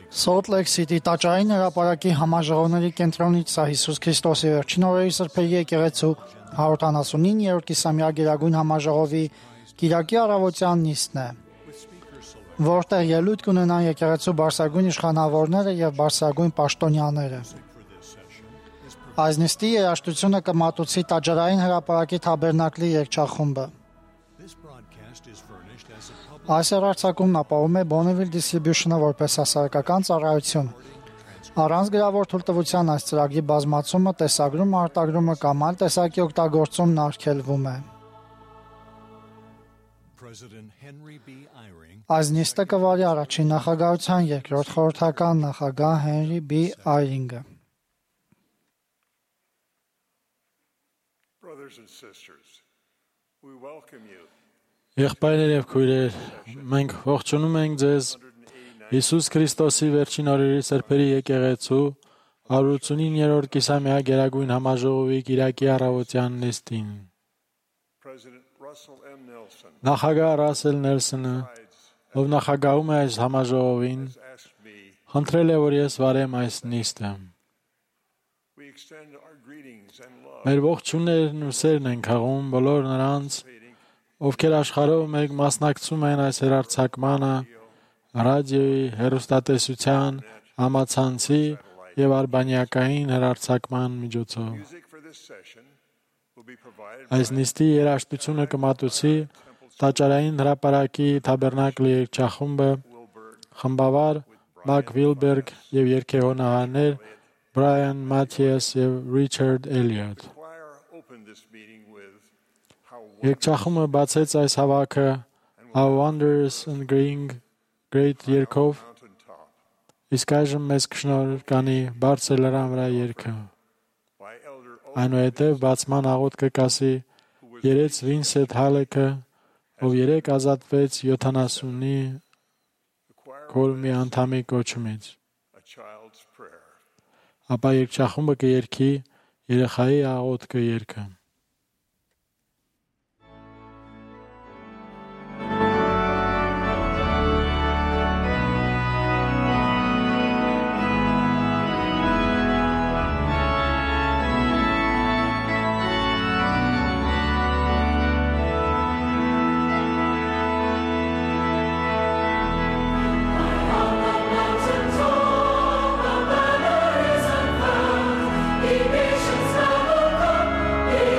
Salt Lake City տաճարային հրապարակի համաժողովների կենտրոնից սա Հիսուս Քրիստոսի վերջին օրերի սրբերի եկեղեցու 179-րդ կիսամյա գերագույն համաժողովի կիրակի առավոտյան նիստն է, որտեղ ելույթ կունենան եկեղեցու բարձրագույն իշխանավորները եւ բարձրագույն պաշտոնյաները։ Այս նիստի երաժշտությունը կմատուցի տաճարային հրապարակի թաբերնակլի երգչախումբը։ Այս հեռարձակումն ապահովում է Bonneville Distribution-ը որպես հասարակական ծառայություն։ Առանց գրավոր թույլտվության այս ծրագրի բազմացումը, տեսագրումը, արտադրումը կամ այլ տեսակի օգտագործումն արգելվում է։ Այս նիստը կվարի առաջին նախագահության երկրորդ խորհրդական նախագահ Հենրի B. Այրինգը։ Եղբայրներ եւ քույրեր, մենք ողջունում ենք ձեզ Հիսուս Քրիստոսի վերջին օրերի սրբերի եկեղեցու 189-րդ կիսամյա գերագույն համաժողովի կիրակի առավոտյան նիստին։ Նախագահ Ռասել Նելսոնը, ով նախագահում է այս համաժողովին, խնդրել է, որ ես վարեմ այս նիստը։ Մեր ողջուններն ու սերն ենք հղում բոլոր նրանց, ովքեր աշխարհով մեկ մասնակցում են այս հեռարձակմանը, ռադիոյի, հեռուստատեսության, համացանցի եւ արբանյակային հեռարձակման միջոցով։ Այս նիստի երաժշտությունը կմատուցի տաճարային հրապարակի թաբերնակլի երգչախումբը, խմբավար Մակ Վիլբերգ եւ երգեհոնահարներ Բրայան Մաթիաս եւ Ռիչարդ Էլիոտ։ Երգչախումբը բացեց այս հավաքը How Wondrous and Great երգով, իսկ այժմ մեզ կշնորհկանի բարձր լեռան վրա երգը։ Այնուհետև բացման աղոթքը կասի երեց Վինսենտ Հալեկը, ով երեք ազատվեց 70-ի քորմի անդամի կոչումից։ Ապա երգչախումբը կերգի երեխայի աղոթքը երգը։ Nations now will come.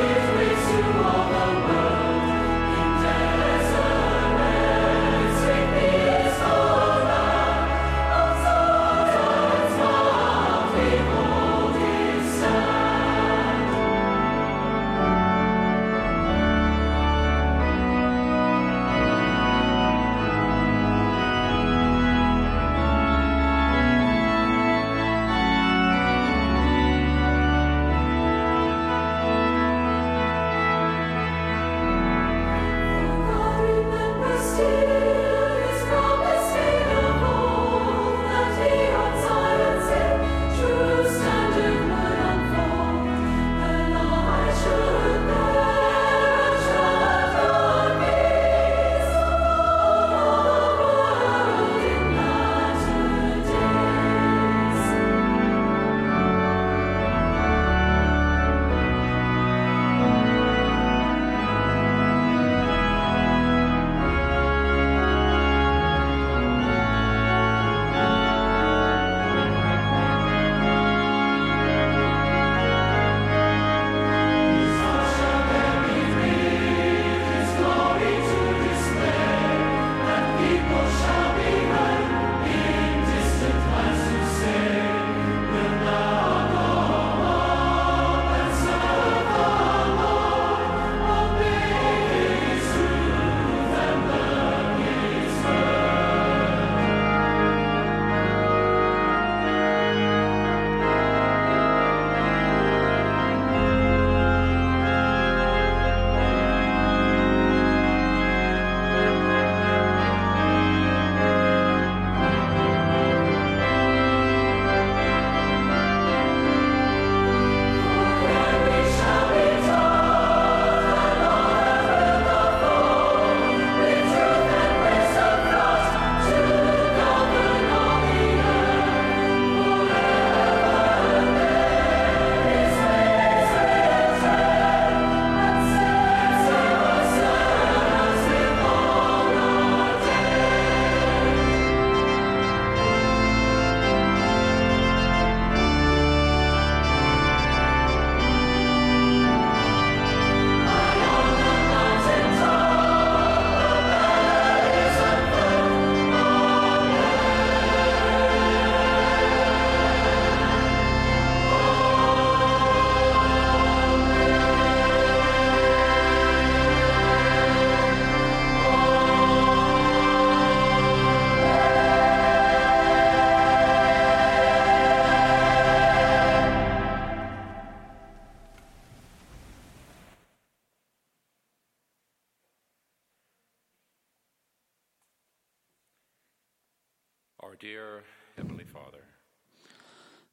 Our dear Heavenly Father,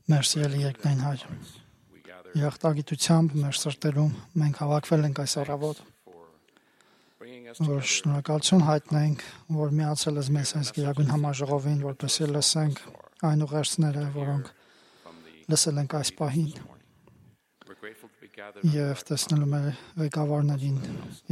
Մեր սիրելի երկնային Հայր, we gather երախտագիտությամբ մեր սրտերում մենք հավաքվել ենք այս առավոտ, for bringing us որ together շնորհակալություն հայտնենք, որ միացել ես մեզ այս գերագույն համաժողովին, որպեսզի լսենք այն ուղերձները, որոնք from the լսել ենք այս պահին, morning. We're grateful to be gathered եւ տեսնելու մեր ղեկավարներին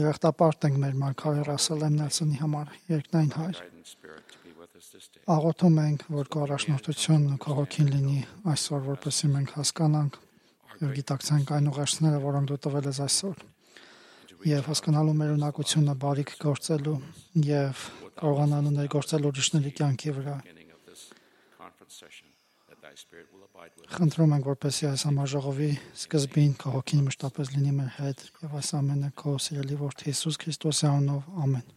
երախտապարտ ենք մեր մարգարե Ռասել Նելսոնի համար, երկնային Հայր։ guidance spirit to be with us this day. Աղոթում ենք, որ քո առաջնորդությունն ու քո հոգին լինի այսօր, որպեսզի մենք հասկանանք եւ գիտակցենք այն ուղերձները, որոնք դու տվել ես այսօր, եւ հասկանալու մեր ունակությունը բարիք գործելու եւ կարողանալու ներգործել ուրիշների կյանքի վրա։ Beginning of this conference session, that thy spirit will abide with us. Խնդրում ենք, որպեսզի այս համաժողովի սկզբին քո հոգին մշտապես լինի մեր հետ եւ այս ամենը քո սիրելի որդի Հիսուս Քրիստոսի անունով, ամեն։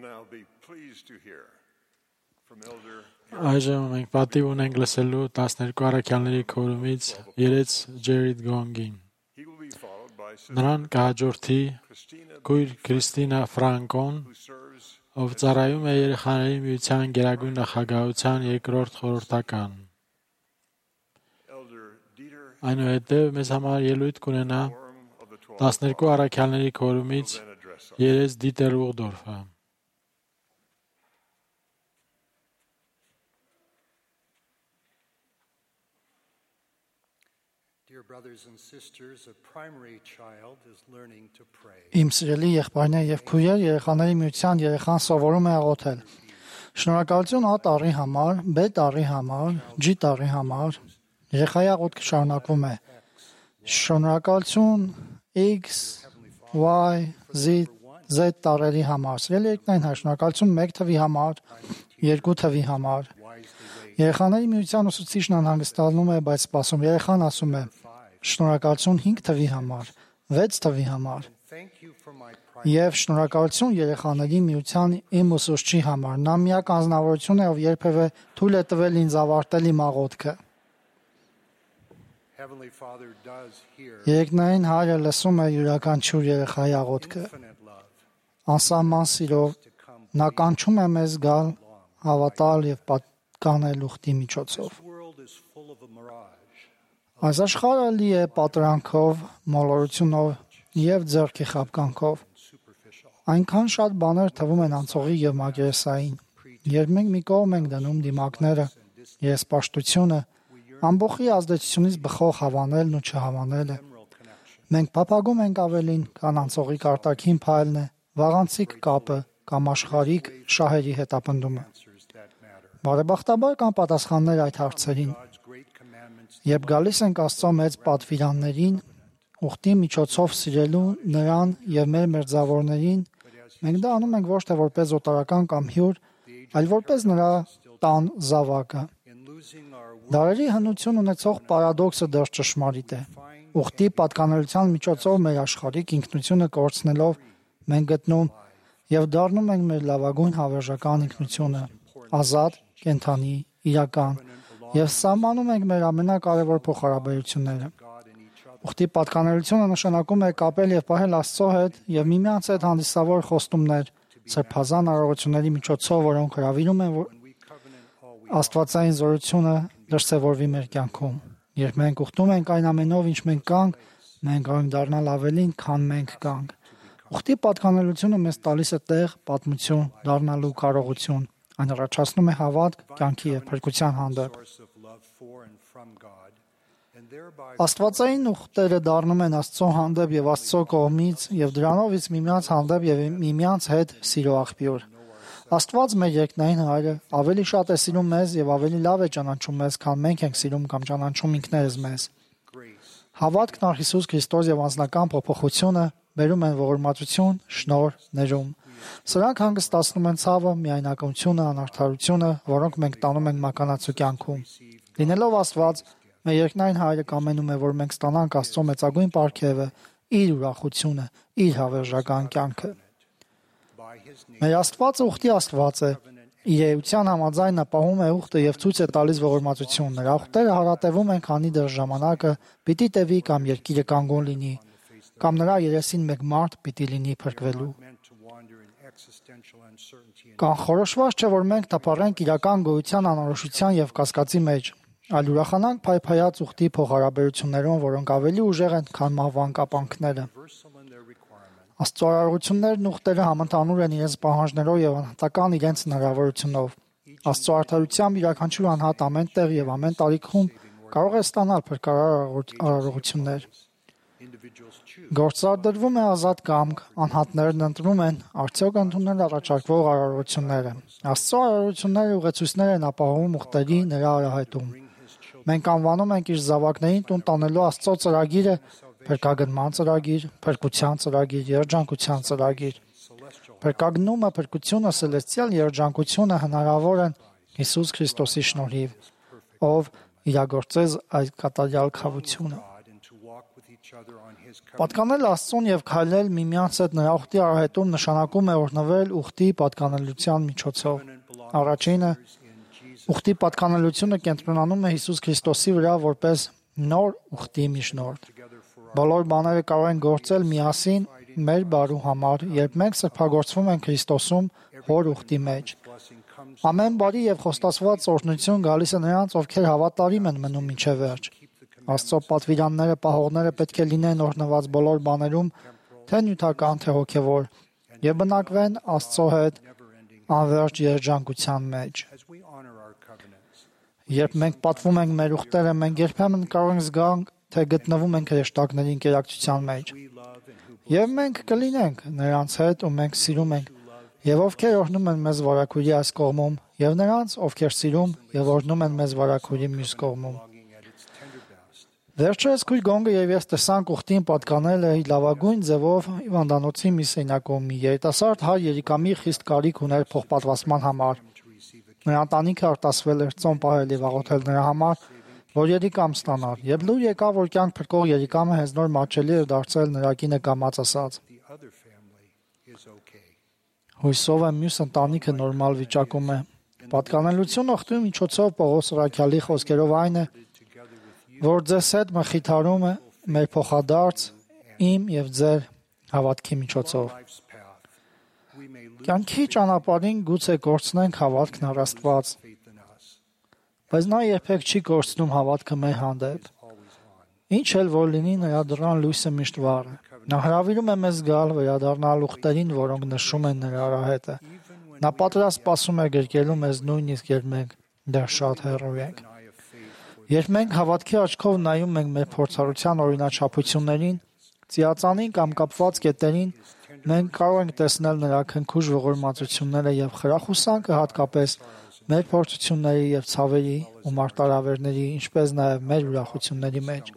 now be pleased to hear from Elder Այժմ մենք պատիվ ունենք լսելու 12 առաքյալների քորումից երեց Ջերիդ Գոնգին։ He will be followed by Sister Նրան կհաջորդի Christina, քույր Քրիստինա Ֆրանկոն, who serves ով ծառայում է երեխաների միության գերագույն նախագահության երկրորդ խորհրդական։ Elder Dieter, Այնուհետև մեզ համար ելույթ կունենա quorum of the 12 12 առաքյալների քորումից then address us. երեց Դիտեր Ուղդորֆը։ Dear brothers and sisters, a primary child is learning to pray. Իմ սիրելի եղբայրներ եւ քույրեր, երեխաների միության երեխան սովորում է աղոթել։ Շնորհակալություն A տարի համար, B տարի համար, G տարի համար։ Երեխայի աղոթքը շարունակվում է։ Շնորհակալություն X, Y, Z տարերի համար։ Սիրելի եկնային շնորհակալություն 1 թվի համար, 2 թվի համար։ Երեխաների միության ուսուցիչն անհանգստանում է, բայց սպասում երեխան ասում է. շնորհակալություն 5 թվի համար, 6 թվի համար։ Thank you for my pride. Եվ շնորհակալություն երեխաների միության իմ ուսուցչի համար։ Նա միակ անձնավորություն է, ով երբևէ թույլ է տվել ինձ ավարտել իմ աղոթքը։ Heavenly Father does hear Երկնային Հայրը լսում է յուրաքանչյուր երեխայի աղոթքը։ infinite love Անսահման սիրով to come. նա կանչում է մեզ գալ, հավատալ եւ պատկանել ուխտի միջոցով։ This world is full of a mirage. Այս աշխարհը լի է պատրանքով, մոլորությունով եւ ձեռքի խաբկանքով։ Superficial. Այնքան շատ բաներ թվում են անցողի եւ մակերեսային։ Երբ մենք մի կողմ ենք դնում դիմակները, երեսպաշտությունը, ամբողջի ազդեցությունից բխող հավանելն ու չհավանելը, Emerald connection. մենք փափագում ենք ավելին, քան անցողի կարտաքին փայլն է, վաղանցիկ կապը կամ աշխարհիկ շահերի հետապնդումը։ Answers that matter. Բարեբախտաբար կան պատասխաններ այդ հարցերին։ God's great commandments Երբ գալիս ենք Աստծո մեծ պատվիրաններին, ուխտի միջոցով սիրելու նրան եւ մեր մերձավորներին, մենք դա անում ենք ոչ թե որպես օտարական կամ հյուր, այլ որպես նրա տան զավակը։ in losing our Դարերի հնություն ունեցող պարադոքսը դեռ ճշմարիտ է։ Ուխտի պատկանելության միջոցով մեր աշխարհիկ ինքնությունը կորցնելով մենք գտնում եւ դառնում ենք մեր լավագույն հավերժական ինքնությունը, ազատ, կենթանի, իրական եւ սահմանում ենք մեր ամենակարևոր փոխհարաբերությունները։ God in each other. Ուխտի պատկանելությունը նշանակում է կապել եւ պահել Աստծո հետ եւ միմյանց հետ հանդիսավոր խոստումներ, սրբազան արարողությունների միջոցով, որոնք հրավիրում են որ We covenant all we Աստվածային զորությունը դրսևորվի մեր կյանքում։ Երբ մենք ուխտում ենք այն ամենով, ինչ մենք կանք, մենք կարող ենք դառնալ ավելին, քան մենք կանք։ Ուխտի պատկանելությունը մեզ տալիս է տեղ, պատմություն, դառնալու կարողություն։ Այն առաջացնում է հավատք, կյանքի եւ փրկության հանդեպ։ source of love for and from God, and thereby Աստվածային ուխտերը դառնում են Աստծո հանդեպ եւ Աստծո կողմից եւ դրանով իսկ միմյանց հանդեպ եւ միմյանց հետ սիրո աղբյուր։ Աստված մեր երկնային Հայրը ավելի շատ է սիրում մեզ եւ ավելի լավ է ճանաչում մեզ, քան մենք ենք սիրում կամ ճանաչում ինքներս մեզ։ grace. Հավատքն առ Հիսուս Քրիստոս եւ անձնական փոփոխությունը բերում են ողորմածություն, շնորհ, ներում։ Սրանք հանգստացնում են ցավը, միայնակությունը, անարդարությունը, որոնք մենք տանում ենք մականացու կյանքում։ Լինելով Աստված, մեր երկնային Հայրը կամենում է, որ մենք ստանանք Աստծո մեծագույն պարգևը, իր ուրախությունը, իր հավերժական կյանքը։ By his name, Մեր Աստվածը ուխտի Աստված է։ Իր էության համաձայն նա պահում է ուխտը եւ ցույց է տալիս ողորմածություն։ Նրա ուխտերը հարատևում են, քանի դեռ ժամանակը պիտի տևի կամ երկիրը կանգուն լինի, կամ նրա երեսին մեկ մարդ պիտի լինի փրկվելու։ meant to wander in existential uncertainty and Կանխորոշված չէ, որ մենք թափառենք իրական գոյության անորոշության եւ կասկածի մեջ, այլ ուրախանանք փայփայած ուխտի փոխհարաբերություններում, որոնք ավելի ուժեղ են, քան մահվան կապանքները։ universal in their requirement. Աստծոարարություններն ուխտերը համընդհանուր են իրենց պահանջներով եւ անհատական իրենց հնարավորությունով։ Աստծո արդարությամբ յուրաքանչյուր անհատ ամեն տեղ եւ ամեն տարիքում կարող է ստանալ փրկարար արարողություններ։ Individuals choose Գործադրվում է ազատ կամք, անհատներն ընտրում են արդյոք ընդունել առաջարկվող արարողությունները։ Աստծո արարողությունները ուղեցույցներ են ապահովում ուխտերի նրա արահետում։ Մենք անվանում ենք իր զավակներին տուն տանելու Աստծո ծրագիրը փրկագնման ծրագիր, փրկության ծրագիր, երջանկության ծրագիր։ Փրկագնումը, փրկությունը, սելեստիալ երջանկությունը հնարավոր են Հիսուս Քրիստոսի շնորհիվ, ով իրագործեց այդ կատարյալ քավությունը։ God and to walk with each each other on his covenant. Պատկանել Աստծուն եւ քայլել միմյանց հետ նրա ուխտի արահետում նշանակում է օրհնվել ուխտի պատկանելության միջոցով։ Առաջինը ուխտի պատկանելությունը կենտրոնանում է Հիսուս Քրիստոսի վրա որպես նոր ուխտի միջնորդ։ Բոլոր բաները կարող են գործել միասին մեր բարու համար, երբ մենք սրբագործվում ենք Քրիստոսում հոր ուխտի մեջ։ Ամեն բարի եւ խոստացված օրհնություն գալիս է նրանց, ովքեր հավատարիմ են մնում մինչև վերջ։ Աստծո պատվիրանները, պահողները պետք է լինեն օրհնված բոլոր բաներում, թե նյութական, թե հոգևոր, եւ բնակվեն Աստծո հետ անverջ երջանկության մեջ։ Երբ մենք պատվում ենք մեր ուխտերը, մենք երբեմն կարող ենք զգալ, թե գտնվում ենք հրեշտակների ընկերակցության մեջ։ Եվ մենք կլինենք նրանց հետ, ու մենք սիրում ենք, եւ ովքեր օրհնում են մեզ վարակույրի այս կողմում, եւ նրանց, ովքեր սիրում եւ օրհնում են մեզ վարակույրի մյուս կողմում։ Վերջերս քույր Գոնգը եւ ես տեսանք ուխտին պատկանել է լավագույն ձևով Հիվանդանոցի մի սենյակում մի երիտասարդ հայ Երիկամի խիստ կարիք ուներ փոխպատվաստման համար։ Նրա ընտանիքը արտասվել էր ծոմ պահել եւ աղոթել նրա համար, որ Երիկամ ստանար, եւ լուր եկավ, որ կյանք փրկող Երիկամը հենց նոր մաչելի էր դարձել նրա կինը կամած ասած։ Հույսով եմ մյուս ընտանիքը նորմալ վիճակում է։ Պատկանելություն ուխտի միջոցով Պողոս Առաքյալի խոսքերով այն է, որ ձեզ հետ մխիթարում է մեր փոխադարձ իմ եւ ձեր հավատքի միջոցով։ Կյանքի ճանապարհին գուցե կորցնենք հավատքն առ Աստված, բայց նա երբեք չի կորցնում հավատքը մեր հանդեպ։ Ինչ էլ որ լինի, նրա դռան լույսը միշտ վառ է։ Նա հրավիրում է մեզ գալ վերադառնալ ուխտերին, որոնք նշում են նրա արահետը։ Նա պատրաստ սպասում է գրկելու մեզ նույնիսկ երբ մենք դեռ շատ հեռու ենք։ Երբ մենք հավատքի աչքով նայում ենք մեր փորձառության օրինաչափություններին, ծիածանին կամ կապված կետերին, մենք կարող ենք տեսնել նրա քնքուշ ողորմածությունները եւ խրախուսանքը հատկապես մեր փորձությունների եւ ցավերի ու մարտահրավերների, ինչպես նաեւ մեր ուրախությունների մեջ։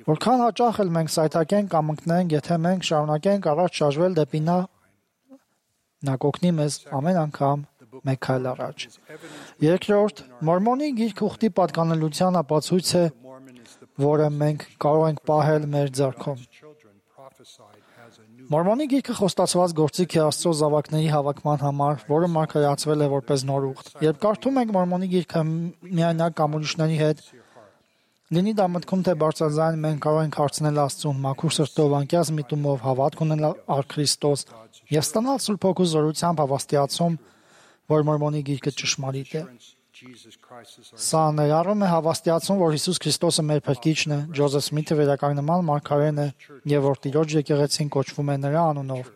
Որքան հաճախ էլ մենք սայթաքենք կամ ընկնենք, եթե մենք շարունակենք առաջ շարժվել դեպի նա կօգնի մեզ ամեն անգամ մեկ քայլ առաջ։ Երկրորդ, Մորմոնի գիրքը ուխտի պատկանելության ապացույց է, որը մենք կարող ենք պահել մեր ձեռքում։ Մորմոնի գիրքը խոստացված գործիք է Աստծո զավակների հավաքման համար, որը մարգարեացվել է որպես նոր ուխտ։ Երբ կարդում ենք Մորմոնի գիրքը միայնակ կամ ուրիշների հետ, լինի դա մտքում թե բարձրաձայն, մենք կարող ենք հարցնել Աստծուն, մաքուր սրտով, անկյաց միտումով, հավատք ունենալ առ Քրիստոս եւ ստանալ Սուրբ Հոգու զորությամբ հավաստիացում, որ Մորմոնի գիրքը ճշմարիտ է։ Սա ներառում է հավաստիացում, որ Հիսուս Քրիստոսը մեր փրկիչն է, Ջոզեֆ Սմիթը վերականգնման մարգարեն է եւ որ Տիրոջ եկեղեցին կոչվում է նրա անունով՝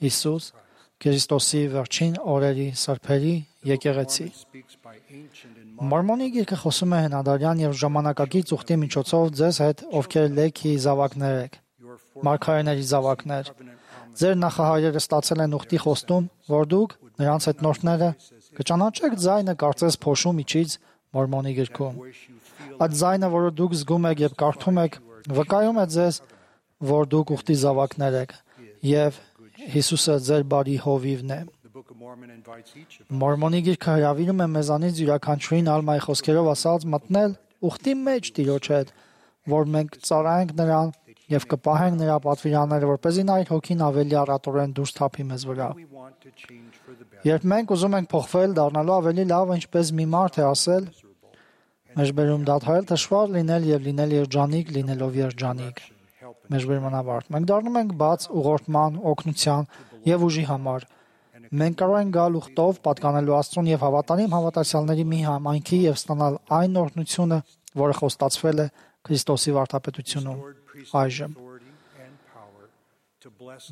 Հիսուս Քրիստոսի վերջին օրերի սրբերի եկեղեցի։ Մորմոնի գիրքը խոսում է հնադարյան եւ ժամանակակից ուխտի միջոցով ձեզ հետ, ովքեր Լեքի զավակներ եք, մարգարեների զավակներ։ Ձեր նախահայրերը ստացել են ուխտի խոստում, որ դուք նրանց հետնորդները կճանաչեք ձայնը կարծես փոշու միջից Մորմոնի գրքում։ Այդ ձայնը, որը դուք զգում եք եւ կարդում եք, վկայում է ձեզ, որ դուք ուխտի զավակներ եք եւ Հիսուսը ձեր բարի հովիվն է։ Մորմոնի գիրքը հրավիրում է մեզանից յուրաքանչյուրին ալմայի խոսքերով ասած մտնել ուխտի մեջ Տիրոջ հետ, որ մենք ծառայենք նրան եւ կպահենք նրա պատվիրանները, որպեսզի նա իր հոգին ավելի առատորեն դուրս թափի մեզ վրա։ Երբ մենք ուզում ենք փոխվել, դառնալու ավելի լավ, ինչպես մի մարդ է ասել, մեջբերում դադարել թշվառ լինել եւ լինել երջանիկ, լինելով երջանիկ։ Մեջբերման ավարտ։ Մենք դառնում ենք բաց ուղղորդման, օգնության եւ ուժի համար։ Մենք կարող ենք գալ ուխտով, պատկանելու Աստծուն եւ հավատարիմ հավատացյալների մի համայնքի եւ ստանալ այն օրհնությունը, որը խոստացվել է Քրիստոսի վարդապետությունում։ Այժմ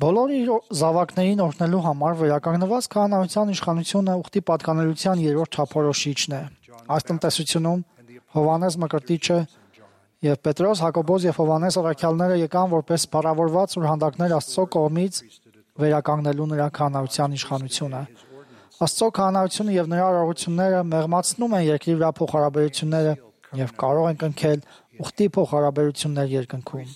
բոլոր իր զավակներին օրհնելու համար վերականգնված քահանայության իշխանությունը ուխտի պատկանելության երրորդ չափորոշիչն է։ Այս տնտեսությունում Հովհաննես Մկրտիչը եւ Պետրոս, Հակոբոս եւ Հովհաննես առաքյալները եկան որպես փառավորված ուրհանդակներ Աստծո կողմից վերականգնելու նրա քահանայության իշխանությունը։ Աստծո քահանայությունը եւ նրա արարողությունները մեղմացնում են երկրի վրա փոխհարաբերությունները եւ կարող են կնքել ուխտի փոխհարաբերություններ երկնքում։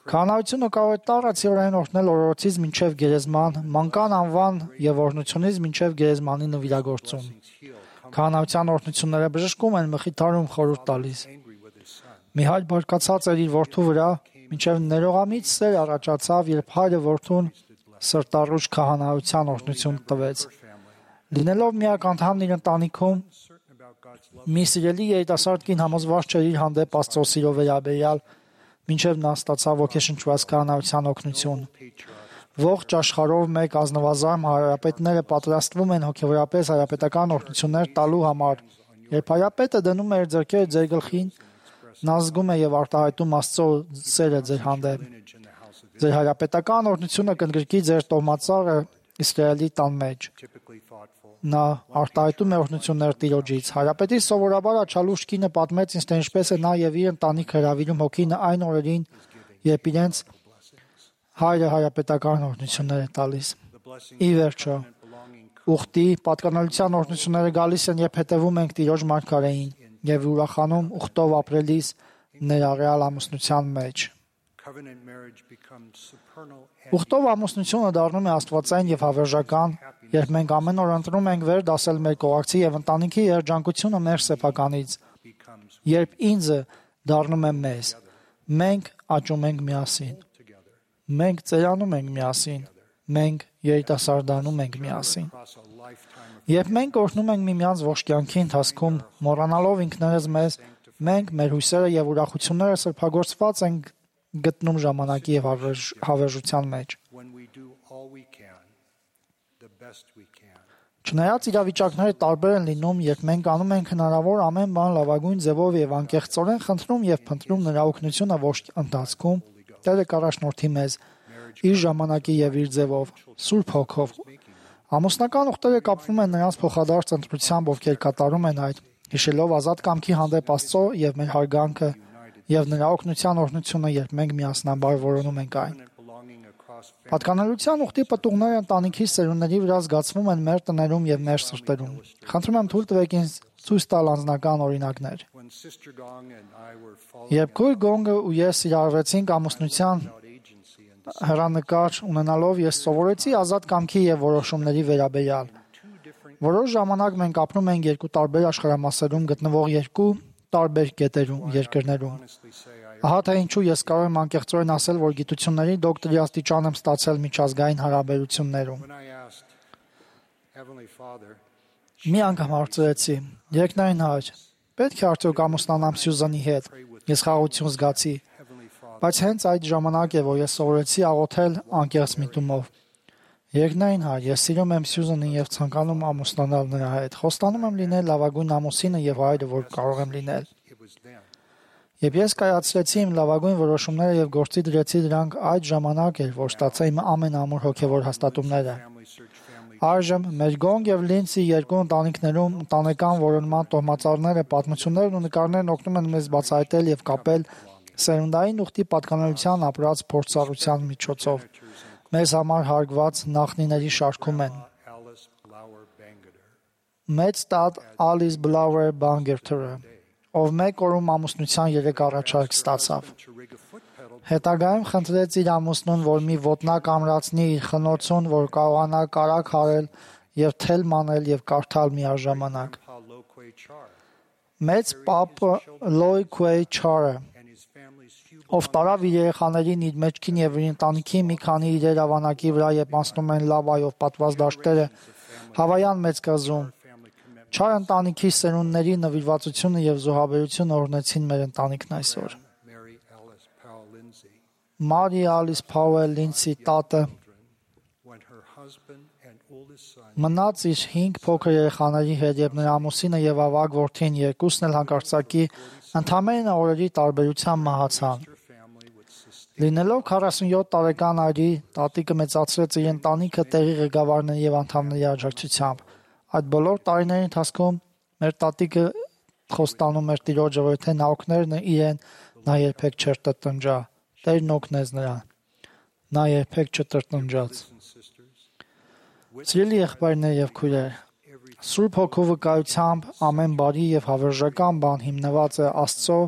Քահանայությունը կարող է տարածիորեն օրհնել օրորոցից մինչև գերեզման, մանկան անվան եւ օրհնությունից մինչև գերեզմանի նվիրագործում։ Քահանայության օրհնությունները բժշկում են, մխիթարում, խորհուրդ տալիս։ Մի հայր բարկացած էր իր որդու վրա, մինչև ներողամիտ սեր առաջացավ, երբ հայրը որդուն սրտառուչ քահանայության օրհնություն տվեց։ Լինելով միակ անդամն իր ընտանիքում, մի սիրելի երիտասարդ կին համոզված չէր իր հանդեպ Աստծո սիրո վերաբերյալ, մինչև նա ստացավ ոգեշնչված քահանայության օգնություն։ Ողջ աշխարհով մեկ ազնվազարմ հարապետները պատրաստվում են հոգեվորապես հարապետական օրհնություններ տալու համար։ Երբ հարապետը դնում է իր ձեռքերը ձեր գլխին, նա զգում է եւ արտահայտում Աստծո սերը ձեր հանդեպ։ Ձեր հարապետական օրհնությունը կընդգրկի ձեր տոհմածառը Իսրայելի տան մեջ։ Նա արտահայտում է օրհնություններ Տիրոջից։ Հարապետի սովորաբար աչալուշ կինը պատմեց ինձ, թե ինչպես է նա եւ իր ընտանիքը հրավիրում հոգին այն օրերին, երբ իրենց հայրը հարապետական օրհնություններ է տալիս։ Ի վերջո, ուխտի պատկանելիության օրհնությունները գալիս են, երբ հետևում ենք Տիրոջ մարգարեին եւ ուրախանում ուխտով ապրելիս ներառյալ ամուսնության մեջ։ Ուխտով ամուսնությունը դառնում է աստվածային եւ հավերժական, երբ մենք ամեն օր ընտրում ենք վեր դասել մեր կողակցի եւ ընտանիքի երջանկությունը մեր սեփականից։ Երբ ինձը դառնում է մեզ, մենք աճում ենք միասին։ Մենք ծերանում ենք միասին։ Մենք երիտասարդանում ենք միասին։ Երբ մենք օրհնում ենք միմյանց ողջ կյանքի ընթացքում, մոռանալով ինքներս մեզ, մենք մեր հույսերը եւ ուրախությունները սրբագործված ենք գտնում ժամանակի եւ հավերժության մեջ։ Չնայած իրավիճակները տարբեր են լինում, երբ մենք անում ենք հնարավոր ամեն բան լավագույն ձևով եւ անկեղծորեն խնդրում եւ փնտրում նրա օգնությունը ողջ ընթացքում, Տերը կառաջնորդի մեզ իր ժամանակի եւ իր ձևով, Սուրբ Հոգով։ Ամուսնական ուխտերը կապվում են նրանց փոխադարձ ընտրությամբ, ովքեր կատարում են այդ, հիշելով ազատ կամքի հանդեպ Աստծո եւ մեր հարգանքը եւ նրա օգնության օրհնությունը, երբ մենք միասնաբար որոնում ենք այն։ Պատկանելիության ուխտի պտուղները ընտանիքի սերունդների վրա զգացվում են մեր տներում եւ մեր սրտերում։ Խնդրում եմ թույլ տվեք ինձ ցույց տալ անձնական օրինակներ։ Երբ քույր Գոնգը ու ես իրարվեցինք ամուսնության հեռանկար ունենալով, ես սովորեցի ազատ կամքի եւ որոշումների վերաբերյալ։ Որոշ ժամանակ մենք ապրում ենք երկու տարբեր աշխարհամասերում գտնվող երկու տարբեր երկրներում։ Ահա թե ինչու ես կարող եմ անկեղծորեն ասել, որ գիտությունների դոկտորի աստիճան եմ ստացել միջազգային հարաբերություններում։ Մի անգամ հարցրեցի. «Երկնային Հայր, պետք է արդյոք ամուսնանամ Սյուզանի հետ»։ Ես խաղաղություն զգացի, բայց հենց այդ ժամանակ է, որ ես սովորեցի աղոթել անկեղծ միտումով։ Երկնային Հայր, ես սիրում եմ Սյուզանին եւ ցանկանում ամուսնանալ նրա հետ։ Խոստանում եմ լինել լավագույն ամուսինը եւ հայրը, որ կարող եմ լինել։ Երբ ես կայացրեցի իմ լավագույն որոշումները եւ գործի դրեցի դրանք, այդ ժամանակ էր, որ ստացա իմ ամենամուր հոգեվոր հաստատումները։ Այժմ մեր Գոնգ եւ Լինցի երկու ընտանիքներում ընտանեկան որոնման տոհմածառները, պատմություններն ու նկարներն օգնում են մեզ բացահայտել եւ կապել սերունդային ուխտի պատկանելիության ապրած փորձառության միջոցով։ Մեզ համար հարգված նախնիների շարքում են մեծ տատ Ալիս Բլաուեր Բանգերթերը, ով մեկ օրում ամուսնության 3 առաջարկ ստացավ։ Հետագայում խնդրեց իր ամուսնուն, որ մի ոտնակ ամրացնի իր խնոցուն, որ կարողանա կարագ հարել եւ թել մանել եւ կարդալ միաժամանակ։ Մեծ պապը Լոյ Քուեյ Չարը, ով տարավ իր երեխաներին իր մեջքին եւ իր ընտանիքի մի քանի իրեր ավանակի վրա, երբ անցնում են լավայով պատված դաշտերը Հավայան մեծ կղզում։ Չար ընտանիքի սերունդների նվիրվածությունը եւ զոհաբերությունը օրհնեցին մեր ընտանիքն այսօր։ Մարի Ալիս Փաուել Լինցի տատը մնաց իր 5 փոքր երեխաների հետ, եւ նրա ամուսինը եւ ավագ որդին երկուսն էլ հանկարծակի ընդամենը օրերի տարբերությամբ մահացան։ Լինելով 47 տարեկան արի, տատիկը մեծացրեց իր ընտանիքը տեղի ղեկավարների եւ անդամների աջակցությամբ։ Այդ բոլոր տարիների ընթացքում մեր տատիկը խոստանում էր Տիրոջը, որ եթե նա օգներ իրեն, նա երբեք չէր տրտնջա։ Տերն օգնեց նրան։ Նա երբեք չտրտնջաց։ Սիրելի եղբայրներ եւ քույրեր, Սուրբ Հոգու վկայությամբ ամեն բարի եւ հավերժական բան հիմնված է Աստծո,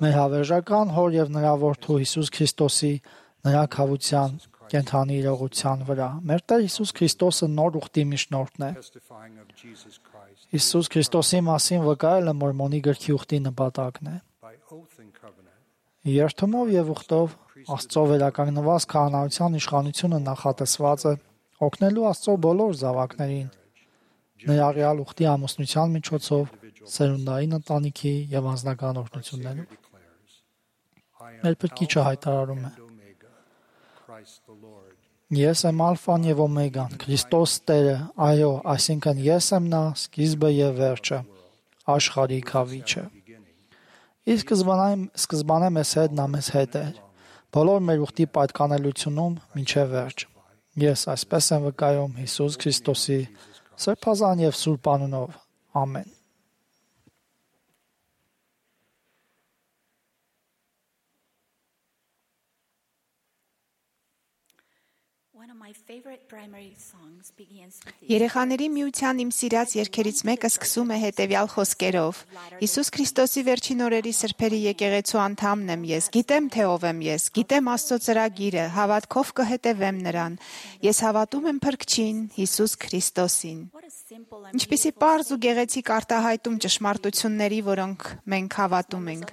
մեր հավերժական Հոր եւ նրա Որդու Հիսուս Քրիստոսի նրա քավության կենթանի իրողության վրա։ Մեր Տեր Հիսուս Քրիստոսը նոր ուխտի միջնորդն է։ Հիսուս Քրիստոսի մասին վկայելը Մորմոնի գրքի ուխտի նպատակն է։ Երթումով եւ ուխտով Աստծո վերականգնված քահանայության իշխանությունը նախատեսված է օգնելու Աստծո բոլոր զավակներին, ներառյալ ուխտի ամուսնության միջոցով, սերունդային ընտանիքի եւ անձնական օրհնություններով։ Մեր Փրկիչը հայտարարում է. Ես եմ ալֆան եւ օմեգան, Քրիստոս Տերը, այո, այսինքն ես եմ նա, սկիզբը եւ վերջը, աշխարհի քավիչը։ Իսկ սկզբանե մեզ հետ նա մեզ հետ է, բոլոր մեր ուխտի պատկանելությունում մինչև վերջ։ Ես այսպես եմ վկայում Հիսուս Քրիստոսի սրբազան եւ սուրբ անունով։ Ամեն։ Երեխաների միության իմ սիրած երգերից մեկը սկսում է հետևյալ խոսքերով. Հիսուս Քրիստոսի վերջին օրերի սրբերի եկեղեցու անդամն եմ ես, գիտեմ թե ով եմ ես, գիտեմ Աստծո ծրագիրը, հավատքով կհետևեմ նրան։ Ես հավատում եմ Փրկչին, Հիսուս Քրիստոսին։ Ինչպիսի պարզ ու գեղեցիկ արտահայտում ճշմարտությունների, որոնք մենք հավատում ենք։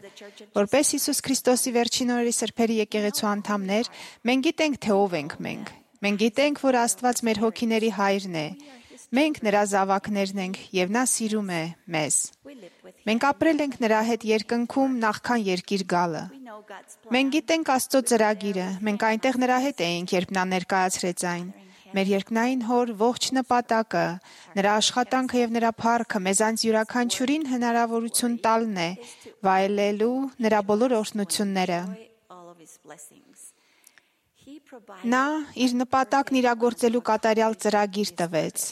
Որպես Հիսուս Քրիստոսի վերջին օրերի սրբերի եկեղեցու անդամներ, մենք գիտենք թե ով ենք մենք։ Մենք գիտենք, որ Աստված մեր հոգիների հայրն է։ Մենք նրա զավակներն ենք եւ նա սիրում է մեզ։ Մենք ապրել ենք նրա հետ երկնքում նախքան երկիր գալը։ Մենք գիտենք Աստծո ծրագիրը։ Մենք այնտեղ նրա հետ էինք, երբ նա ներկայացրեց այն։ Մեր երկնային հոր ողջ նպատակը, նրա աշխատանքը եւ նրա փառքը մեզանց յուրաքանչյուրին հնարավորություն տալն է վայելելու նրա բոլոր օրհնությունները։ Նա իր նպատակն իրագործելու կատարյալ ծրագիր տվեց։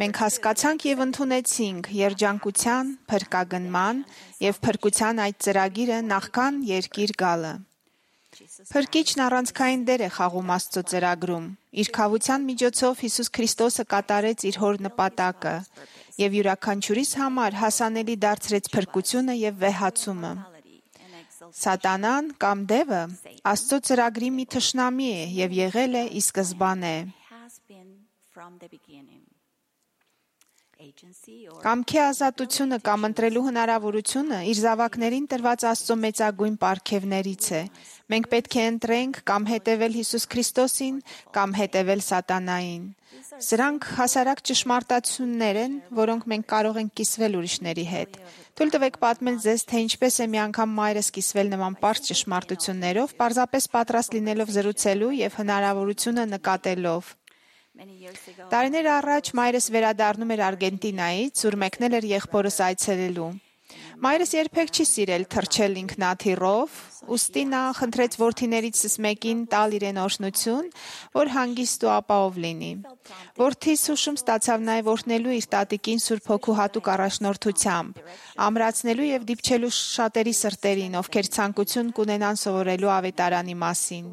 Մենք հասկացանք եւ ընդունեցինք երջանկության, փրկագնման եւ փրկության այդ ծրագիրը նախքան երկիր գալը։ Փրկիչն առանցքային դեր է խաղում Աստծո ծրագրում։ Իր քավության միջոցով Հիսուս Քրիստոսը կատարեց իր հոր նպատակը եւ յուրաքանչյուրիս համար հասանելի դարձրեց փրկությունը եւ վեհացումը։ Սատանան կամ դևը Աստծո ծրագրի մի թշնամի է եւ եղել է ի սկզբանե։ Կամքի ազատությունը կամ ընտրելու հնարավորությունը իր զավակներին տրված Աստծո մեծագույն պարգևներից է։ Մենք պետք է ընտրենք կամ հետևել Հիսուս Քրիստոսին, կամ հետևել սատանային։ Սրանք հասարակ ճշմարտություններ են, որոնք մենք կարող ենք կիսվել ուրիշների հետ։ Թույլ տվեք պատմել ձեզ, թե ինչպես է մի անգամ մայրս կիսվել նման պարզ ճշմարտություններով, պարզապես պատրաստ լինելով զրուցելու եւ հնարավորությունը նկատելով։ Տարիներ առաջ մայրս վերադառնում էր Արգենտինայից, ուր մեկնել էր եղբորս այցելելու։ Մայրս երբեք չի սիրել թռչել ինքնաթիռով, ուստի նա խնդրեց որդիներիցս մեկին տալ իրեն օրհնություն, որ հանգիստ ու ապահով լինի։ Որդիս հուշում ստացավ նաև օրհնելու իր տատիկին Սուրբ Հոգու հատուկ առաջնորդությամբ, ամրացնելու եւ դիպչելու շատերի սրտերին, ովքեր ցանկություն կունենան սովորելու ավետարանի մասին։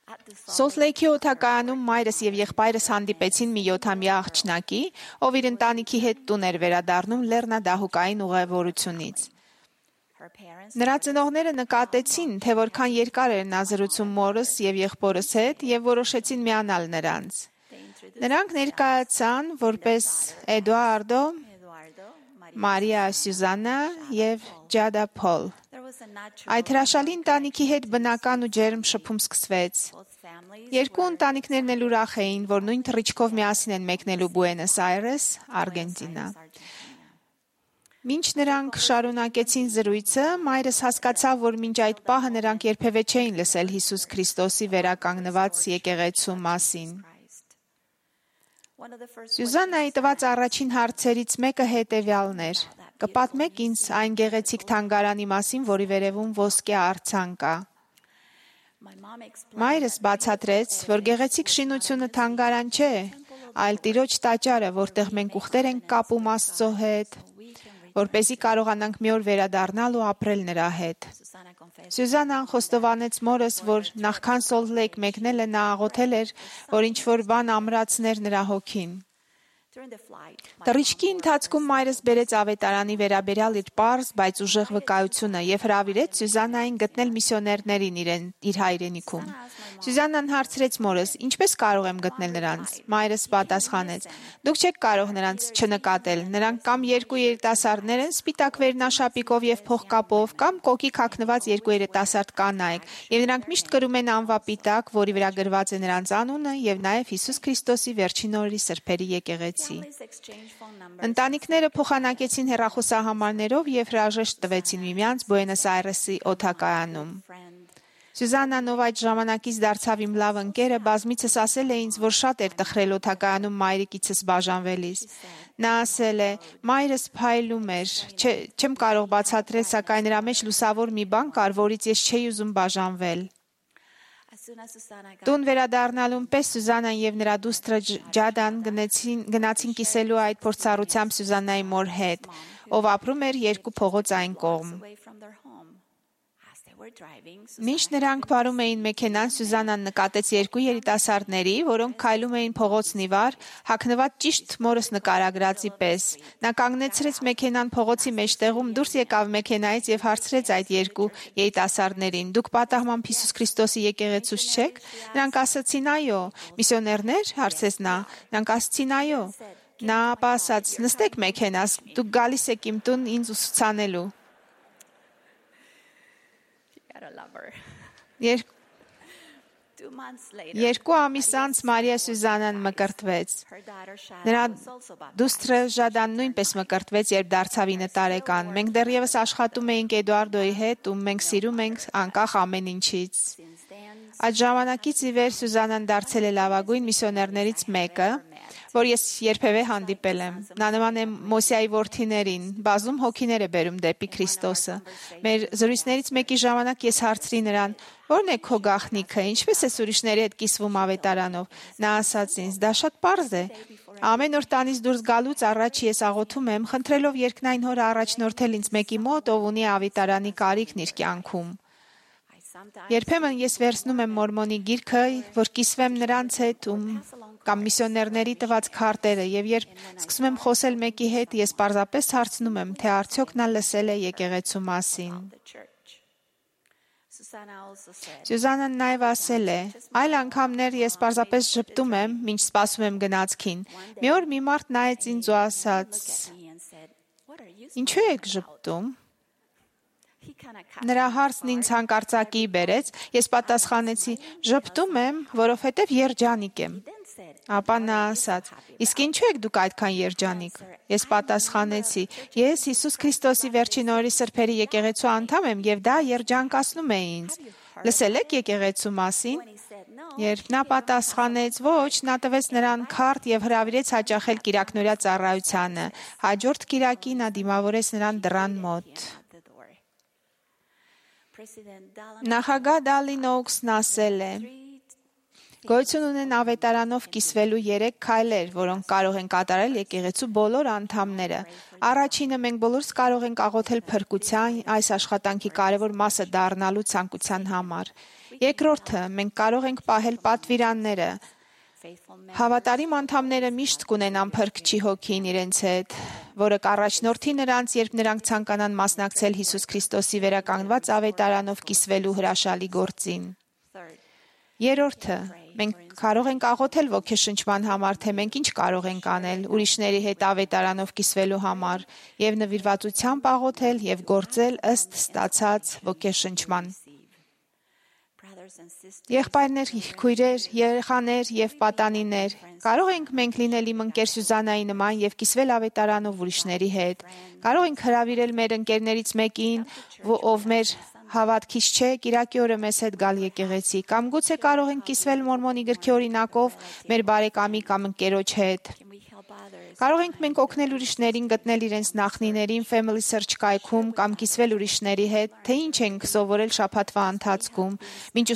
Սոլթ Լեյքի օդակայանում մայրս եւ եղբայրս հանդիպեցին մի 7-ամյա աղջնակի, ով իր ընտանիքի հետ տուն էր վերադառնում Լեռնադահուկային ուղևորությունից։ Նրա ծնողները նկատեցին, թե որքան երկար էր նա զրուցում մորս եւ եղբորս հետ եւ որոշեցին միանալ նրանց։ Նրանք ներկայացան որպես Էդուարդո, Մարիա Սյուզաննա եւ Ջադա Փոլ։ Այդ հրաշալի ընտանիքի հետ բնական ու ջերմ շփում սկսվեց։ Երկու ընտանիքներն էլ ուրախ էին, որ նույն թռիչքով միասին են մեկնելու Բուենոս Այրես, Արգենտինա։ Մինչ նրանք շարունակեցին զրույցը, մայրս հասկացավ, որ մինչ այդ պահը նրանք երբևէ չէին լսել Հիսուս Քրիստոսի վերականգնված եկեղեցու մասին։ Սյուզաննայի տված առաջին հարցերից մեկը հետևյալն էր. «Կպատմեք ինձ այն գեղեցիկ թանգարանի մասին, որի վերևում ոսկե արձան կա»։ Մայրս բացատրեց, որ գեղեցիկ շինությունը թանգարան չէ, այլ Տիրոջ տաճարը, որտեղ մենք ուխտեր ենք կապում Աստծո հետ, որպեսզի կարողանանք մի օր վերադառնալ ու ապրել նրա հետ։ Սյուզաննան խոստովանեց մորս, որ նախքան Սոլթ Լեյք մեկնելը նա աղոթել էր, որ ինչ-որ բան ամրացներ նրա հոգին։ Թռիչքի ընթացքում մայրս բերեց ավետարանի վերաբերյալ իր պարզ, բայց ուժեղ վկայությունը եւ հրավիրեց Սյուզաննային գտնել միսիոներներին իր հայրենիքում։ Սյուզաննան հարցրեց մորս. «Ինչպես կարող եմ գտնել նրանց»։ Մայրս պատասխանեց. «Դուք չեք կարող նրանց չնկատել։ Նրանք կամ երկու երիտասարդներ են սպիտակ վերնաշապիկով եւ փողկապով, կամ կոկիկ հագնված երկու երիտասարդ կանայք, եւ նրանք միշտ կրում են անվապիտակ, որի վրա գրված է նրանց անունը եւ նաեւ Հիսուս Քրիստոսի վերջին օրերի սրբերի եկեղեցի»։ Ընտանիքները փոխանակեցին հեռախոսահամարներով եւ հրաժեշտ տվեցին միմյանց Բուենոս Այրեսի օդակայանում։ Սյուզաննան, ով այդ ժամանակից դարձավ իմ լավ ընկերը, բազմիցս ասել է ինձ, որ շատ էր տխրել օդակայանում մայրիկիցս բաժանվելիս։ Նա ասել է. «Մայրս փայլում էր, չեմ կարող բացատրել, սակայն նրա մեջ լուսավոր մի բան կար, որից ես չէի ուզում բաժանվել»։ Տուն վերադառնալուն պես Սյուզաննան եւ նրա դուստրը Ջադան գնացին կիսելու այդ փորձառությամբ Սյուզաննայի մոր հետ, ով ապրում էր երկու փողոց այն կողմ։ Մինչ նրանք վարում էին մեքենան, Սյուզաննան նկատեց երկու երիտասարդների, որոնք քայլում էին փողոցն ի վար, հագնված ճիշտ մորս նկարագրածի պես։ Նա կանգնեցրեց մեքենան փողոցի մեջտեղում, դուրս եկավ մեքենայից եւ հարցրեց այդ երկու երիտասարդներին. «Դուք պատահմամբ Հիսուս Քրիստոսի եկեղեցուց չեք»։ Նրանք ասացին. «Այո»։ «Միսիոներներ»։ հարցրեց նա։ Նրանք ասացին. «Այո»։ Նա ապա ասաց. «Նստեք մեքենաս, դուք գալիս եք իմ տուն ինձ ուսուցանելու»։ Երկու ամիս անց Մարիա Սյուզաննան մկրտվեց։ Նրա դուստրը Ժադան նույնպես մկրտվեց, երբ դարձավ 9 տարեկան։ Մենք դեռևս աշխատում էինք Էդուարդոյի հետ, ում մենք սիրում ենք անկախ ամեն ինչից։ Այդ ժամանակից ի վեր Սյուզաննան դարձել է լավագույն միսիոներներից մեկը, որ ես երբևէ հանդիպել եմ։ Նա նման է Մոսեայի որդիներին, բազում հոգիներ է բերում դեպի Քրիստոսը։ Մեր զրույցներից մեկի ժամանակ ես հարցրի նրան. «Ո՞րն է քո գաղտնիքը, ինչպես ես ուրիշների հետ կիսվում ավետարանով»։ Նա ասաց ինձ. «Դա շատ պարզ է։ Ամեն օր տանից դուրս գալուց առաջ ես աղոթում եմ, խնդրելով երկնային Հորը առաջնորդել ինձ մեկի մոտ, ով ունի ավետարանի կարիքն իր կյանքում։ Երբեմն ես վերցնում եմ Մորմոնի գիրքը, որ կիսվեմ նրանց հետ, կամ միսիոներների տված քարտերը, եւ երբ սկսում եմ խոսել մեկի հետ, ես պարզապես հարցնում եմ, թե արդյոք նա լսել է եկեղեցու մասին»։ Սյուզաննան նաև ասել է. «Այլ անգամներ ես պարզապես ժպտում եմ, մինչ սպասում եմ գնացքին։ Մի օր մի մարդ նայեց ինձ ու ասաց. «Ինչու եք ժպտում»։ Նրա հարցն ինձ հանկարծակի բերեց, ես պատասխանեցի. «Ժպտում եմ, որովհետև երջանիկ եմ»։ Ապա նա ասաց. «Իսկ ինչու եք դուք այդքան երջանիկ»։ Ես պատասխանեցի. «Ես Հիսուս Քրիստոսի վերջին օրերի սրբերի եկեղեցու անդամ եմ եւ դա երջանկացնում է ինձ։ Լսել եք եկեղեցու մասին»։ Երբ նա պատասխանեց. «Ոչ», նա տվեց նրան քարտ եւ հրավիրեց հաճախել կիրակնօրյա ծառայությանը։ Հաջորդ կիրակի նա դիմավորեց նրան դռան մոտ։ Նախագահ Դալին Օուքսն ասել է. «Գոյություն ունեն ավետարանով կիսվելու 3 քայլեր, որոնք կարող են կատարել եկեղեցու բոլոր անդամները։ Առաջինը մենք բոլորս կարող ենք աղոթել փրկության այս աշխատանքի կարևոր մասը դառնալու ցանկության համար։ Երկրորդը մենք կարող ենք պահել պատվիրանները։ Հավատարիմ անդամները միշտ կունենան Փրկչի հոգին իրենց հետ, որը կառաջնորդի նրանց, երբ նրանք ցանկանան մասնակցել Հիսուս Քրիստոսի վերականգնված ավետարանով կիսվելու հրաշալի գործին։ Երրորդը մենք կարող ենք աղոթել ոգեշնչման համար, թե մենք ինչ կարող ենք անել ուրիշների հետ ավետարանով կիսվելու համար եւ նվիրվածությամբ աղոթել եւ գործել ըստ ստացած ոգեշնչման։ Եղբայրներ, քույրեր, երեխաներ եւ պատանիներ, կարող ենք մենք լինել իմ ընկեր Սյուզաննայի նման եւ կիսվել ավետարանով ուրիշների հետ։ Կարող ենք հրավիրել մեր ընկերներից մեկին, ով մեր հավատքից չէ, կիրակի օրը մեզ հետ գալ եկեղեցի, կամ գուցե կարող ենք կիսվել Մորմոնի գրքի օրինակով մեր բարեկամի կամ ընկերոջ հետ։ Կարող ենք մենք օգնել ուրիշներին գտնել իրենց նախնիներին Family Search կայքում կամ կիսվել ուրիշների հետ, թե ինչ ենք սովորել շաբաթվա ընթացքում, մինչ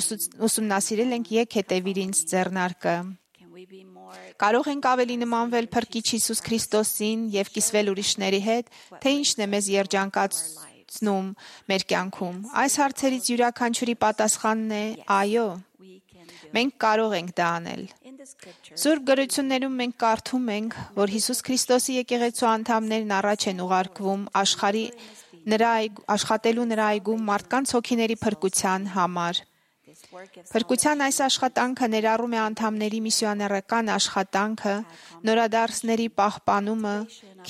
ուսումնասիրել ենք «Եկ հետևիր ինձ» ձեռնարկը։ Կարող ենք ավելի նմանվել Փրկիչ Հիսուս Քրիստոսին եւ կիսվել ուրիշների հետ, թե ինչն է մեզ երջանկացնում մեր կյանքում։ Այս հարցերից յուրաքանչյուրի պատասխանն է՝ այո։ Մենք կարող ենք դա անել։ Սուրբ գրություններում մենք կարդում ենք, որ Հիսուս Քրիստոսի եկեղեցու անդամներն առաջ են ուղարկվում աշխատելու նրա այգում մարդկանց հոգիների փրկության համար։ Փրկության այս աշխատանքը ներառում է անդամների միսիոներական աշխատանքը, նորադարձների պահպանումը,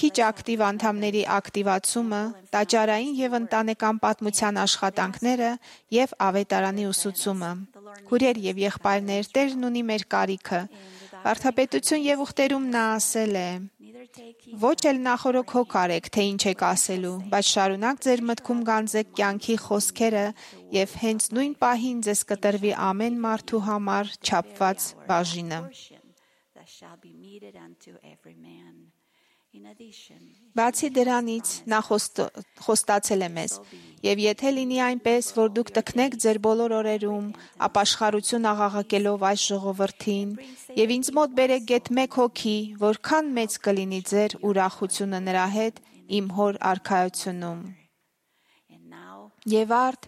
քիչ ակտիվ անդամների ակտիվացումը, տաճարային եւ ընտանեկան պատմության աշխատանքները եւ ավետարանի ուսուցումը։ Քուրեր եւ եղբայրներ, Տերն ունի մեր կարիքը։ Վարդապետություն եւ ուխտերում նա ասել է. «Ոչ էլ նախորոք հոգ արեք, թե ինչ եք ասելու, բայց շարունակ ձեր մտքում գանձեք կյանքի խոսքերը եւ հենց նույն պահին ձեզ կտրվի ամեն մարդու համար չափված բաժինը»։ Բացի դրանից, նա խոստացել է մեզ. «Եվ եթե լինի այնպես, որ դուք տքնեք ձեր բոլոր օրերում, ապաշխարություն աղաղակելով այս ժողովրդին, եւ ինձ մոտ բերեք գեթ մեկ հոգի, որքան մեծ կլինի ձեր ուրախությունը նրա հետ իմ հոր արքայությունում։ Եվ արդ,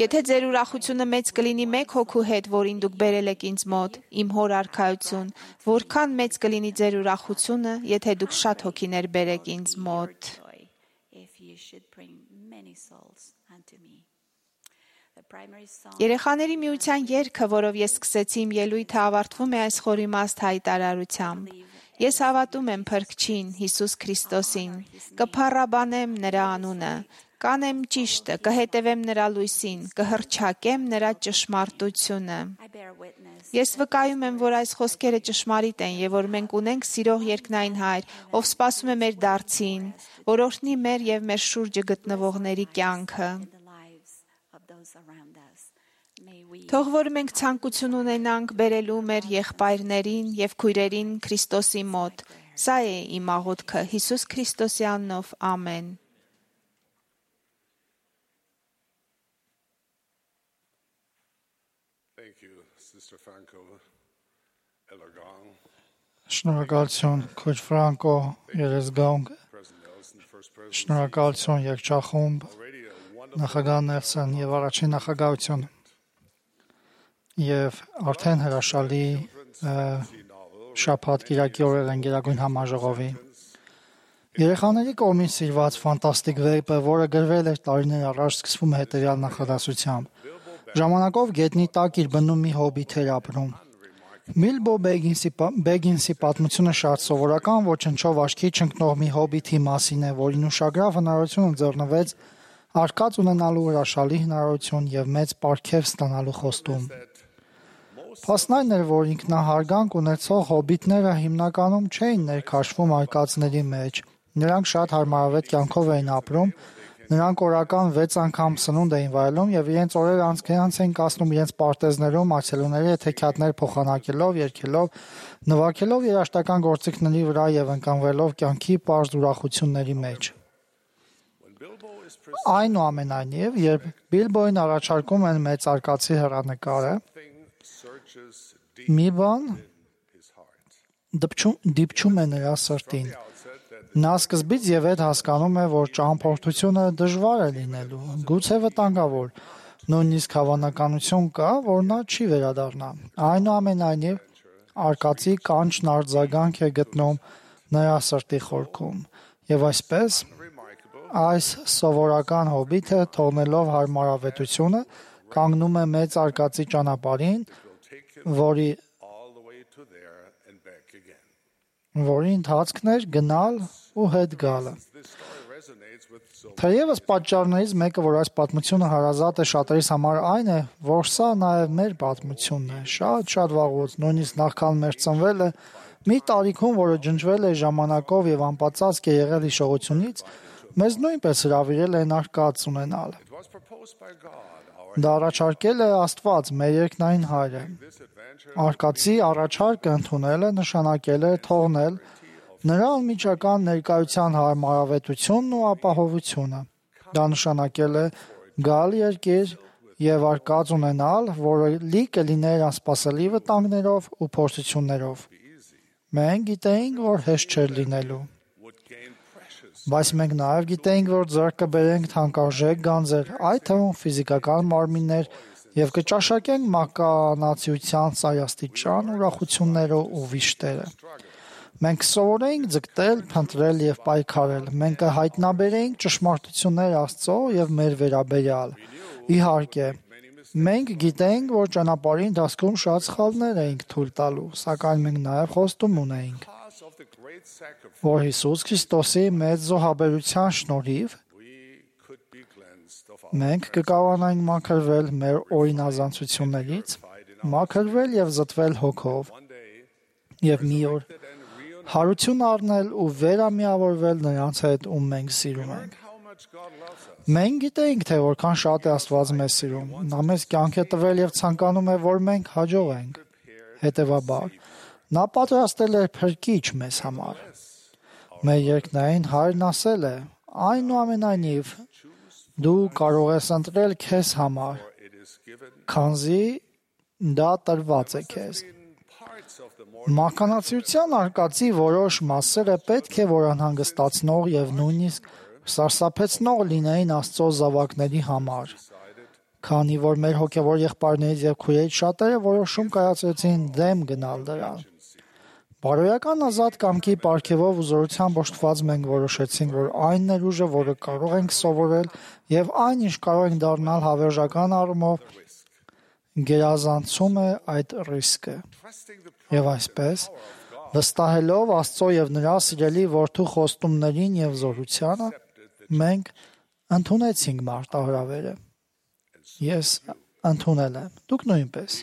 եթե ձեր ուրախությունը մեծ կլինի մեկ հոգու հետ, որին դուք բերել եք ինձ մոտ, իմ հոր արքայություն, որքան մեծ կլինի ձեր ուրախությունը, եթե դուք շատ հոգիներ բերեք ինձ մոտ»։ Երեխաների միության երգը, որով ես սկսեցի իմ ելույթը, ավարտվում է այս խորիմաստ հայտարարությամբ. «Ես հավատում եմ Փրկչին, Հիսուս Քրիստոսին, կփառաբանեմ նրա անունը, կանեմ ճիշտը, կհետևեմ նրա լույսին, կհռչակեմ նրա ճշմարտությունը»։ Ես վկայում եմ, որ այս խոսքերը ճշմարիտ են եւ որ մենք ունենք սիրող երկնային Հայր, ով սպասում է մեր դարձին, որ օրհնի մեր եւ մեր շուրջը գտնվողների կյանքը։ Թող որ մենք ցանկություն ունենանք բերելու մեր եղբայրներին եւ քույրերին Քրիստոսի մոտ։ Սա է իմ աղոթքը Հիսուս Քրիստոսի անունով, ամեն։ Շնորհակալություն քույր Ֆրանկո Երեսգաուն, շնորհակալություն երգչախումբ, նախագահ Նելսոն եւ առաջին նախագահություն եւ արդեն հրաշալի շաբաթ կիրակի օրեր են Գերագույն համաժողովի։ Երեխաների կողմից սիրված ֆանտաստիկ վեպը, որը գրվել էր տարիներ առաջ, սկսվում է հետեւյալ նախադասությամբ. ժամանակով գետնի տակ իր բնում մի հոբիտ էր ապրում։ Բիլբո Բեգինսի պատմությունը շատ սովորական ոչնչով աչքի չընկնող մի հոբիթի մասին է, որին ուշագրավ հնարավորություն ընձեռնվեց արկած ունենալու հրաշալի հնարավորություն եւ մեծ պարգև ստանալու խոստում։ Փաստն այն էր, որ ինքնահարգանք ունեցող հոբիտները հիմնականում չէին ներքաշվում արկածների մեջ։ Նրանք շատ հարմարավետ կյանքով էին ապրում, նրանք օրական 6 անգամ սնունդ էին վայելում եւ իրենց օրերը անցքերանց էին կացնում իրենց պարտեզներում, այցելուների հետ հեքիաթներ փոխանակելով, երգելով, նվագելով երաժշտական գործիքների վրա եւ ընկանվելով կյանքի պարզ ուրախությունների մեջ։ Այնուամենայնիվ, երբ Բիլբոյին առաջարկում են մեծարկածի հեռանկարը, մի բան դիպչում է նրա սրտին։ Նա սկզբից եւ հետ հասկանում է, որ ճամփորդությունը դժվար է լինելու, գուցե վտանգավոր, նույնիսկ հավանականություն կա, որ նա չի վերադառնա։ Այնուամենայնիվ, արկածի կանչն արձագանք է գտնում նրա սրտի խորքում, եւ այսպես այս սովորական հոբիթը, թողնելով հարմարավետությունը, կանգնում է մեծ արկածի ճանապարհին, որի ընթացքն էր գնալ ու հետ գալը։ Թեևս պատճառներից մեկը, որ այս պատմությունը հարազատ է շատերիս համար, այն է, որ սա նաև մեր պատմությունն է, շատ վաղուց, նույնիսկ նախքան մեր ծնվելը, մի տարիքում, որը ջնջվել է ժամանակով եւ անպատասխան է եղել հիշողությունից, մեզ նույնպես հրավիրել են արկած ունենալ։ Դա առաջարկել է Աստված, մեր երկնային Հայրը։ Արկածի առաջարկը ընդունելը նշանակել է թողնել նրա անմիջական ներկայության հարմարավետությունն ու ապահովությունը։ Դա նշանակել է գալ երկիր եւ արկած ունենալ, որը լի կլիներ անսպասելի վտանգներով ու փորձություններով։ Մենք գիտեինք, որ հեշտ չէր լինելու։ Բայց մենք նաև գիտեինք, որ ձեռք կբերենք թանկարժեք գանձեր, այդ թվում ֆիզիկական մարմիններ, եւ կճաշակենք մականացիության սայաստիճան ուրախությունները ու վիշտերը։ Մենք սովորեինք ձգտել, փնտրել եւ պայքարել։ Մենք կհայտնաբերեինք ճշմարտություններ Աստծո եւ մեր վերաբերյալ։ Իհարկե, մենք գիտենք, որ ճանապարհի ընթացքում շատ սխալներ էինք թույլ տալու, սակայն մենք նաեւ խոստում ունեինք, որ Հիսուս Քրիստոսի մեծ զոհաբերության շնորհիվ մենք կկարողանանք մաքրվել մեր օրինազանցություններից, մաքրվել եւ զտվել հոգով եւ մի օր հարություն առնել ու վերամիավորվել նրանց հետ, ում մենք սիրում ենք։ Մենք գիտենք, թե որքան շատ է Աստված մեզ սիրում։ Նա մեզ կյանք է տվել եւ ցանկանում է, որ մենք հաջողենք։ Հետևաբար, նա պատրաստել է փրկիչ մեզ համար։ Մեր երկնային Հայրն ասել է. այնուամենայնիվ դու կարող ես ընտրել քեզ համար, քանզի դա տրված է քեզ։ Մականացիության արկածի որոշ մասերը պետք է որ անհանգստացնող եւ նույնիսկ սարսափեցնող լինեին Աստծո զավակների համար, քանի որ մեր հոգեվոր եղբայրներից եւ քույրերից շատերը որոշում կայացրեցին դեմ գնալ դրան։ Բարոյական ազատ կամքի պարգևով ու զորությամբ օժտված մենք որոշեցինք, որ այն ներուժը, որը կարող ենք սովորել եւ այն, ինչ կարող ենք դառնալ հավերժական առումով, գերազանցում է այդ ռիսկը։ Եվ այսպես, վստահելով Աստծո եւ նրա սիրելի որդու խոստումներին եւ զորությանը, մենք ընդունեցինք մարտահրավերը։ Ես ընդունել եմ, դուք նույնպես։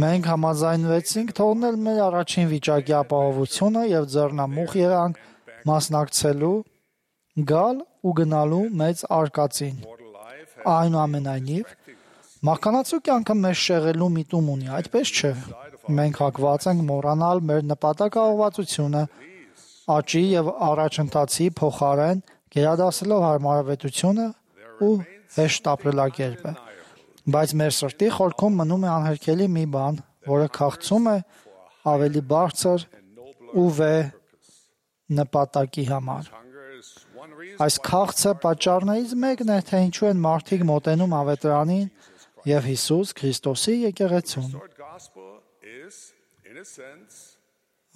Մենք համաձայնվեցինք թողնել մեր առաջին վիճակի ապահովությունը եւ ձեռնամուխ եղանք մասնակցելու, գալ ու գնալու մեծ արկածին։ Այնուամենայնիվ, մականացու կյանքը մեզ շեղելու միտում ունի, այդպես չէ։ Մենք հակված ենք մոռանալ մեր նպատակաուղղվածությունը, աճի եւ առաջընթացի փոխարեն գերադասելով հարմարավետությունը ու հեշտ ապրելակերպը։ Բայց մեր սրտի խորքում մնում է անհերքելի մի բան, որը քաղցում է ավելի բարձր ու վեհ նպատակի համար։ Այս քաղցը պատճառներից մեկն է, թե ինչու են մարդիկ մոտենում ավետարանին եւ Հիսուս Քրիստոսի եկեղեցուն։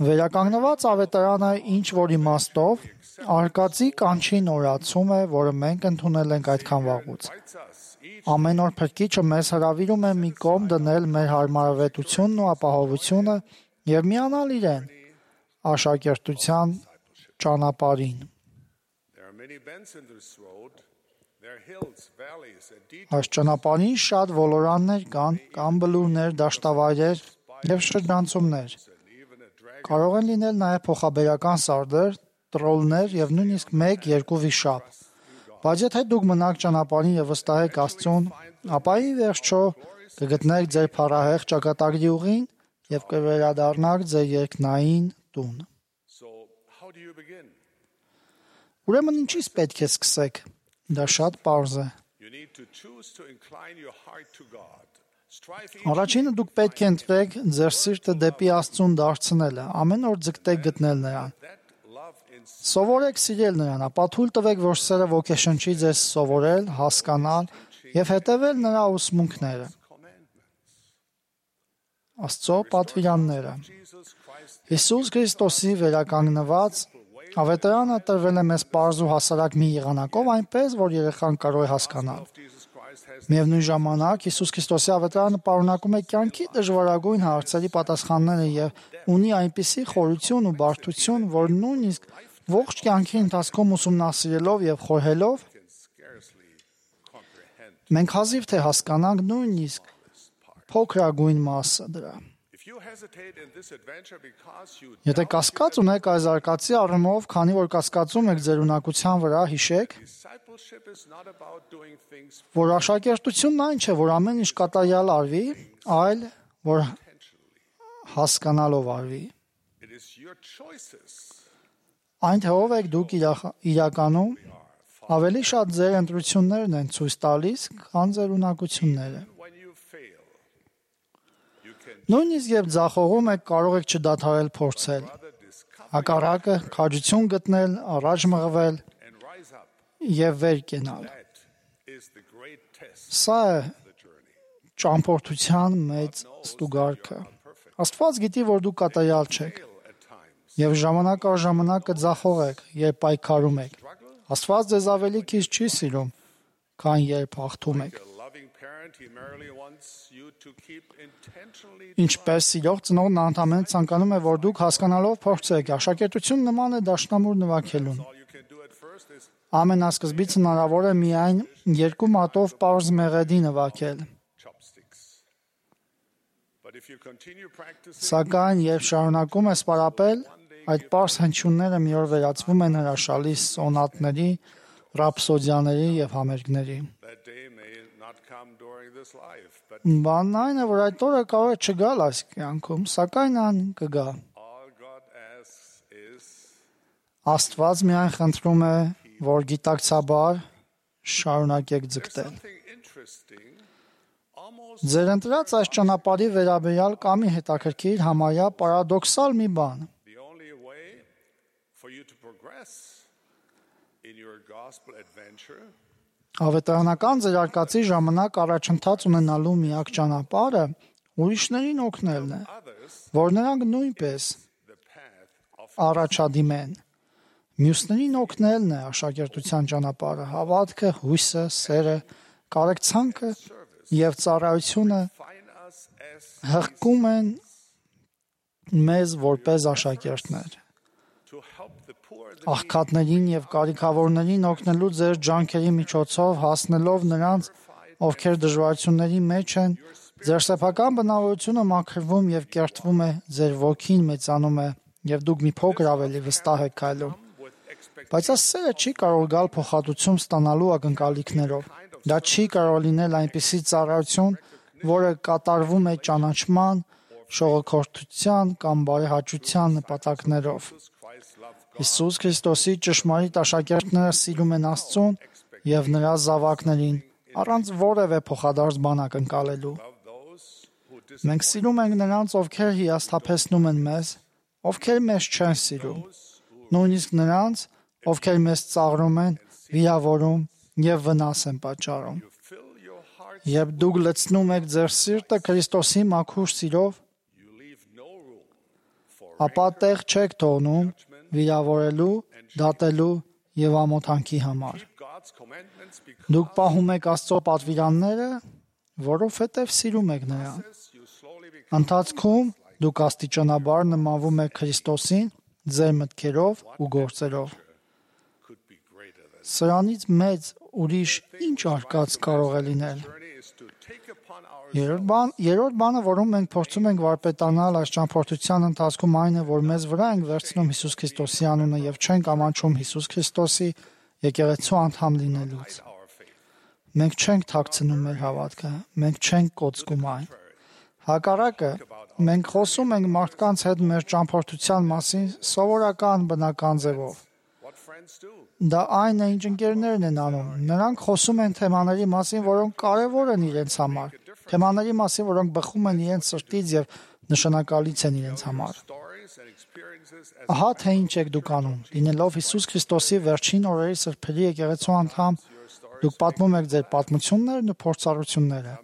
Վերականգնված ավետարանը ինչ որ իմաստով արկածի կանչի նորացում է, որը մենք ընդունել ենք այդքան վաղուց։ Ամեն օր Փրկիչը մեզ հրավիրում է մի կողմ դնել մեր հարմարավետությունն ու ապահովությունը եւ միանալ իրեն աշակերտության ճանապարհին։ Այս ճանապարհին շատ ոլորաններ կան բլուրներ, դաշտավայրեր եւ շրջանցումներ։ Կարող են լինել նաեւ փոխաբերական սարդեր, տրոլներ եւ նույնիսկ 1-2 վիշապ։ Բայց եթե դուք մնաք ճանապարհին եւ վստահեք Աստծուն, ապա ի վերջո կգտնեք ձեր փառահեղ ճակատագրի ուղին եւ կվերադառնաք ձեր երկնային տուն։ Ուրեմն ինչից պետք է սկսեք։ Դա շատ պարզ է։ Առաջինը դուք պետք է ընտրեք ձեր սիրտը դեպի Աստծուն դարձնելը, ամեն օր ձգտեք գտնել նրան։ Սովորեք սիրել նրան, ապա թույլ տվեք, որ սերը ոգեշնչի ձեզ սովորել, հասկանալ եւ հետևել նրա ուսմունքները։ Աստծո պատվիրանները։ Հիսուս Քրիստոսի վերականգնված ավետարանը տրվել է մեզ պարզ ու հասարակ մի եղանակով, այնպես, որ երեխան կարող է հասկանալ։ Միևնույն ժամանակ Հիսուս Քրիստոսի ավետարանը պարունակում է կյանքի դժվարագույն հարցերի պատասխանները եւ ունի այնպիսի խորություն ու բարդություն, որ նույնիսկ ողջ կյանքի ընթացքում ուսումնասիրելով եւ խորհելով մենք հազիվ թե հասկանանք նույնիսկ փոքրագույն մասը դրա։ Եթե կասկած ունեք այս արկածի առումով, քանի որ կասկածում եք ձեր ունակության վրա, հիշեք, որ աշակերտությունն այն չէ, որ ամեն ինչ կատարյալ արվի, այլ որ հասկանալով արվի։ Այն թե ով եք դուք իրականում, ավելի շատ ձեր ընտրություններն են ցույց տալիս, քան ձեր ունակությունները։ Նույնիսկ երբ ձախողում եք, կարող եք չդադարել փորձել։ Հակառակը, քաջություն գտնել, առաջ մղվել եւ վեր կենալ։ Սա է ճամփորդության մեծ ստուգարքը։ Աստված գիտի, որ դուք կատարյալ չեք, եւ ժամանակ առ ժամանակ կձախողեք, երբ պայքարում եք։ Աստված ձեզ ավելի քիչ չի սիրում, քան երբ հաղթում եք։ Ինչպես սիրող ծնողն ընդհանրապես ցանկանում է, որ դուք հասկանալով փորձեք, աշակերտություն նման է դաշնամուր նվագելուն։ Ամենասկզբից հնարավոր է միայն 2 մատով պարզ մեղեդի նվագել։ Սակայն, երբ շարունակում ես պարապել, այդ պարզ հնչյունները մի օր վերածվում են հրաշալի սոնատների, ռապսոդիաների եւ համերգների։ Բանն այն է, որ այդ օրը կարող է չգալ այս կյանքում, սակայն ան կգա։ Աստված միայն խնդրում է, որ գիտակցաբար շարունակեք ձգտել։ Ձեր ընտրած այս ճանապարհի վերաբերյալ կա մի հետաքրքիր համարյա պարադոքսալ մի բան։ Ավետարանական ձեր արկածի ժամանակ առաջընթաց ունենալու միակ ճանապարհը ուրիշներին օգնելն է, որ նրանք նույնպես առաջադիմեն։ Մյուսներին օգնելն է աշակերտության ճանապարհը, հավատքը, հույսը, սերը, կարեկցանքը եւ ծառայությունը հղկում են մեզ որպես աշակերտներ։ Աղքատներին եւ կարիքավորներին օգնելու ձեր ջանքերի միջոցով հասնելով նրանց, ովքեր դժվարությունների մեջ են, ձեր սեփական բնավորությունը մաքրվում եւ կերտվում է, ձեր ոգին մեծանում է եւ դուք մի փոքր ավելի վստահ եք քայլում։ Բայց այս սերը չի կարող գալ փոխհատուցում ստանալու ակնկալիքներով։ Դա չի կարող լինել այնպիսի ծառայություն, որը կատարվում է ճանաչման, շողոքորթության կամ բարեհաճության նպատակներով։ Հիսուս Քրիստոսի ճշմարիտ աշակերտները սիրում են Աստծուն եւ նրա զավակներին առանց որևէ փոխադարձ բան ակնկալելու։ Մենք սիրում ենք նրանց, ովքեր հիասթափեցնում են մեզ, ովքեր մեզ չեն սիրում, նույնիսկ նրանց, ովքեր մեզ ծաղրում են, վիրավորում եւ վնաս են պատճառում։ Երբ դուք լցնում եք ձեր սիրտը Քրիստոսի մաքուր սիրով, ապա տեղ չեք թողնում վիրավորելու, դատելու եւ ամոթանքի համար։ Դուք պահում եք Աստծո պատվիրանները, որովհետեւ սիրում եք նրան։ Ընթացքում դուք աստիճանաբար նմանվում եք Քրիստոսին ձեր մտքերով ու գործերով։ Սրանից մեծ ուրիշ ինչ արկած կարող է լինել։ Երրորդ բանը, որում մենք փորձում ենք վարպետանալ այս ճամփորդության ընթացքում, այն է, որ մեզ վրա ենք վերցնում Հիսուս Քրիստոսի անունը եւ չենք ամաչում Հիսուս Քրիստոսի եկեղեցու անդամ լինելուց։ Մենք չենք թաքցնում մեր հավատքը, մենք չենք կոծկում այն։ Հակառակը, մենք խոսում ենք մարդկանց հետ մեր ճամփորդության մասին սովորական բնական ձևով։ Դա այն է, ինչ ընկերներն են անում։ Նրանք խոսում են թեմաների մասին, որոնք կարևոր են իրենց համար, թեմաների մասին, որոնք բխում են իրենց սրտից եւ նշանակալից են իրենց համար։ Ահա թե ինչ եք դուք անում։ Լինելով Հիսուս Քրիստոսի վերջին օրերի սրբերի եկեղեցու անդամ, դուք պատմում եք ձեր պատմություններն ու փորձառությունները։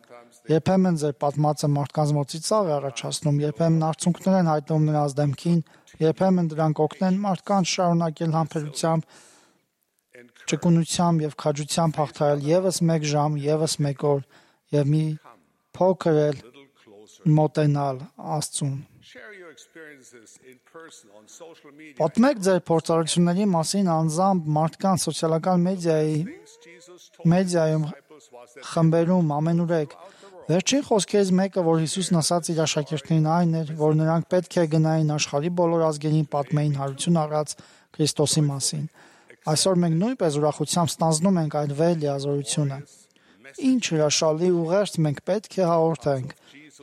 Երբեմն ձեր պատմածը մարդկանց մոտ ծիծաղ է առաջացնում, երբեմն արցունքներ են հայտնվում նրանց դեմքին, երբեմն դրանք օգնեն մարդկանց շարունակել համբերությամբ, ճկունությամբ եւ քաջությամբ հաղթահարել եւս 1 ժամ, եւս 1 օր եւ մի փոքր էլ մոտենալ Աստծուն։ Պատմեք ձեր փորձառությունների մասին անձամբ մարդկանց սոցիալական մեդիայում խմբերում ամենուրեք։ Վերջին խոսքերից մեկը, որ Հիսուսն ասաց իր աշակերտներին, այն էր, որ նրանք պետք է գնային աշխարհի բոլոր ազգերին պատմեին հարություն առած Քրիստոսի մասին։ Այսօր մենք նույնպես ուրախությամբ ստանձնում ենք այդ վեհ լիազորությունը։ Ինչ հրաշալի ուղերձ մենք պետք է հաղորդենք։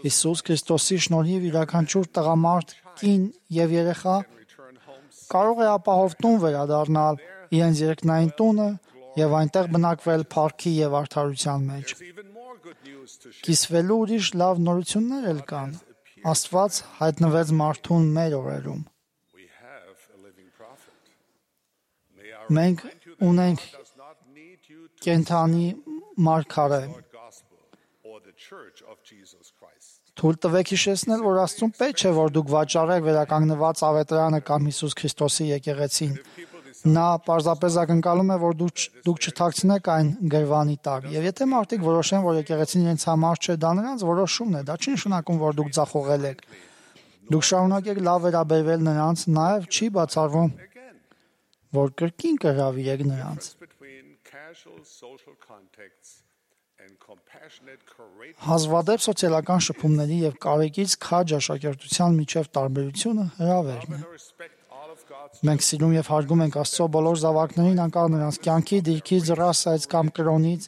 Հիսուս Քրիստոսի շնորհիվ յուրաքանչյուր տղամարդ, կին եւ երեխա կարող է ապահով տուն վերադառնալ իրենց երկնային տունը եւ այնտեղ բնակվել փառքի եւ արդարության մեջ։ Կիսվելու ուրիշ լավ նորություններ էլ կան։ Աստված հայտնվեց մարդուն մեր օրերում։ Մենք ունենք կենթանի մարգարե, church of Jesus Christ. Թույլ տվեք հիշեցնել, որ Աստծուն պետք չէ, որ դուք վաճառեք վերականգնված ավետարանը կամ Հիսուս Քրիստոսի եկեղեցին։ Նա պարզապես ակնկալում է, որ դուք չթաքցնեք այն գրվանի տակ։ Եվ եթե մարդիկ որոշեն, որ եկեղեցին իրենց համար չէ, դա նրանց որոշումն է, դա չի նշանակում, որ դուք ձախողել եք։ Դուք շարունակեք լավ վերաբերվել նրանց, նաև չի բացառվում, որ կրկին կհրավիրեք նրանց։ Between casual social contacts and compassionate, courageous Հազվադեպ սոցիալական շփումների եւ կարեկից քաջ աշակերտության միջև տարբերությունը հրավերն է։ respect all of God's Մենք սիրում եւ հարգում ենք Աստծո բոլոր զավակներին, անկախ նրանց կյանքի, դիրքից, ռասայից կամ կրոնից,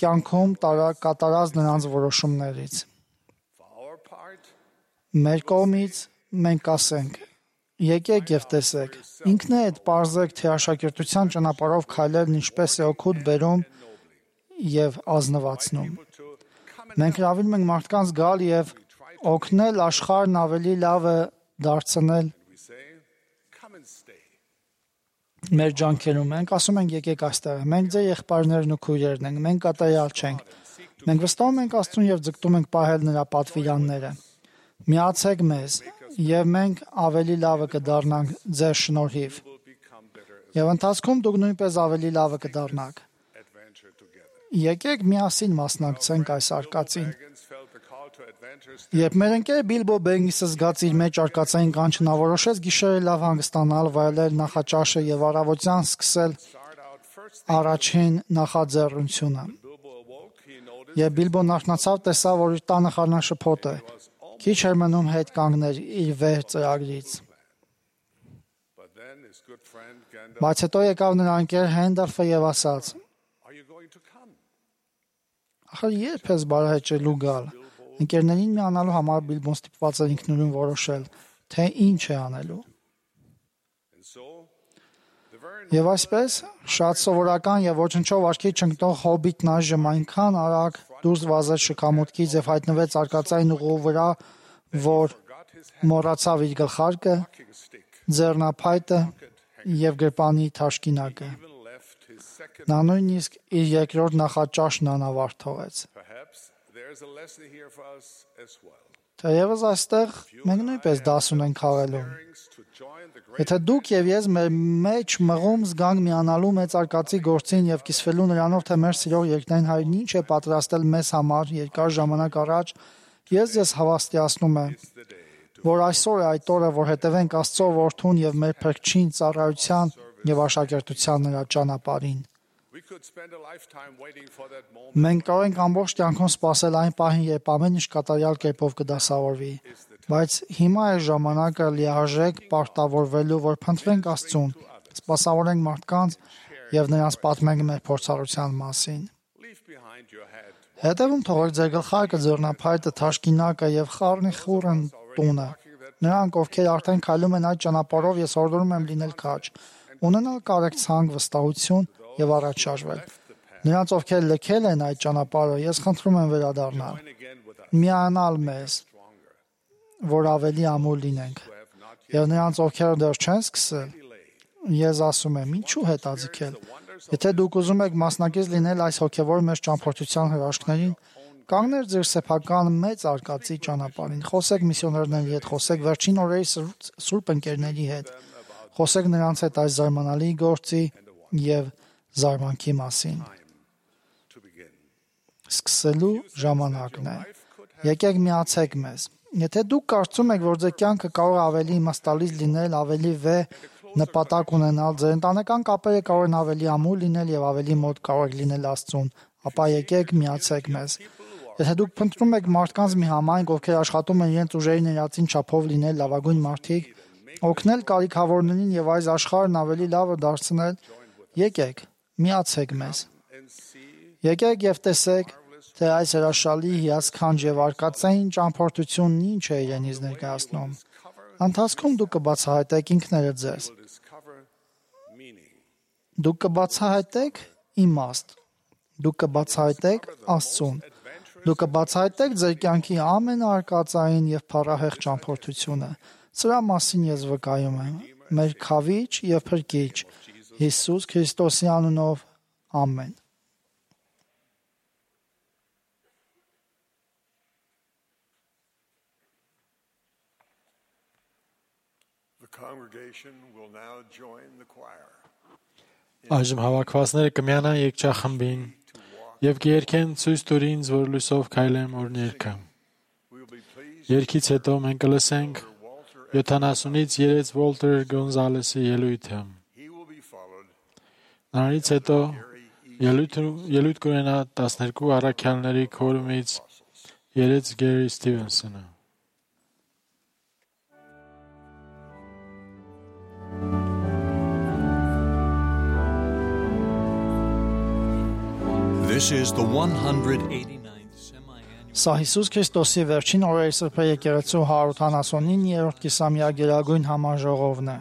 կյանքում կատարած նրանց որոշումներից։ for our part. Մեր կողմից մենք ասենք. եկեք եւ տեսեք, ինքնեդ բարձեք, թե աշակերտության ճանապարհով քայլելն ինչպես է օգուտ բերում եւ ազնվացնում։ Մենք հրավիրում ենք մարդկանց գալ եւ օգնել աշխարհն ավելի լավը դարձնել We say, come and stay. մեր ջանքերում։ Մենք ասում ենք եկեք այստեղ։ Մենք ձեր եղբայրներն ու քույրերն ենք, մենք կատարյալ չենք։ Մենք վստահում ենք Աստծուն եւ ձգտում ենք պահել նրա պատվիրանները։ Միացեք մեզ եւ մենք ավելի լավը կդառնանք ձեր շնորհիվ։ We'll become better as Եվ ընթացքում դուք նույնպես ավելի լավը կդառնաք։ adventure together. Եկեք միասին մասնակցենք այս արկածին։ Higgins felt the call to adventure. Երբ մեր ընկեր Բիլբո Բեգինսը զգաց իր մեջ արկածային կանչը, նա որոշեց գիշերը լավ հանգստանալ, վայելել նախաճաշը եւ առավոտյան սկսել Start out first. առաջին նախաձեռնությունը։ Bilbo awoke. He noticed Եվ Բիլբոն արթնացավ, տեսավ, որ իր տանը խառնաշփոթ է։ Քիչ էր մնում հետ կանգներ իր վեր ծրագրից։ but then his good friend Gandalf. Բայց հետո եկավ նրա ընկեր Հենդալֆը եւ ասաց. Are you going to come? Ախր երբ ես բարահեճելու գալ։ Ընկերներին միանալու համար Բիլբոն ստիպված էր ինքնուրույն որոշել, թե ինչ է անելու։ And so the very Եվ այսպես շատ սովորական եւ ոչնչով աչքի չընկնող հոբիտն այժմ այնքան արագ դուրս վազեց շքամուտքից եւ հայտնվեց արկածային ուղու վրա, որ մոռացավ իր գլխարկը, stick. ձեռնափայտը եւ գրպանի թաշկինակը։ Even left his second. Նա նույնիսկ իր երկրորդ նախաճաշն անավարտ թողեց։ Perhaps there's a lesson here for us as well. Թեևս այստեղ մենք նույնպես դաս ունենք խաղալու։ To join the great Եթե դուք եւ ես մեր մեջ մղում զգանք միանալու մեծ արկածի գործին եւ կիսվելու նրանով, թե մեր սիրող երկնային հայրն ինչ է պատրաստել մեզ համար երկար ժամանակ առաջ, ես հավաստիացնում եմ, որ այսօր է այդ օրը, որ հետևենք Աստծո որդուն եւ մեր փրկչին ծառայության եւ աշակերտության նրա ճանապարհին։ we could spend a lifetime waiting for that moment. Մենք կարող ենք ամբողջ կյանքում սպասել այն պահին, երբ ամեն ինչ կատարյալ կերպով կդասավորվի, բայց հիմա է ժամանակը լիարժեք պարտավորվելու, որ փնտրենք Աստծուն, սպասավորենք մարդկանց եւ նրանց պատմենք մեր փորձառության մասին։ Leave behind your head. Հետևում թողեք ձեր գլխարկը, ձեռնափայտը, թաշկինակը եւ խառնի խորն տունը։ Նրանք, ովքեր արդեն քայլում են այդ ճանապարհով, ես օրդորում եմ լինել քաջ, ունենալ կարեկցանք, վստահություն եւ առաջ շարժվել։ Նրանց, ովքեր լքել են այդ ճանապարհը, ես խնդրում եմ վերադառնալ, Again with us. միանալ մեզ, որ ավելի ամուր լինենք։ Եվ նրանց, ովքեր դեռ չեն սկսել, ես ասում եմ, ինչու հետաձգել։ Եթե դուք ուզում եք մասնակից լինել այս հոգևոր մեծ ճամփորդության հրաշքներին, կանգներ ձեր սեփական մեծ արկածի ճանապարհին։ Խոսեք միսիոներների հետ, խոսեք վերջին օրերի սուրբ ընկերների հետ, խոսեք նրանց հետ այս զարմանալի գործի եւ զարմանքի մասին։ To begin. Սկսելու ժամանակն է։ Եկեք միացեք մեզ։ Եթե դուք կարծում եք, որ ձեր կյանքը կարող է ավելի իմաստալից լինել, ավելի վեհ նպատակ ունենալ, ձեր ընտանեկան կապերը կարող են ավելի ամուր լինել եւ ավելի մոտ կարող եք լինել Աստծուն, ապա եկեք միացեք մեզ։ Եթե դուք փնտրում եք մարդկանց մի համայնք, ովքեր աշխատում են իրենց ուժերի ներածին չափով լինել լավագույն մարդիկ, օգնել կարիքավորներին եւ այս աշխարհն ավելի լավը դարձնել, եկեք, միացեք մեզ։ Եկեք եւ տեսեք, թե այս հրաշալի հիասքանչ եւ արկածային ճամփորդությունն ինչ է իրենից ներկայացնում։ Ընթացքում դուք կբացահայտեք ինքներդ ձեզ։ Discover meaning. Դուք կբացահայտեք իմաստ։ Դուք կբացահայտեք Աստծուն։ Դուք կբացահայտեք ձեր կյանքի ամենաարկածային եւ փառահեղ ճամփորդությունը։ Սրա մասին ես վկայում եմ։ Մեր Քավիչ եւ Փրկիչ Հիսուս Քրիստոսի անունով։ Ամեն։ congregation will now join the choir. Այժմ հավաքվածները կմիանան երգչախմբին եւ կերկեն ցույց տուր ինձ, որ լույսով քայլեմ օրներքը։ We will be pleased Երգից հետո մենք կլսենք 70-ից 3 Վոլտեր Գոնզալեսի ելույթը։ he will be followed Նրանից հետո ելույթ կունենա 12 առաքյալների քորումից 3 Գերի Սթիվենսոնը։ This is the 189th semi-annual Սա Հիսուս Քրիստոսի վերջին օրերի սրբե եկեղեցու 179-րդ կիսամյա գերագույն համաժողովն է։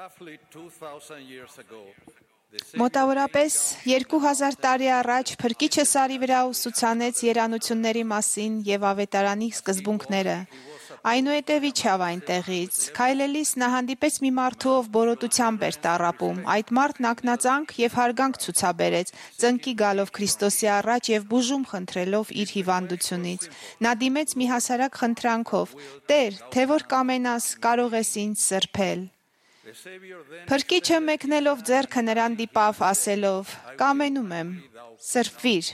Roughly 2,000 years ago, Մոտավորապես 2000 տարի առաջ Փրկիչը սարի վրա ուսուցանեց երանությունների մասին եւ ավետարանի սկզբունքները։ Այնուհետև իջավ այնտեղից։ Քայլելիս նա հանդիպեց մի մարդու, ով բորոտությամբ էր տառապում։ Այդ մարդն ակնածանք եւ հարգանք ցուցաբերեց, ծնկի գալով Քրիստոսի առաջ եւ բուժում խնդրելով իր հիվանդությունից։ Նա դիմեց մի հասարակ խնդրանքով. «Տեր, թե որ կամենաս, կարող ես ինձ սրբել»։ Փրկիչը մեկնելով ձեռքը նրան դիպավ ասելով. «Կամենում եմ, սրբվիր»։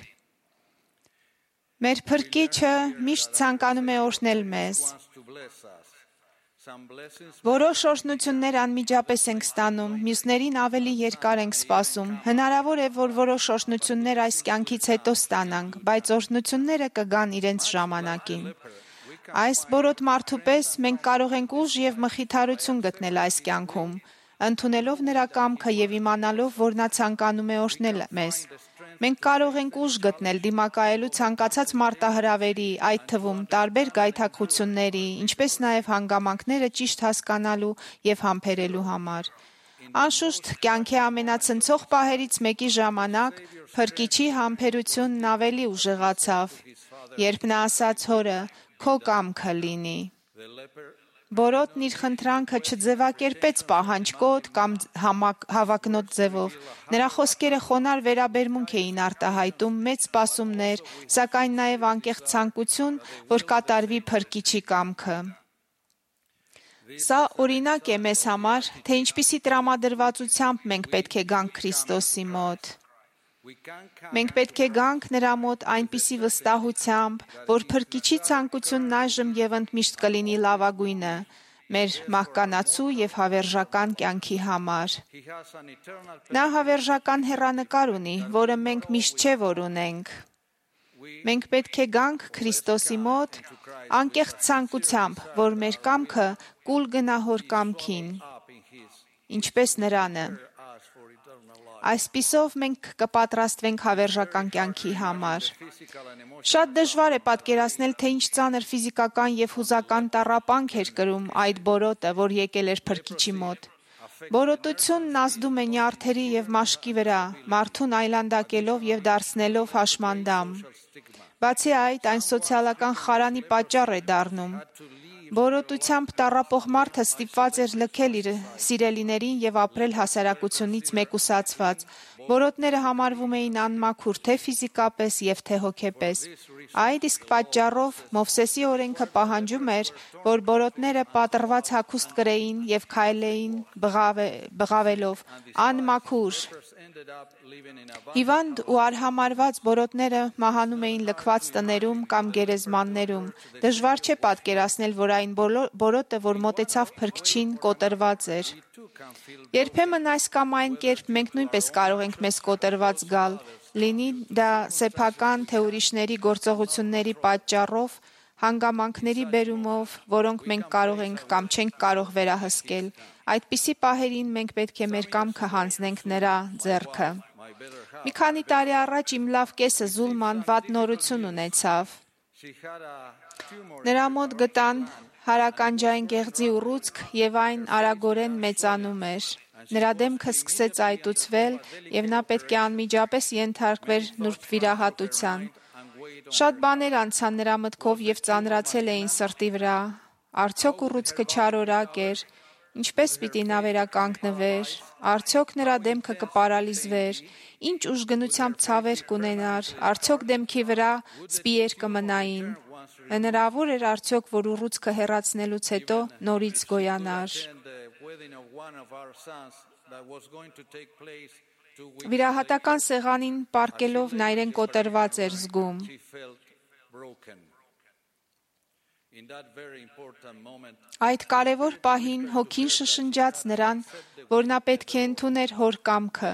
Մեր Փրկիչը միշտ ցանկանում է օրհնել մեզ։ Որոշ օրհնություններ անմիջապես ենք ստանում, մյուսներին ավելի երկար ենք սպասում։ Հնարավոր է, որ որոշ օրհնություններ այս կյանքից հետո ստանանք, բայց օրհնությունները կգան իրենց ժամանակին։ Այս բորոտ մարդու պես մենք կարող ենք ուժ եւ մխիթարություն գտնել այս կյանքում, ընդունելով նրա կամքը եւ իմանալով, որ նա ցանկանում է օրհնել մեզ։ Մենք կարող ենք ուժ գտնել դիմակայելու ցանկացած մարտահրավերի, այդ թվում տարբեր գայթակղությունների, ինչպես նաեւ հանգամանքները ճիշտ հասկանալու եւ համբերելու համար։ Անշուշտ, կյանքի ամենացնցող պահերից մեկի ժամանակ Փրկիչի համբերությունն ավելի ուժեղացավ, երբ նա ասաց հորը. «Քո կամքը լինի»։ Բորոտն իր խնդրանքը չձևակերպեց պահանջկոտ կամ հավակնոտ ձևով։ Նրա խոսքերը խոնար վերաբերմունք էին արտահայտում, մեծ սպասումներ, սակայն նաև անկեղծ ցանկություն, որ կատարվի Փրկիչի կամքը։ Սա օրինակ է մեզ համար, թե ինչպիսի տրամադրվածությամբ մենք պետք է գանք Քրիստոսի մոտ։ Մենք պետք է գանք նրա մոտ այնպիսի վստահությամբ, որ Փրկիչի ցանկությունն այժմ եւ ընդմիշտ կլինի լավագույնը։ մեր մահկանացու եւ հավերժական կյանքի համար։ He has an eternal Նա հավերժական հեռանկար ունի, որը մենք միշտ չէ որ ունենք։ Մենք պետք է գանք Քրիստոսի մոտ անկեղծ ցանկությամբ, որ մեր կամքը կուլ գնա հոր կամքին, up in his ինչպես նրանը։ us for eternal life. Այսպիսով մենք կպատրաստվենք հավերժական կյանքի համար։ Physical and emotional. Շատ դժվար է պատկերացնել, թե ինչ ծանր ֆիզիկական եւ հուզական տառապանք էր կրում այդ բորոտը, որ եկել էր Փրկիչի մոտ։ Բորոտությունն ազդում է նյարդերի եւ մաշկի վրա, մարդուն այլանդակելով եւ դարձնելով հաշմանդամ։ Բացի այդ, այն սոցիալական խարանի պատճառ է դառնում։ Բորոտությամբ տառապող մարդը ստիպված էր լքել իր սիրելիներին եւ ապրել հասարակությունից մեկուսացված։ Բորոտները համարվում էին անմաքուր թե ֆիզիկապես եւ թե հոգեպես։ Այդ իսկ պատճառով Մովսեսի օրենքը պահանջում էր, որ բորոտները պատռված հագուստ կրեին եւ քայլեին բղավելով անմաքուր։ Ended up living in a Հիվանդ ու արհամարված բորոտները մահանում էին լքված տներում կամ գերեզմաններում։ Դժվար չէ պատկերացնել, որ այն բորոտը, որ մոտեցավ Փրկչին, կոտրված էր։ Երբեմն այս կամ այն կերպ մենք նույնպես կարող ենք մեզ կոտրված գալ, լինի դա սեփական թե ուրիշների գործողությունների պատճառով, հանգամանքների բերումով, որոնք մենք կարող ենք կամ չենք կարող վերահսկել։ Այդպիսի պահերին մենք պետք է մեր կամքը հանձնենք նրա ձեռքը։ Մի քանի տարի առաջ իմ լավ կեսը Զուլման վատ նորություն ունեցավ։ she had a tumor Նրա մոտ գտան հարականջային գեղձի ուռուցք եւ այն արագորեն մեծանում էր։ Նրա դեմքը սկսեց այտուցվել եւ նա պետք է անմիջապես ենթարկվեր նուրբ վիրահատության։ Շատ բաներ անցան նրա մտքով եւ ծանրացել էին սրտի վրա։ Արդյոք ուռուցքը չարորակ էր։ Ինչպես պիտի նա վերականգնվեր, արդյոք նրա դեմքը կպարալիզվեր, ինչ ուժգնությամբ ցավեր կունենար, արդյոք դեմքի վրա սպիեր կմնային։ Հնարավոր էր արդյոք, որ ուռուցքը հեռացնելուց հետո նորից գոյանար։ and the wedding of one of our sons that was going to take place 2 weeks Վիրահատական սեղանին պառկելով նա իրեն կոտրված էր զգում։ she felt broken. In that very important moment Այդ կարևոր պահին հոգին շշնջաց նրան, որ նա պետք է ընդուներ հոր կամքը,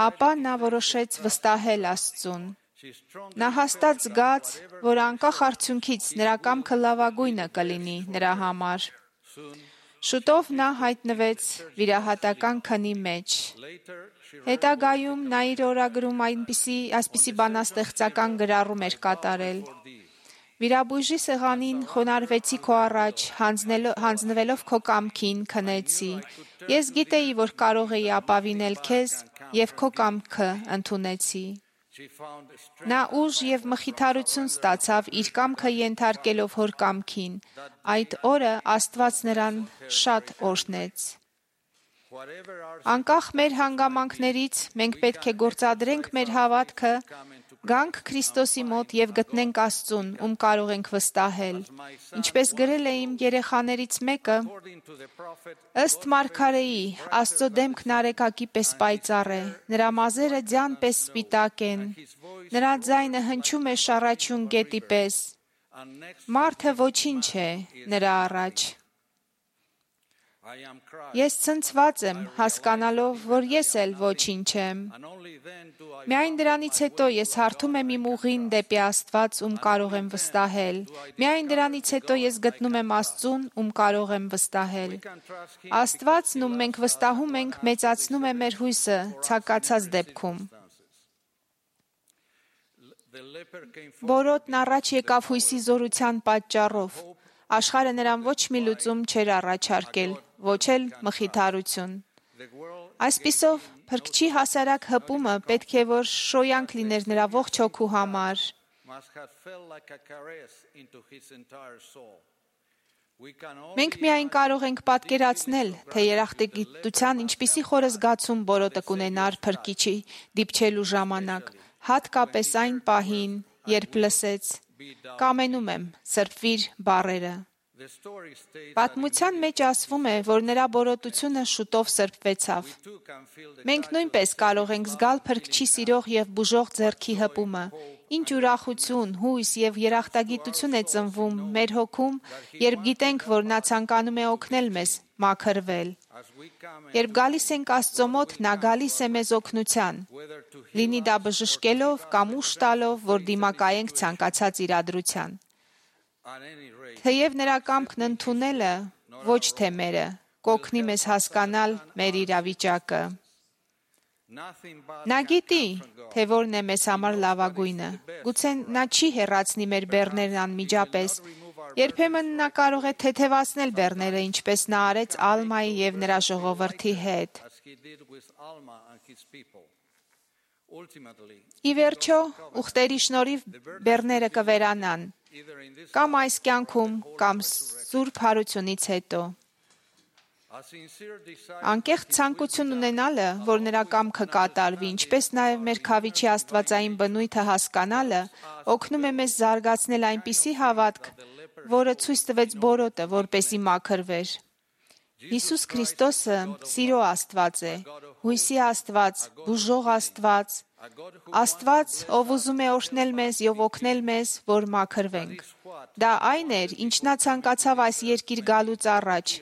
ապա նա որոշեց վստահել Աստծուն։ she strongly Նա հաստատ զգաց, որ անկախ արդյունքից նրա կամքը լավագույնը կլինի նրա համար։ Շուտով նա հայտնվեց վիրահատական քնի մեջ։ later she Հետագայում նա իր օրագրում այսպիսի բանաստեղծական գրառում էր կատարել։ Վիրաբույժի սեղանին խոնարհվեցի քո առաջ, հանձնվելով քո կամքին քնեցի։ Ես գիտեի, որ կարող էի ապավինել քեզ եւ քո կամքը ընդունեցի։ she found strength Նա ուժ եւ մխիթարություն ստացավ իր կամքը ենթարկելով հոր կամքին։ Այդ օրը Աստված նրան շատ օրհնեց։ whatever our Անկախ մեր հանգամանքներից մենք պետք է գործադրենք մեր հավատքը, գանք Քրիստոսի մոտ եւ գտնենք Աստծուն, ում կարող ենք վստահել։ Ինչպես գրել է իմ երեխաներից մեկը, according to the prophet ըստ Մարգարեի, Աստծո դեմքն արեգակի պես պայծառ է, նրա մազերը ձյան պես սպիտակ են, նրա ձայնը հնչում է շառաչյուն գետի պես, and next մարդը ոչինչ է նրա առաջ։ I am Christ Ես ցնցված եմ, հասկանալով, որ ես էլ ոչինչ եմ։ and only then do I Միայն դրանից հետո ես հարթում եմ իմ ուղին դեպի Աստված, ում կարող եմ վստահել։ Միայն դրանից հետո ես գտնում եմ Աստծուն, ում կարող եմ վստահել։ trust him Աստվածն, ում մենք վստահում ենք, մեծացնում է մեր հույսը ցանկացած դեպքում։ the leper came forward Բորոտն առաջ եկավ հույսի զորության պատճառով։ Աշխարհը նրան ոչ մի լուծում չէր առաջարկել, ոչ էլ մխիթարություն։ the world Այսպիսով, Փրկչի հասարակ հպումը պետք է որ շոյանք լիներ նրա ողջ հոգու համար։ must have felt like a caress into his entire soul. We can only Մենք միայն կարող ենք պատկերացնել, թե երախտագիտության ինչպիսի խորը զգացում բորոտը կունենար Փրկիչի դիպչելու ժամանակ, հատկապես այն պահին, երբ լսեց. «Կամենում եմ, սրբվիր» բառերը։ The story states that Պատմության մեջ ասվում է, որ նրա բորոտությունը շուտով սրբվեցավ։ we too can feel the Մենք նույնպես կարող ենք զգալ փրկչի սիրող եւ բուժող ձեռքի հպումը։ Ինչ ուրախություն, հույս եւ երախտագիտություն է ծնվում մեր հոգում, երբ գիտենք, որ նա ցանկանում է օգնել մեզ մաքրվել։ as we come Երբ գալիս ենք Աստծո մոտ, նա գալիս է մեզ օգնության։ whether to Լինի դա բժշկելով կամ ուժ տալով, որ դիմակայենք ցանկացած իրադրության։ at any rate Թեև նրա կամքն ընդունելը ոչ թե մերը, կօգնի մեզ հասկանալ մեր իրավիճակը։ nothing but Նա գիտի, թե որն է մեզ համար լավագույնը։ Գուցե նա չի հեռացնի մեր բեռներն անմիջապես։ Երբեմն նա կարող է թեթևացնել բեռները, ինչպես նա արեց Ալմայի եւ նրա ժողովրդի հետ։ as he did with Alma and his people. Ultimately, Ի վերջո, ուխտերի շնորհիվ բեռները կվերանան, either in this կամ այս կյանքում, կամ սուրբ հարությունից հետո։ a sincere desire Անկեղծ ցանկություն ունենալը, որ նրա կամքը կատարվի, ինչպես նաև մեր քավիչի աստվածային բնույթը հասկանալը, օգնում է մեզ զարգացնել այնպիսի հավատք, որը ցույց տվեց բորոտը, որպեսի մաքրվեր։ Հիսուս Քրիստոսը սիրո Աստված է, հույսի Աստված, բուժող Աստված, Աստված, ով ուզում է օրհնել մեզ եւ օգնել մեզ, որ մաքրվենք։ Դա այն էր, ինչ նա ցանկացավ այս երկիր գալուց առաջ,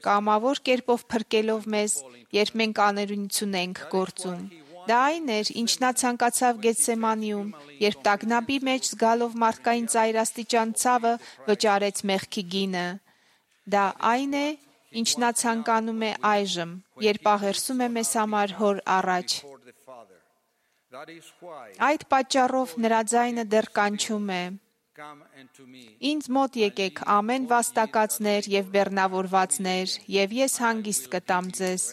կամավոր կերպով փրկելով մեզ, երբ մենք աներունություն ենք գործում։ Դա այն էր, ինչ նա ցանկացավ Գեթսեմանիում, երբ տագնապի մեջ զգալով մարդկային ծայրաստիճան ցավը վճարեց մեղքի գինը։ Դա այն է, ինչ նա ցանկանում է այժմ, երբ աղերսում է մեզ համար հոր առաջ։ for the Father. That is why Այդ պատճառով նրա ձայնը դեռ կանչում է. come unto me. Ինձ մոտ եկեք ամեն վաստակածներ եւ բեռնավորվածներ, եւ ես հանգիստ կտամ ձեզ։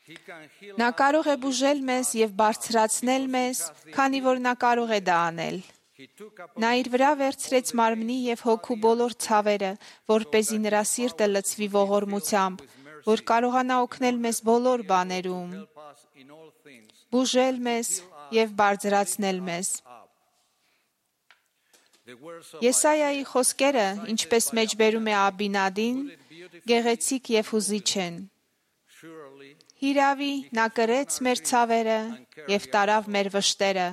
He can heal Նա կարող է բուժել մեզ եւ բարձրացնել մեզ, քանի որ նա կարող է դա անել։ He took up Նա իր վրա վերցրեց մարմնի եւ հոգու բոլոր ցավերը, որպեսզի նրա սիրտը լցվի ողորմությամբ, որ կարողանա օգնել մեզ բոլոր բաներում, us in all things. բուժել մեզ եւ բարձրացնել մեզ։ The words of Եսայայի խոսքերը, ինչպես մեջբերում է Աբինադին, գեղեցիկ եւ հուզիչ են։ surely Հիրավի նա կրեց մեր ցավերը եւ տարավ մեր վշտերը։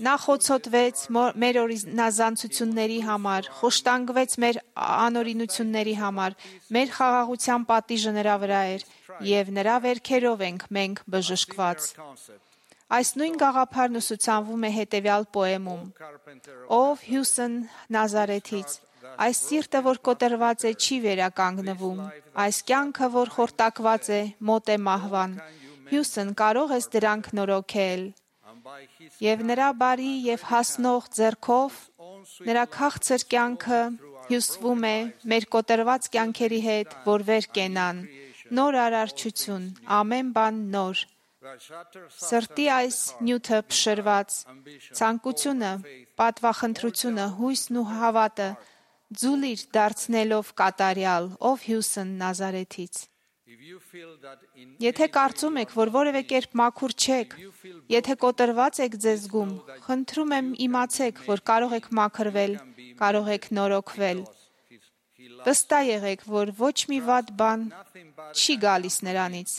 Նա խոցոտվեց մեր օրինազանցությունների համար, խոշտանգվեց մեր անօրինությունների համար, մեր խաղաղության պատիժը նրա վրա էր, եւ նրա վերքերով ենք մենք բժշկված։ concept. Այս նույն գաղափարն ուսուցանվում է հետևյալ պոեմում. Carpenter Ով Հյուսն Նազարեթից, այս սիրտը, որ կոտրված է, չի վերականգնվում, այս կյանքը, որ խորտակված է, մոտ է մահվան։ Հյուսն կարող ես դրանք նորոգել։ and by his Եվ նրա բարի եւ հասնող ձեռքով նրա քաղցր կյանքը հյուսվում է մեր կոտրված կյանքերի հետ, որ վեր կենան։ Նոր արարչություն, ամեն բան նոր։ that shatters Սրտի այս նյութը փշրված, ցանկությունը, պատվախնդրությունը, հույսն ու հավատը ձուլիր դարձնելով կատարյալ, ով Հյուսն Նազարեթից։ if you feel that in Եթե կարծում եք, որ որևէ կերպ մաքուր չեք, եթե կոտրված եք ձեզ զգում, խնդրում եմ իմացեք, որ կարող եք մաքրվել, կարող եք նորոգվել։ Վստահ եղեք, որ ոչ մի վատ բան չի գալիս նրանից,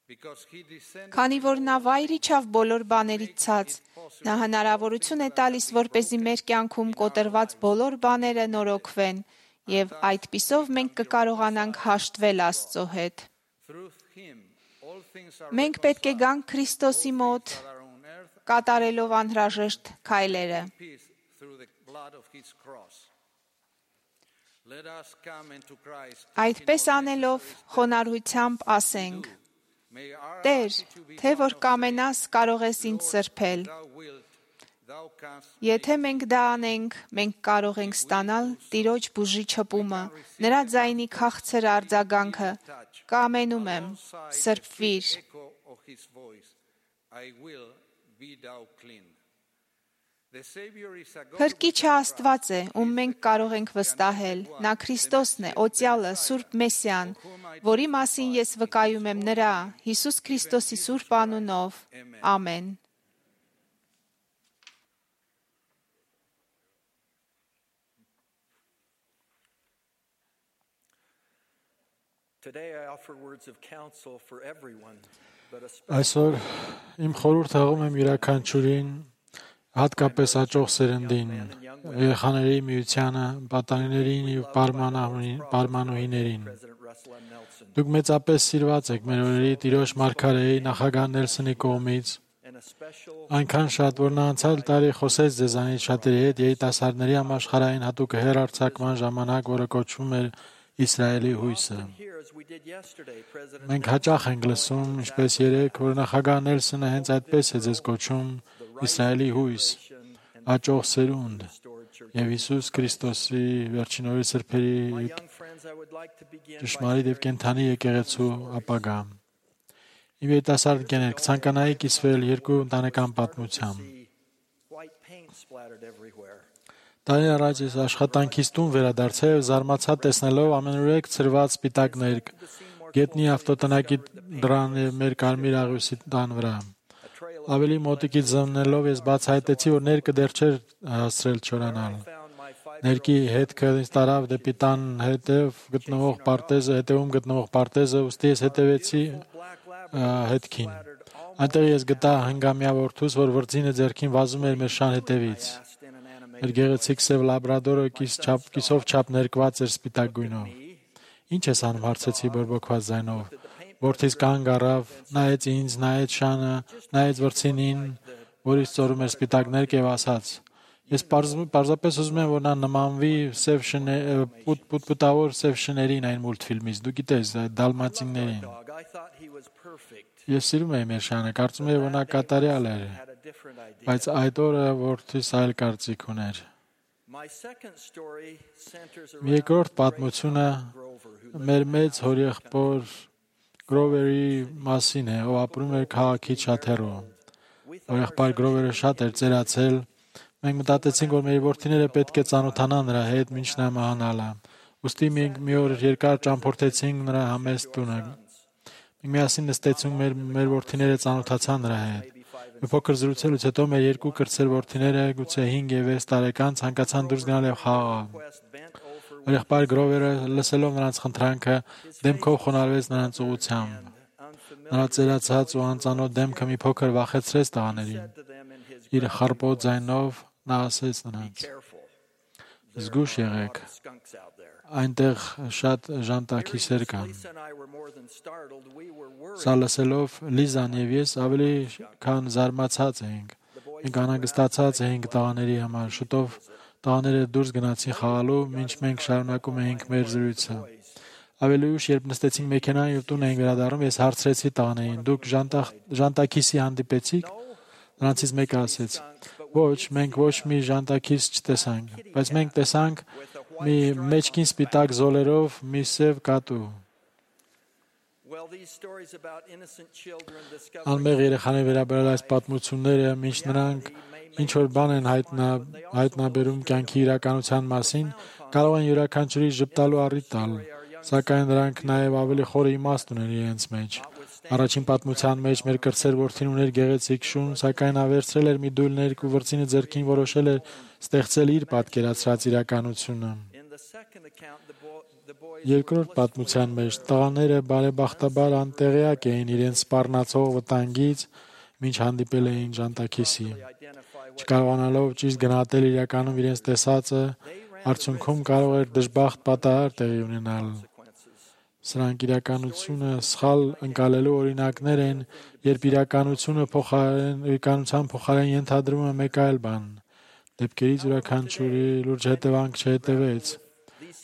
because he descended քանի որ նա վայր իջավ բոլոր բաներից ցած, նա հնարավորություն է տալիս, որպեսզի մեր կյանքում կոտրված բոլոր բաները նորոգվեն, եւ այդպիսով մենք կկարողանանք հաշտվել Աստծո հետ։ through him all things are Մենք պետք է գանք Քրիստոսի մոտ, that are on earth կատարելով անհրաժեշտ քայլերը։ peace through the blood of his cross. Let us come into Christ. Այդպես անելով խոնարհությամբ ասենք. May our Տեր, թե որ կամենաս, կարող ես ինձ սրբել։ thou wilt, thou canst Եթե մենք դա անենք, մենք կարող ենք ստանալ Տիրոջ բուժիչ հպումը, նրա ձայնի քաղցր արձագանքը։ Կամենում եմ, սրբվիր։ echo of his voice. I will be thou clean. The Savior is a God Փրկիչը Աստված է, ում մենք կարող ենք վստահել։ Նա Քրիստոսն է, Օծյալը, Սուրբ Մեսիան, որի մասին ես վկայում եմ նրա, Հիսուս Քրիստոսի Սուրբ անունով։ Ամեն։ Today I offer words of counsel for everyone, but Այսօր իմ խորհուրդ հղում եմ յուրաքանչյուրին, հատկապես հաջող սերնդին, երեխաների միությանը, պատանիներին եւ պարմանուհիներին։ Դուք մեծապես սիրված եք մեր օրերի Տիրոջ մարգարեի նախագահ Նելսոնի կողմից, այնքան շատ, որ նա անցյալ տարի խոսեց ձեզանից շատերի հետ երիտասարդների համաշխարհային հատուկ հեռարձակման ժամանակ, որը կոչվում էր Իսրայելի հույսը։ Մենք հաճախ ենք լսում, ինչպես երեկ, որ նախագահ Նելսոնը հենց այդպես է ձեզ կոչում Իսրայելի հույս, հաջող սերունդ եւ Հիսուս Քրիստոսի վերջին օրերի սրբերի ճշմարիտ եւ կենդանի եկեղեցու ապագա։ Իմ երիտասարդ ընկերներ, կցանկանայի կիսվել երկու ընտանեկան պատմությամբ։ Տարի առաջ ես աշխատանքից տուն վերադարձա եւ զարմացա տեսնելով ամենուրեք ցրված սպիտակ ներկ, գետնի ավտոտնակի դռան եւ մեր կարմիր աղյուսի տան վրա։ Ավելի մոտիկից զննելով ես բացահայտեցի, որ ներկը դեռ չէր հասցրել չորանալ։ Ներկի հետքը ինձ տարավ դեպի տան հետևում գտնվող պարտեզը, ուստի ես հետևեցի հետքին։ Այնտեղ ես գտա հնգամյա որդուս, որ վրձինը ձեռքին վազում էր մեր շան հետևից։ Մեր գեղեցիկ սև լաբրադորը կիսով չափ ներկված էր սպիտակ գույնով։ Ինչ ես անում, հարցեցի բորբոքված ձայնով։ Որդիս կանգ առավ, նայեց ինձ, նայեց շանը, նայեց վրձինին, որից ծորում էր սպիտակ ներկ եւ ասաց. Ես պարզապես ուզում եմ, որ նա նմանվի պուտպուտավոր սև շներին այն մուլտֆիլմից, դու գիտես, այդ դալմատիններին։ Ես սիրում եմ մեր շանը, կարծում եմ, որ նա կատարյալ էր, բայց այդ օրը որդիս այլ կարծիք ուներ։ Երկրորդ պատմությունը մեր մեծ հորեղբոր Գրովերի մասին է, ով ապրում էր քաղաքից շատ հեռու։ Հորեղբայր Գրովերը շատ էր ծերացել։ Մենք մտածեցինք, որ մեր որդիները պետք է ծանոթանան նրա հետ մինչ նա մահանալը։ Ուստի մենք մի օր երկար ճամփորդեցինք նրա համեստ տունը։ Մենք միասին նստեցինք, մեր որդիները ծանոթացան նրա հետ։ Մի փոքր զրուցելուց հետո մեր երկու կրտսեր որդիները, գուցե 5 եւ 6 տարեկան, ցանկացան դուրս գնալ եւ խաղալ։ Հորեղբայր Գրովերը, լսելով նրանց խնդրանքը, դեմքով խոնարհվեց նրանց ուղղությամբ։ Նրա ծերացած ու անծանոթ դեմքը մի փոքր վախեցրեց տղաներին։ Իր խռպոտ ձայնով նա ասեց նրանց. «Զգույշ եղեք, այնտեղ շատ ժանտաքիսեր կան»։ Սա լսելով Լիզան եւ ես ավելի քան զարմացած էինք։ Մենք անհանգստացած էինք տղաների համար։ Շուտով տղաները դուրս գնացին խաղալու, մինչ մենք շարունակում էինք մեր զրույցը։ Ավելի ուշ, երբ նստեցինք մեքենան եւ տուն էինք վերադառնում, ես հարցրեցի տղաներին. «Դուք ժանտաքիսի հանդիպեցիք»։ Նրանցից մեկը ասեց. «Ոչ, մենք ոչ մի ժանտաքիս չտեսանք, բայց մենք տեսանք մի մեջքին սպիտակ զոլերով մի սև կատու»։ Անմեղ երեխաների վերաբերյալ այս պատմությունները, մինչ նրանք ինչ-որ բան են հայտնաբերում կյանքի իրականության մասին, կարող են յուրաքանչյուրի ժպտալու առիթ տալ, սակայն նրանք նաև ավելի խորը իմաստ ունեն իրենց մեջ։ Առաջին պատմության մեջ մեր կրտսեր որդին ուներ գեղեցիկ շուն, սակայն նա վերցրել էր մի դույլ ներկ ու վրձինը ձեռքին որոշել էր ստեղծել իր պատկերացրած իրականությունը։ Երկրորդ պատմության մեջ տղաները բարեբախտաբար անտեղյակ էին իրենց սպառնացող վտանգից, մինչ հանդիպել էին ժանտաքիսի։ Չկարողանալով ճիշտ գնահատել իրականում իրենց տեսածը, արդյունքում կարող էր դժբախտ պատահար տեղի ունենալ։ Սրանք իրականությունը սխալ ընկալելու օրինակներ են, երբ իրականության փոխարեն ենթադրում է մեկ այլ բան։ Դեպքերից յուրաքանչյուրի լուրջ հետևանք չհետևեց։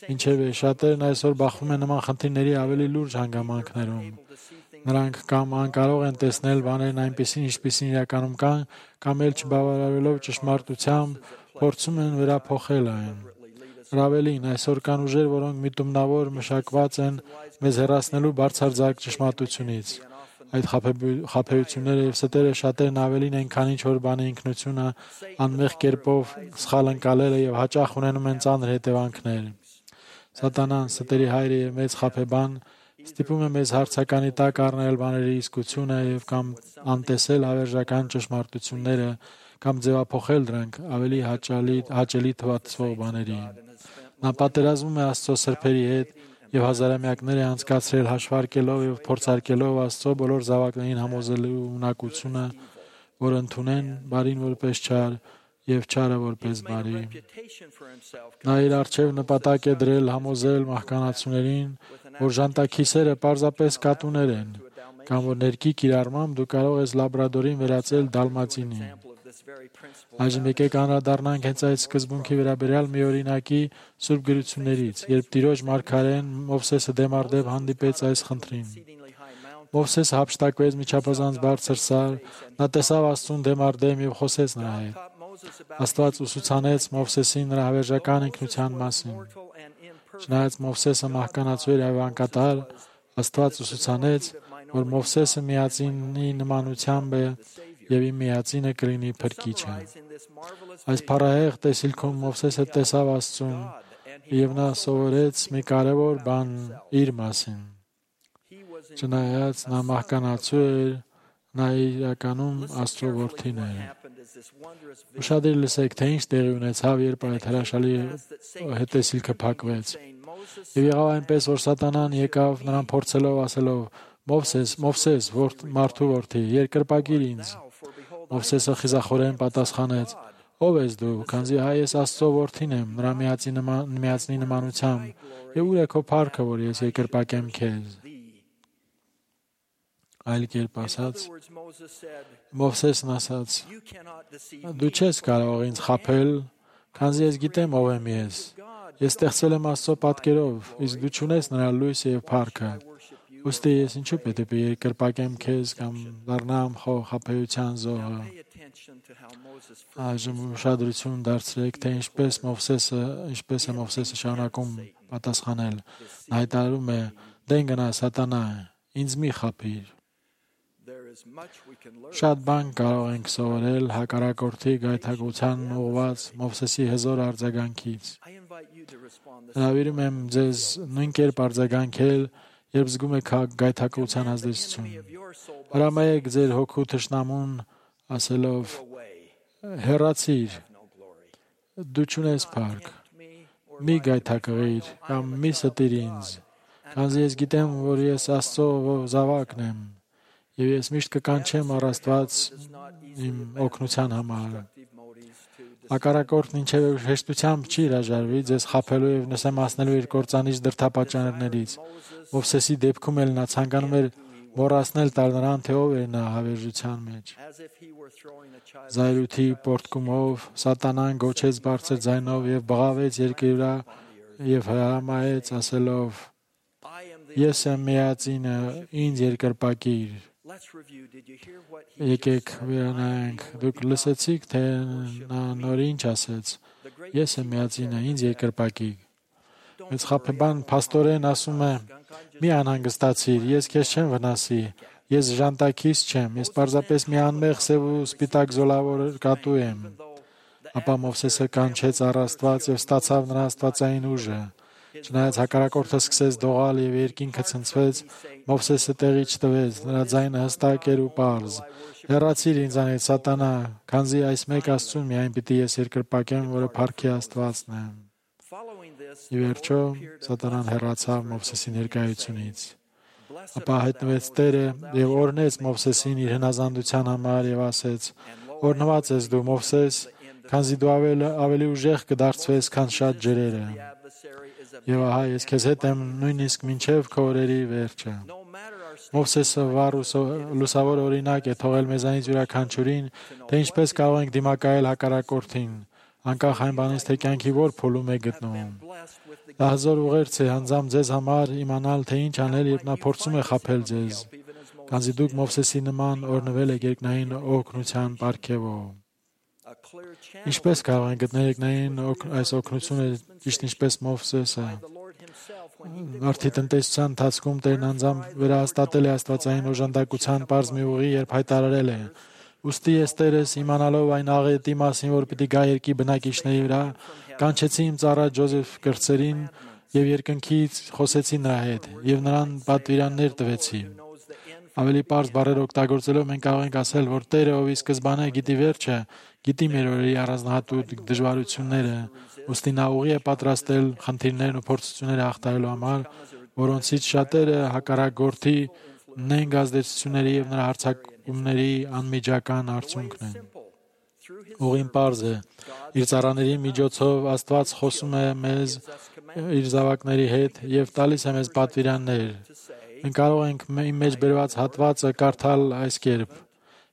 Ինչևէ, շատերն այսօր բախվում են նման խնդիրների ավելի լուրջ հանգամանքներում։ Նրանք կամ անկարող են տեսնել բաներն այնպիսին, ինչպիսին իրականում կան, կամ էլ չբավարարելով ճշմարտությամբ, փորձում են վերափոխել այն։ Ավելին, այսօր կան ուժեր, որոնք միտումնավոր մշակված են մեզ հեռացնելու բարձրաձայգ ճշմարտությունից։ Այդ խաբեությունները եւ ստերը շատերն ավելին են, քան ինչ-որ բանի ինքնությունը անմեղ կերպով սխալ ընկալելը եւ հաճախ ունենում են ծանր հետևանքներ։ Սատանան, ստերի հայրը եւ մեծ խաբեբան, ստիպում է մեզ հարցականի տակ առնել բաների իսկությունը եւ կամ անտեսել հավերժական ճշմարտությունները կամ ձևափոխել դրանք ավելի հաճելի թվացվող բաների։ Նա պատերազմում է Աստծո սրբերի հետ եւ հազարամյակներ է անցկացրել հաշվարկելով եւ փորձարկելով Աստծո բոլոր զավակներին համոզելու ունակությունը, որ ընդունեն բարին որպես չար եւ չարը որպես բարի։ Նա իր արչեւ նպատակ է դրել համոզել մահկանացուներին, որ ժանտաքիսերը պարզապես կատուներ են, կամ որ ներքի կիրառմամբ դու կարող ես լաբրադորին վերածել դալմատինի։ Այժմ եկեք անդրադառնանք հենց այդ սկզբունքի վերաբերյալ մի օրինակի Սուրբ գրություններից, երբ Տիրոջ մարգարեն Մովսեսը դեմառդեպ հանդիպեց այս խնդրին։ Մովսեսը հափշտակվեց միջապազանց բարձր սար, նա տեսավ Աստծուն դեմառդեմ եւ խոսեց նրա հետ։ Աստված ուսուցանեց Մովսեսին նրա հավերժական ինքնության մասին։ Չնայած Մովսեսը մահկանացու էր եւ անկատար, Աստված ուսուցանեց, որ Մովսեսը միածինի նմանությամբ է եւ իր միածինը կլինի փրկիչը։ Այս փառահեղ տեսիլքում Մովսեսը տեսավ Աստծուն եւ նա սովորեց մի կարևոր բան իր մասին։ Չնայած նա մահկանացու էր, նա իրականում Աստծո որդին էր։ Ուշադիր լսեք, թե ինչ տեղի ունեցավ, երբ այդ հրաշալի հետեսիլքը փակվեց։ Եվ եղավ այնպես, որ Սատանան եկավ նրան փորձելով ասելով. «Մովսես, Մովսես, մարդու որդի, երկրպագիր ինձ»։ Մովսեսը խիզախորեն պատասխանեց. «Ո՞վ ես դու, քանզի հայ ես Աստծո որդին եմ, նրա միածնի նմանությամբ, եւ ուր է քո փառքը, որ ես երկրպագեմ քեզ»։ Այլ կերպ ասած, Մովսեսն ասաց. «Դու չես կարող ինձ խաբել, քանզի ես գիտեմ ով եմ ես։ Ես ստեղծվել եմ Աստծո պատկերով, իսկ դու չունես նրա լույսը եւ փառքը։ Ուստի ես ինչու պետք է երկրպագեմ քեզ կամ դառնամ քո խաբեության զոհը»։ Այժմ ուշադրություն դարձրեք, թե ինչպես է Մովսեսը շարունակում պատասխանել։ Նա հայտարարում է. «Դեն գնա Սատանա, ինձ մի խաբիր»։ Շատ բան կարող ենք սովորել հակառակորդի գայթակղությանն ուղղված Մովսեսի հզոր արձագանքից։ Հրավիրում եմ ձեզ նույն կերպ արձագանքել, երբ զգում եք գայթակղության ազդեցություն։ Հրամայեք ձեր հոգու թշնամուն ասելով. «Հեռացիր, դու չունես փառք, մի գայթակղիր կամ մի ստիր ինձ, քանզի ես գիտեմ, որ ես Աստծո զավակն եմ, եւ ես միշտ կկանչեմ առ Աստված իմ օգնության համար»։ Հակառակորդն ինչևէ հեշտությամբ չի հրաժարվի ձեզ խաբելու եւ նսեմացնելու իր կործանիչ դրդապատճառներից։ Մովսեսի դեպքում էլ նա ցանկանում էր մոռացնել տալ նրան, թե ով էր նա հավերժության մեջ։ Զայրույթի պոռթկումով Սատանան գոչեց բարձր ձայնով եւ բղավեց երկրի վրա եւ հրամայեց ասելով. «Ես եմ միածինը, ինձ երկրպագիր»։ Եկեք վերանայենք, դուք լսեցիք, թե նա նոր ինչ ասեց. «Ես եմ միածինը, ինձ երկրպագիր»։ Մեծ խաբեբան փաստորեն ասում է. «Մի անհանգստացիր, ես քեզ չեմ վնասի, ես ժանտաքիս չեմ, ես պարզապես մի անմեղ սև ու սպիտակ զոլավոր կատու եմ»։ Ապա Մովսեսը կանչեց առ Աստված եւ ստացավ նրա աստվածային ուժը։ Չնայած հակառակորդը սկսեց դողալ եւ երկինքը ցնցվեց, Մովսեսը տեղի չտվեց, նրա ձայնը հստակ էր ու պարզ. «Հեռացիր ինձանից, Սատանա, քանզի այս մեկ Աստծուն միայն պիտի ես երկրպագեմ, որը փառքի Աստվածն է»։ Ի վերջո Սատանան հեռացավ Մովսեսի ներկայությունից։ Ապա հայտնվեց Տերը եւ օրհնեց Մովսեսին իր հնազանդության համար եւ ասեց. «Օրհնված ես դու, Մովսես, քանզի դու ավելի ուժեղ կդարձվես, քան շատ ջրերը։ Եվ ահա ես քեզ հետ եմ նույնիսկ մինչև քո օրերի վերջը»։ Մովսեսը վառ ու լուսավոր օրինակ է թողել մեզանից յուրաքանչյուրին, թե ինչպես կարող ենք դիմակայել հակառակորդին, անկախ այն բանից, թե կյանքի որ փուլում է գտնվում։ Դա հզոր ուղերձ է անձամբ ձեզ համար իմանալ, թե ինչ անել, երբ նա փորձում է խաբել ձեզ, քանզի դուք Մովսեսի նման օրհնվել եք երկնային օգնության պարգևով։ Ինչպես կարող են գտնել երկնային այս օգնությունը, ճիշտ ինչպես Մովսեսը։ Մարդի տնտեսության ընթացքում Տերն անձամբ վերահաստատել է աստվածային օժանդակության պարզ մի ուղի, երբ հայտարարել է. «Ուստի ես Տերս, իմանալով այն աղետի մասին, որ պիտի գա երկրի բնակիչների վրա, կանչեցի իմ ծառա Ջոզեֆ կրտսերին եւ երկնքից խոսեցի նրա հետ եւ նրան պատվիրաններ տվեցի»։ Ավելի պարզ բառեր օգտագործելով մենք կարող ենք ասել, որ Տերը, ով ի սկզբանե գիտի վերջը, գիտի մեր օրերի առանձնահատուկ դժվարությունները, ուստի նա ուղի է պատրաստել խնդիրներն ու փորձությունները հաղթահարելու համար, որոնցից շատերը հակառակորդի նենգ ազդեցությունների եւ նրա հարձակումների անմիջական արդյունքն են։ Ուղին պարզ է։ Իր ծառաների միջոցով Աստված խոսում է մեզ իր զավակների հետ եւ տալիս է մեզ պատվիրաններ։ Մենք կարող ենք իմ մեջ բերված հատվածը կարդալ այս կերպ.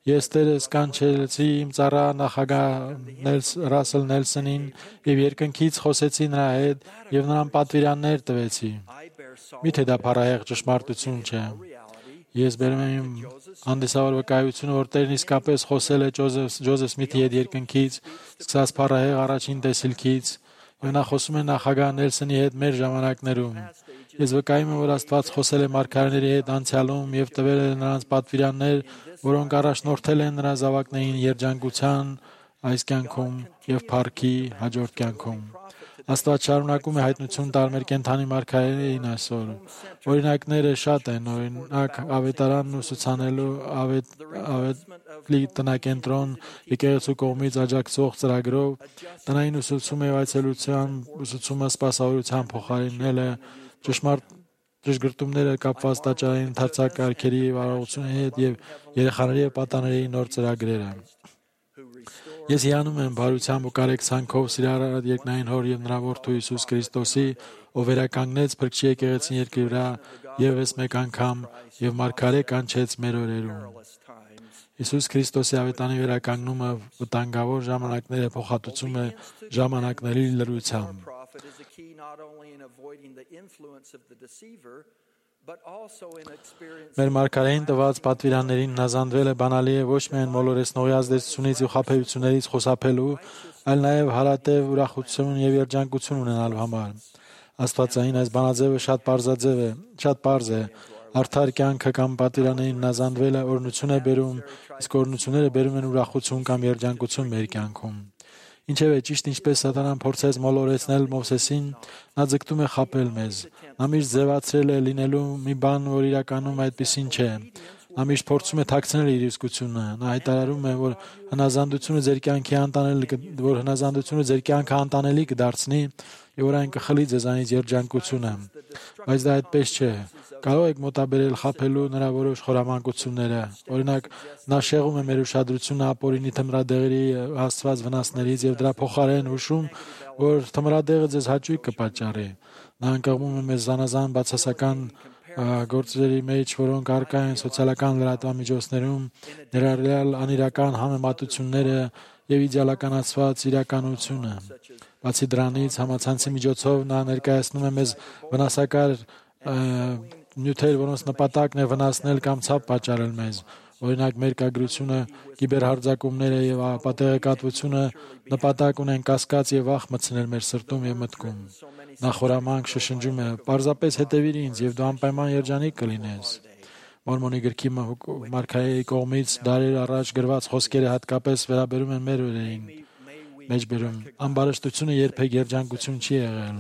Ես Տերս կանչեցի իմ ծառա նախագահ Ռասել Նելսոնին եւ երկնքից խոսեցի նրա հետ եւ նրան պատվիրաններ տվեցի։ Միթե դա փառահեղ ճշմարտություն չէ։ Ես բերում եմ հանդիսավոր վկայությունը, որ Տերն իսկապես խոսել է Ջոզեֆ Սմիթի հետ երկնքից, սկսած փառահեղ առաջին տեսիլքից, եւ նա խոսում է նախագահ Նելսոնի հետ մեր ժամանակներում։ Ես վկայում եմ, որ Աստված խոսել է մարգարեների հետ անցյալում եւ տվել է նրանց պատվիրաններ, որոնք առաջնորդել են նրա զավակներին երջանկության այս կյանքում եւ փառքի հաջորդ կյանքում։ Աստված շարունակում է հայտնություն տալ մեր կենդանի մարգարեներին այսօր։ Օրինակները շատ են, օրինակ ավետարանն ուսուցանելու ավետլի տնակենտրոն եկեղեցու կողմից աջակցող ծրագրով տնային ուսուցում եւ այցելության ուսուցումը սպասավորության փոխարինել է ճշգրտումները կապված տաճարային ընդարձակարգերի վարողությունների հետ եւ երեխաների եւ պատանների նոր ծրագրերը։ Ես հիանում եմ բարությամբ ու կարեկցանքով սիրառատ երկնային Հոր եւ նրա Որդու Հիսուս Քրիստոսի, ով վերականգնեց Փրկչի եկեղեցին երկրի վրա եւս մեկ անգամ եւ մարգարե կանչեց մեր օրերում։ Հիսուս Քրիստոսի ավետանի վերականգնումը վտանգավոր ժամանակները փոխհատուցում է ժամանակների լրությամբ։ Մեր մարգարեին տված պատվիրաններին հնազանդվելը բանալի է ոչ միայն մոլորեցնողի ազդեցությունից ու խաբեություններից խուսափելու, այլ նաև հարատև ուրախություն եւ երջանկություն ունենալու համար։ Աստվածային այս բանաձևը շատ պարզ է։ Արդար կյանքը կամ պատվիրաններին հնազանդվելը օրհնություն է բերում, իսկ օրհնությունները բերում են ուրախություն կամ երջանկություն մեր կյանքում։ Ինչևէ, ճիշտ ինչպես Սատանան փորձեց մոլորեցնել Մովսեսին, նա ձգտում է խաբել մեզ։ Նա միշտ ձևացրել է լինելու մի բան, որ իրականում այդպիսին չէ։ Նա միշտ փորձում է թաքցնել իր իսկությունը։ Նա հայտարարում է, որ հնազանդությունը ձեր կյանքը անտանելի կդարձնի, եւ որ այն կխլի ձեզանից երջանկությունը։ Բայց դա այդպես չէ։ Կարող եք մոտաբերել խաբելու նրա որոշ խորամանկությունները։ Օրինակ, նա շեղում է մեր ուշադրությունը ապօրինի թմրադեղերի հասցված վնասներից եւ դրա փոխարեն հուշում, որ թմրադեղը ձեզ հաճույք կպատճառի։ Նա ընկղմում է մեզ զանազան բացասական գործերի մեջ, որոնք առկա են սոցիալական լրատվամիջոցներում, ներառյալ անիրական համեմատությունները եւ իդեալականացված իրականությունը։ Բացի դրանից, համացանցի միջոցով նա ներկայացնում է մեզ վնասակար նյութեր, որոնց նպատակն է վնասնել կամ ցավ պատճառել մեզ։ Օրինակ, մերկագրությունը, կիբերհարձակումները եւ ապատեղեկատվությունը նպատակ ունեն կասկած եւ վախ մտցնել մեր սրտում եւ մտքում։ Նա խորամանկ շշնջում է. «Պարզապես հետևիր ինձ եւ դու անպայման երջանիկ կլինես»։ Մորմոնի գրքի մարգարեի կողմից դարեր առաջ գրված խոսքերը հատկապես վերաբերում են մեր օրերին։ Մեջբերում ամբարշտությունը երբեք երջանկություն չի եղել։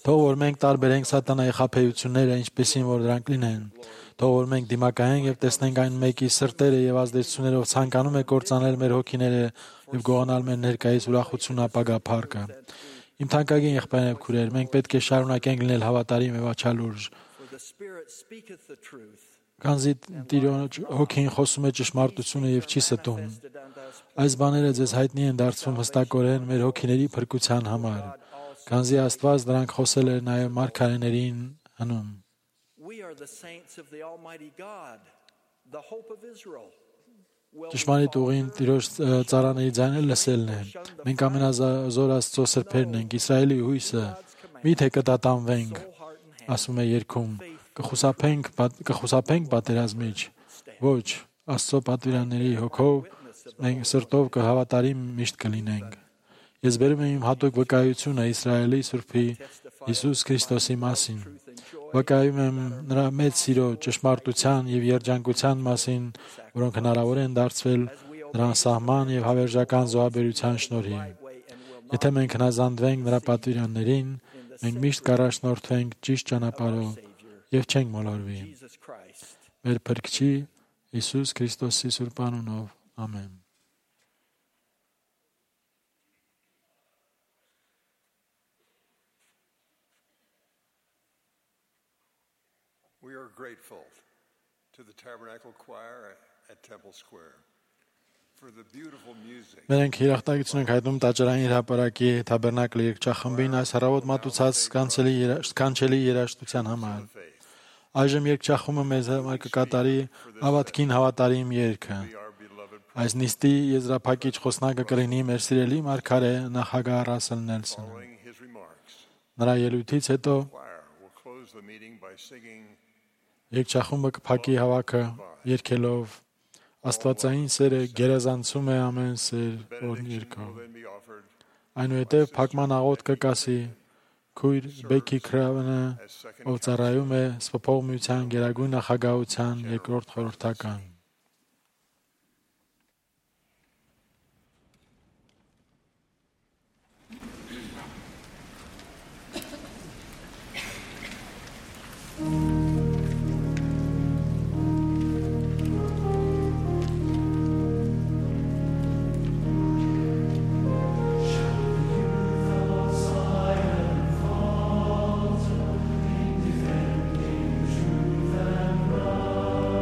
Թող որ մենք տարբերենք սատանայի խաբեությունները, ինչպեսին որ դրանք լինեն։ Թող որ մենք դիմակայենք եւ տեսնենք այն մեկի սրտերը եւ ազդեցություններով ցանկանում է կործանել մեր հոգիները եւ գողանալ մեր ներկայիս ուրախություն ապագա փառքը։ Իմ թանկագին եղբայրներ եւ քուրեր, մենք պետք է շարունակենք լինել հավատարիմ եւ աչալուրջ։ Քանզի Տիրոջ հոգին խոսում է ճշմարտությունը եւ չի ստում։ Այս բաները ձեզ հայտնի են դարձվում հստակորեն մեր հոգիների փրկության համար։ Քանզի Աստված դրանք խոսել է նաեւ մարգարեներին հնում։ Ճշմարիտ ուղին Տիրոջ ծառաների ձայնը լսելն է։ Մենք ամենազոր Աստծո սրբերն ենք, Իսրայելի հույսը։ Միթե կտատանվենք, ասում է երգում, կխուսափենք պատերազմից։ Ոչ, Աստծո պատվիրանների հոգով մենք սրտով կհավատարիմ միշտ կլինենք։ Ես բերում եմ իմ հատուկ վկայությունը Իսրայելի Սուրբի Հիսուս Քրիստոսի մասին։ Վկայում եմ նրա մեծ սիրո, ճշմարտության եւ երջանկության մասին, որոնք հնարավոր են դարձվել նրա սահման եւ հավերժական զոհաբերության շնորհիվ։ Եթե մենք հնազանդվենք նրա պատվիրաններին, մենք միշտ կառաջնորդվենք ճիշտ ճանապարհով եւ չենք մոլորվի։ Մեր Փրկչի Հիսուս Քրիստոսի սուրբ անունով, ամեն։ grateful to the Tabernacle Choir at Temple Square for the beautiful music. Մենք հիրախտագիտություն ենք հայտնում տաճարային հրապարակի Թաբերնակլ երգչախմբին այս առավոտ մատուցած սքանչելի երաժշտության համար։ Այժմ երգչախումբը մեզ համար կկատարի ավատքին հավատարիմ երգը։ Այս նիստի եզրափակիչ խոսնակը կլինի մեր սիրելի մարգարե նախագահ Ռասել Նելսոնը։ Following his remarks, Նրա ելույթից հետո the choir will close the meeting by singing երգչախումբը կփակի հավաքը երգելով Աստվածային սերը գերազանցում է ամեն սեր, որ երկով։ will then be offered Այնուհետև փակման աղոթ կկասի քույր Բեքի Քրավնը, ով ծառայում է Սփոփող միության գերագույն նախագահության երկրորդ խորհրդական։ Defending truth and right.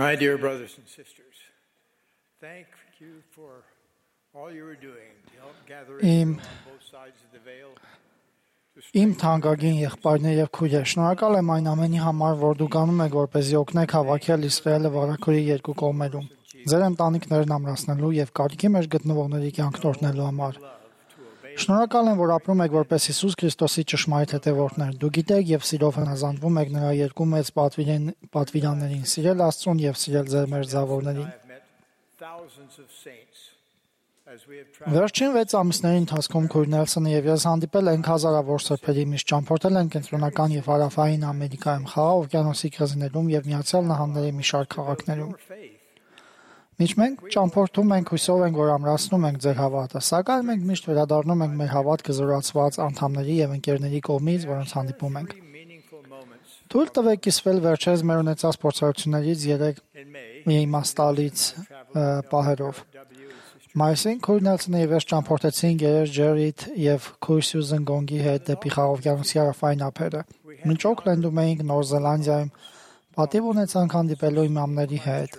My dear brothers and sisters, thank you for all you are doing to help gather Israel on both sides of the veil. Իմ թանկագին եղբայրներ եւ քույրեր, շնորհակալ եմ այն ամենի համար, որ դուք անում եք, որպեսզի օգնեք հավաքել Իսրայելը վարակորի երկու կողմերում, ձեր ընտանիքներն ամրացնելու եւ կարիքի մեջ գտնվողների կյանքն օրհնելու համար։ Շնորհակալ եմ, որ ապրում եք որպես Հիսուս Քրիստոսի ճշմարիտ հետևորդներ։ Դուք գիտեք եւ սիրով հնազանդվում եք նրա երկու մեծ պատվիրաններին՝ սիրել Աստծուն եւ սիրել ձեր մերձավորներին։ Վերջին 6 ամիսների ընթացքում քույր Նելսոնը եւ ես հանդիպել ենք հազարավոր սրբերի, միշտ ճամփորդել ենք կենտրոնական եւ հարավային Ամերիկայում, Խաղաղ օվկիանոսի կղզիներում եւ Միացյալ Նահանգների մի շարք քաղաքներում։ Միշտ մենք ճամփորդում ենք, հույսով ենք, որ ամրացնում ենք ձեր հավատը, սակայն մենք միշտ վերադառնում ենք մեր հավատքը զորացված անդամների եւ ընկերների կողմից, որոնց հանդիպում ենք։ Թույլ տվեք կիսվել վերջերս մեր ունեցած փորձառություններից 3 իմաստալից պահերով։ Մայիսին քույր Նելսոնը եւ ես ճամփորդեցինք երես Ջերիթ եւ քույր Սյուզեն Գոնգի հետ դեպի Խաղաղօվկիանոսի հարավային ափերը։ Մինչ Օքլենդում էինք Նոր Զելանդիայում, պատիվ ունեցանք հանդիպելու իմամների հետ։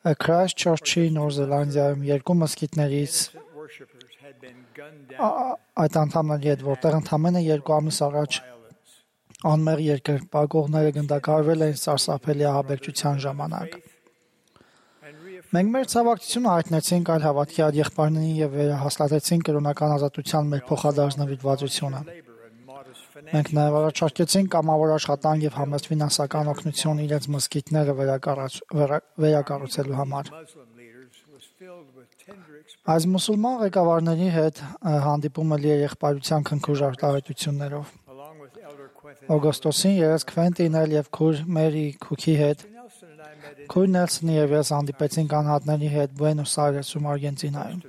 Քրայսթչըրչի Նոր Զելանդիայում երկու մզկիթներից այդ անդամների հետ, որտեղ ընդամենը 2 ամիս առաջ անմեղ երկրպագողները գնդակահարվել էին սարսափելի ահաբեկչության ժամանակ։ Մենք մեր ցավակցությունը հայտնեցինք այլ հավատքի այլ եղբայրներին եւ վերահաստատեցինք կրոնական ազատության մեր փոխադարձ նվիրվածությունը։ Մենք նաեւ առաջարկեցինք կամավոր աշխատանք եւ համեստ ֆինանսական օգնություն իրենց մզկիթները վերակառուցելու համար։ Այս մուսուլման ղեկավարների հետ հանդիպումը լի է եղբայրության քնքուշ արտահայտություններով։ Օգոստոսին երես Քվենտինել եւ քույր Մերի Քուքի հետ քույր Նելսոնը եւ ես հանդիպեցինք անհատների հետ Բուենոս Այրեսում, Արգենտինայում։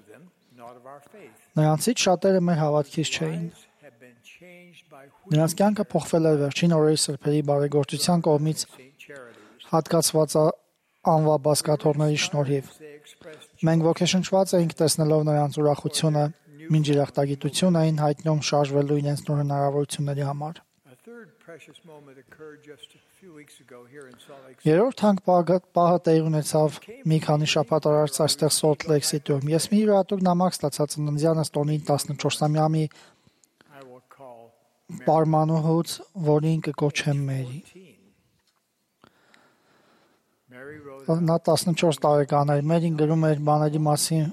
Նրանցից շատերը մեր հավատքից չէին։ Նրանց կյանքը փոխվել էր վերջին օրերի սրբերի բարեգործության կողմից հատկացված անվաբազկաթողների շնորհիվ։ Մենք ոգեշնչված էինք տեսնելով նրանց ուրախությունը, մինչ երախտագիտություն էին հայտնում շարժվելու իրենց նոր հնարավորությունների համար։ Երրորդ հանք պահը տեղի ունեցավ մի քանի շաբաթ առաջ այստեղ Սոլտ Լեյք Սիթիում։ Ես մի յուրատուկ նամակ ստացա ծննդյանս տոնի 14-ամյա պարմանուհուց, որին կկոչեմ Մերի։ Նա 14 տարեկան էր, Մերին գրում էր բաների մասին,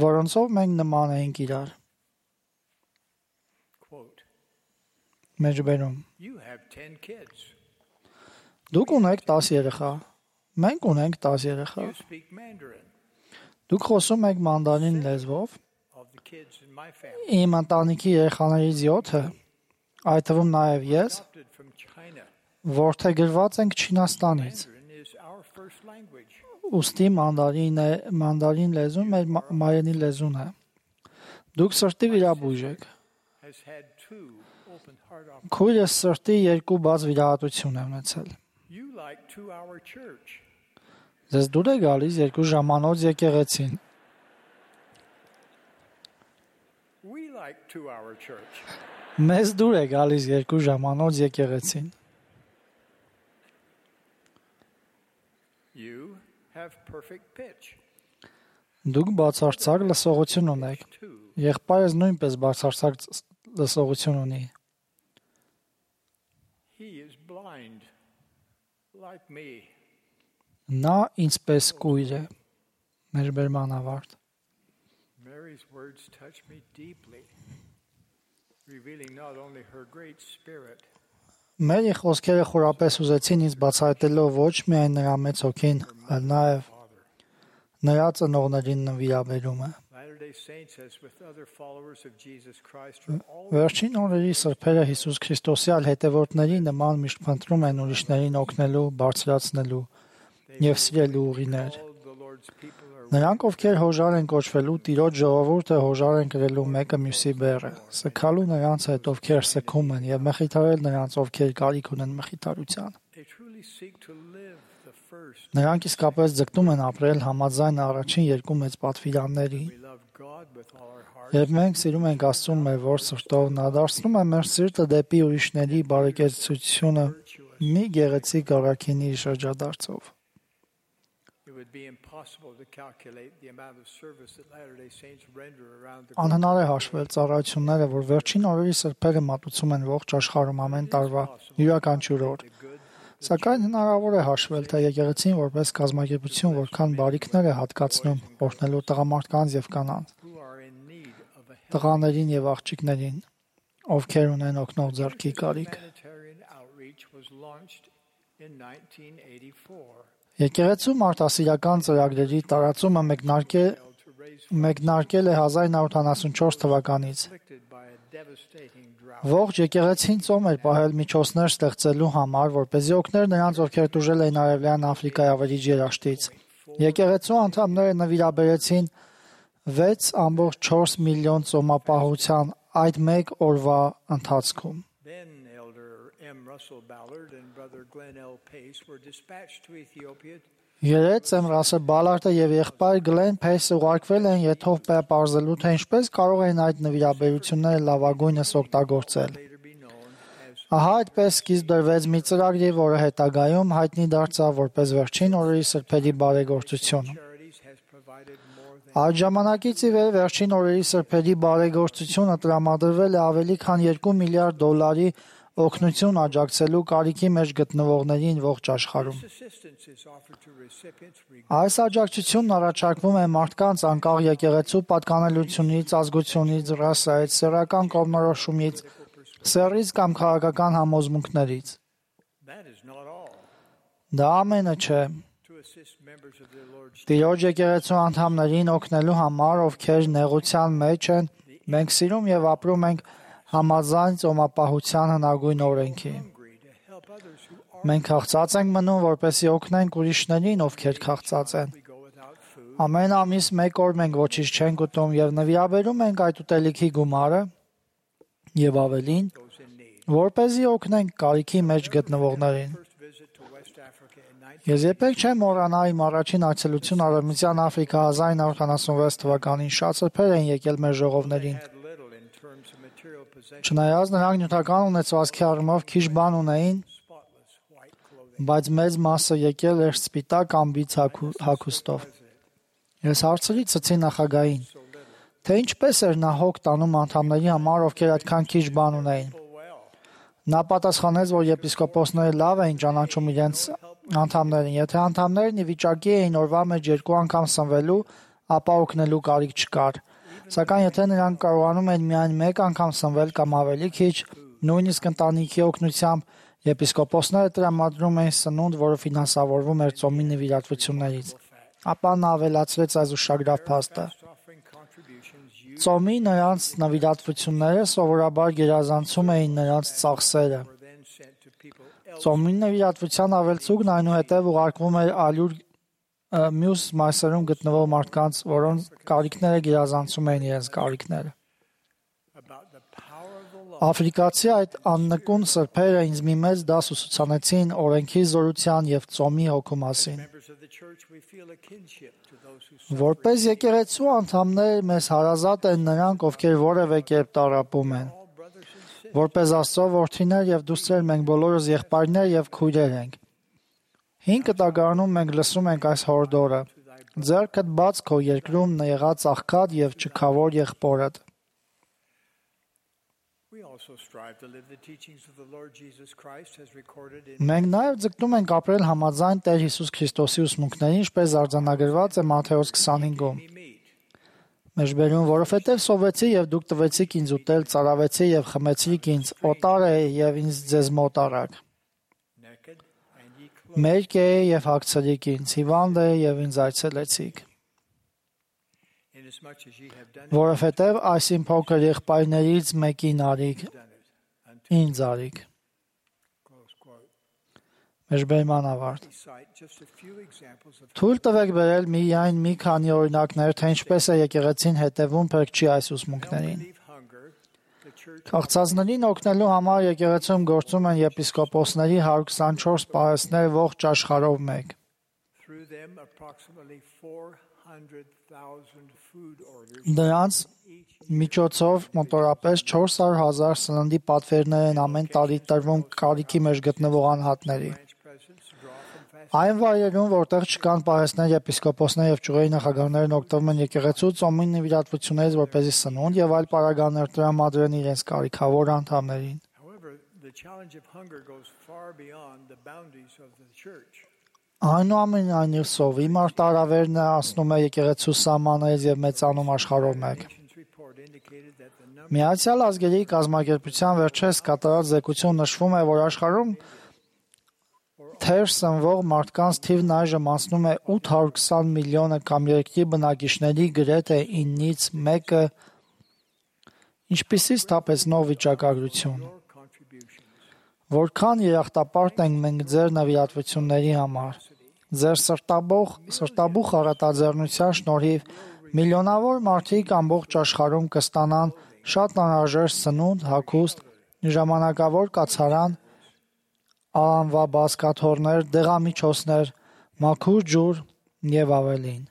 որոնցով մենք նման էինք իրար։ Մեջբերում։ Դուք ունեք 10 երեխա, մենք ունենք 10 երեխա։ Դուք խոսում եք մանդարին լեզվով։ Իմ ընտանիքի երեխաներից 7-ը, այդ թվում նաև ես, որդեգրված ենք Չինաստանից։ Ուստի մանդարին լեզուն մեր մայրենի լեզուն է։ Դուք սրտի վիրաբույժ եք։ Քույրս սրտի 2 բաց վիրահատություն է ունեցել։ Ձեզ դուր է գալիս 2 ժամանոց եկեղեցին։ Մեզ դուր է գալիս 2 ժամանոց եկեղեցին։ Դուք բացարձակ լսողություն ունեք։ Եղբայրս նույնպես բացարձակ լսողություն ունի։ Նա ինձպես կույր է։ Մեջբերման ավարտ։ Մերի խոսքերը խորապես ուզեցին ինձ բացահայտելով ոչ միայն նրա մեծ հոգին, այլ նաև նրա ծնողներին նվիրաբերումը։ Վերջին օրերի սրբերը Հիսուս Քրիստոսի այլ հետևորդների նման միշտ փնտրում են ուրիշներին օգնելու, բարձրացնելու եւ սիրելու ուղիներ։ Նրանք, ովքեր հոժար են կոչվելու, Տիրոջ ժողովուրդը հոժար են կրելու մեկը մյուսի բեռը, սգալու նրանց հետ, ովքեր սգում են, եւ մխիթարել նրանց, ովքեր կարիք ունեն մխիթարության։ Նրանք իսկապես ձգտում են ապրել համաձայն առաջին 2 մեծ պատվիրանների։ Երբ մենք սիրում ենք Աստծուն մեր ողջ սրտով, նա դարձնում է մեր սիրտը դեպի ուրիշների բարեկեցությունը մի գեղեցիկ առաքինի շրջադարձով։ would be impossible to calculate the amount of service that Latter-day Saints render around the Անհնար է հաշվել ծառայությունները, որ վերջին օրերի սրբերը մատուցում են ողջ աշխարհում ամեն տարվա յուրաքանչյուր օր։ Սակայն հնարավոր է հաշվել, թե եկեղեցին որպես կազմակերպություն որքան բարիքներ է հատկացնում օրհնելու տղամարդկանց եւ կանանց, who are in need of a տղաներին եւ աղջիկներին, ովքեր ունեն օգնող ձեռքի կարիք։ humanitarian outreach was launched in 1984 Եկեղեցու մարդասիրական ծրագրերի տարածումը մեկնարկել է 1974 թվականից։ afflicted by a devastating drought. Ողջ եկեղեցին ծոմ էր պահել միջոցներ ստեղծելու համար, որպեսզի օգներ նրանց, ովքեր տուժել էին Արևելյան Աֆրիկայի ավերիչ երաշտից։ Եկեղեցու անդամները նվիրաբերեցին 6.4 միլիոն ծոմապահության այդ մեկ օրվա ընթացքում։ Then Elder M. Russell Ballard and Brother Glenn L. Pace were dispatched to Ethiopia Երեց Ռասել Բալարտը եւ եղբայր Գլեն Փեյսը ուղարկվել են եթով պարզելու, թե ինչպես կարող են այդ նվիրաբերությունները լավագույնս օգտագործել։ later be known as Ահա այդպես սկիզբ դրվեց մի ծրագրի, որը հետագայում հայտնի դարձավ որպես վերջին օրերի սրբերի բարեգործություն։ Charities has provided more than Այդ ժամանակից ի վեր վերջին օրերի սրբերի բարեգործությունը տրամադրվել է ավելի քան 2 միլիարդ դոլարի օգնություն աջակցելու կարիքի մեջ գտնվողներին ողջ աշխարհում։ assistance is offered to recipients Այս աջակցությունն առաջարկվում է մարդկանց անկախ եկեղեցու պատկանելությունից, ազգությունից, ռասայից, սեռական կողմնորոշումից, սեռից կամ քաղաքական համոզմունքներից։ that is not all. Դա ամենը չէ։ To assist members of the Lord's Տիրոջ եկեղեցու անդամներին օգնելու համար, ովքեր նեղության մեջ են, մենք սիրում եւ ապրում ենք համաձայն ծոմապահության հնագույն օրենքի։ hungry to help others who are Մենք քաղցած ենք մնում, որպեսզի օգնենք ուրիշներին, ովքեր քաղցած են։ we go without food. Ամեն ամիս մեկ օր մենք ոչինչ չենք ուտում եւ նվիրաբերում ենք այդ ուտելիքի գումարը եւ ավելին, Those in need. որպեսզի օգնենք կարիքի մեջ գտնվողներին։ First visit to West Africa in 19 Ես երբեք չեմ մոռանա իմ առաջին այցելությունը Արևմտյան Աֆրիկա 1976 թվականին։ Շատ սրբեր են եկել մեր ժողովներին։ had little in terms of material possessions, Չնայած նրանք նյութական ունեցվածքի առումով քիչ բան ունեին, spotless white clothing. բայց մեծ մասը եկել էր սպիտակ ամբից հագուստով։ Ես հարցրի ցցի նախագահին, թե ինչպես էր նա հոգ տանում անդամների համար, ովքեր այդքան քիչ բան ունեին։ Well, Նա պատասխանեց, որ եպիսկոպոսները լավ էին ճանաչում իրենց անդամներին։ Եթե անդամներն ի վիճակի էին օրվա մեջ 2 անգամ սնվելու, ապա օգնելու կարիք չկար։ Սակայն եթե նրանք կարողանում են միայն 1 անգամ սնվել կամ ավելի քիչ, նույնիսկ ընտանիքի օգնությամբ, եպիսկոպոսները տրամադրում էին սնունդ, որը ֆինանսավորվում էր ծոմի նվիրատվություններից։ Ապա նա ավելացրեց այս ուշագրավ փաստը։ offering contributions used Ծոմի նրանց նվիրատվությունները սովորաբար գերազանցում էին նրանց ծախսերը։ were then sent to people else. Ծոմի նվիրատվության ավելցուկն այնուհետև ուղարկվում էր ալյուր մյուս մասերում գտնվող մարդկանց, որոնց կարիքները գերազանցում էին իրենց կարիքները։ About the power of the law. Աֆրիկացի այդ աննկուն սրբերը ինձ մի մեծ դաս ուսուցանեցին օրենքի զորության եւ ծոմի հոգու մասին։ Members of the church, we feel a kinship to those who suffer. Որպես եկեղեցու անդամներ մեզ հարազատ են նրանք, ովքեր որևէ կերպ տառապում են։ All brothers and sisters. Որպես Աստծո որդիներ եւ դուստրեր մենք բոլորս եղբայրներ եւ քույրեր ենք։ Հին կտակարանում մենք լսում ենք այս հորդորը. ձեռքդ բաց քո երկրում եղած աղքատ եւ չքավոր եղբորդ։ We also strive to live the teachings of the Lord Jesus Christ as recorded in Մենք նաեւ ձգտում ենք ապրել համաձայն Տեր Հիսուս Քրիստոսի ուսմունքներին, ինչպես արձանագրված է Մատթեոս 25-ում։ me meet. Մեջբերում, որովհետեւ սովեցի եւ դուք տվեցիք ինձ ուտել, ծարավեցի եւ խմեցիք ինձ, օտար է եւ ինձ ձեզ մոտ արաք։ Naked and ye clothed. Մերկ է եւ հագցրիք ինձ, հիվանդ է եւ ինձ այցելեցիք։ Inasmuch as ye have done Որովհետեւ այսին փոքր եղբայրներից մեկին արիք, it unto ինձ արիք։ close quote. Մեջբերման ավարտ։ We cite just a few examples of Թույլ տվեք բերել միայն մի քանի օրինակներ, թե ինչպես է եկեղեցին հետևում փրկչի այս ուսմունքներին։ relieve hunger. The church Քաղցածներին օգնելու համար եկեղեցում գործում են եպիսկոպոսների 124 պահեստներ ողջ աշխարհով մեկ։ through them approximately 400,000 food orders Դրանց միջոցով մոտորապես 400,000 սննդի պատվերներ են ամեն տարի տրվում կարիքի մեջ գտնվող անհատների։ branch presents draw from fast Այն վայրերում, որտեղ չկան պահեստներ, եպիսկոպոսներ եւ ճյուղերի նախագահներն օգտվում են եկեղեցու ծոմի նվիրատվություններից որպեսզի սնունդ եւ այլ պարագաներ տրամադրեն իրենց կարիքավոր անդամներին։ However, the challenge of hunger goes far beyond the boundaries of the church. Այնուամենայնիվ սովի մարտահրավերն ասնում է եկեղեցու սահմաններից եւ մեծանում աշխարհով մեկ։ Nations report indicated that the number Միացյալ ազգերի կազմակերպության վերջերս կատարած զեկույցում նշվում է, որ աշխարհում թեր սնվող մարդկանց թիվն այժմ անցնում է 820 միլիոնը կամ երկրի բնակիչների գրեթե 9-ից 1-ը, ինչպիսի սթափեցնող վիճակագրություն։ contributions. Որքան երախտապարտ ենք մենք ձեր նվիրատվությունների համար։ Ձեր սրտաբուխ առատաձեռնության շնորհիվ միլիոնավոր մարդիկ ամբողջ աշխարհում կստանան շատ անհրաժեշտ սնունդ, հագուստ, ժամանակավոր կացարան, անվաբազկաթոռներ, դեղամիջոցներ, մաքուր ջուր եւ ավելին։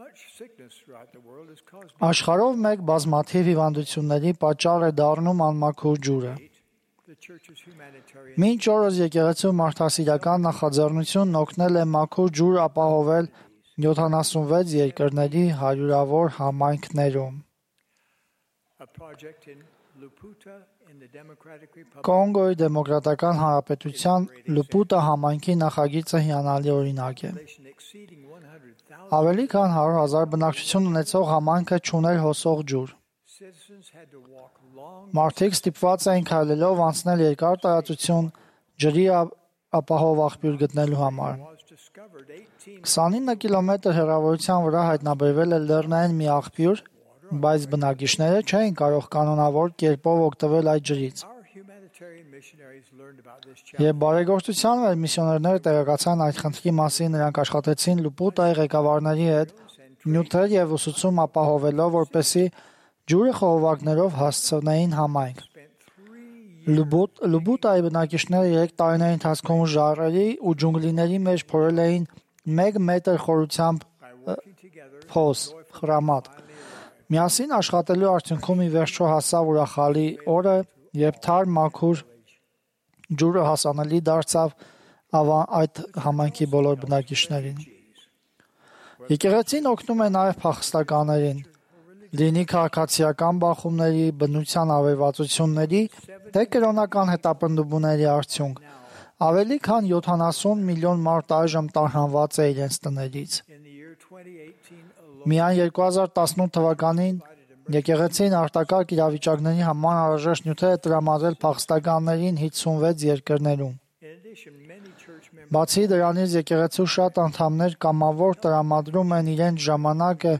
Much sickness throughout the world is caused Աշխարհով մեկ բազմաթիվ հիվանդությունների պատճառ է դառնում անմաքուր ջուրը։ the church's humanitarian Մինչ օրս եկեղեցու մարդասիրական նախաձեռնությունն օգնել է մաքուր ջուր ապահովել 76 երկրների հարյուրավոր համայնքներում։ a project in Luputa in the Democratic Republic Կոնգոյի դեմոկրատական հանրապետության Լուպուտա համայնքի նախագիծը հիանալի օրինակ է։ exceeding 100,000 Ավելի քան 100,000 բնակչություն ունեցող համայնքը չուներ հոսող ջուր։ citizens had to walk long Մարդիկ ստիպված էին քայլելով անցնել երկար տարածություն ջրի ապահով աղբյուր գտնելու համար։ was discovered 18 29 կիլոմետր հեռավորության վրա հայտնաբերվել է լեռնային մի աղբյուր, բայց բնակիչները չէին կարող կանոնավոր կերպով օգտվել այդ ջրից։ our humanitarian missionaries learned about this challenge Եվ բարեգործության մեր միսիոներները տեղեկացան այդ խնդրի մասին, նրանք աշխատեցին Լուպուտայի ղեկավարների հետ նյութեր եւ ուսուցում ապահովելով, որպեսզի ջուրը խողովակներով հասցնեին համայնք։ Լուբուտայի բնակիչները 3 տարիների ընթացքում ժայռերի ու ջունգլիների մեջ փորել էին 1 մետր խորությամբ փոս, խրամատ։ Միասին աշխատելու արդյունքում ի վերջո հասավ ուրախալի օրը, երբ թարմ մաքուր ջուրը հասանելի դարձավ այդ համայնքի բոլոր բնակիչներին։ Եկեղեցին օգնում է նաև փախստականներին, լինի քաղաքացիական բախումների, բնության ավերածությունների, թե կրոնական հետապնդումների արդյունք։ Ավելի քան 70 միլիոն մարդ այժմ տարհանված է իրենց տներից։ in the year 2018 alone Միայն 2018 թվականին եկեղեցին արտակարգ իրավիճակների համար անհրաժեշտ նյութեր է տրամադրել փախստականներին 56 երկրներում։ in addition many church members Բացի դրանից եկեղեցու շատ անդամներ կամավոր տրամադրում են իրենց ժամանակը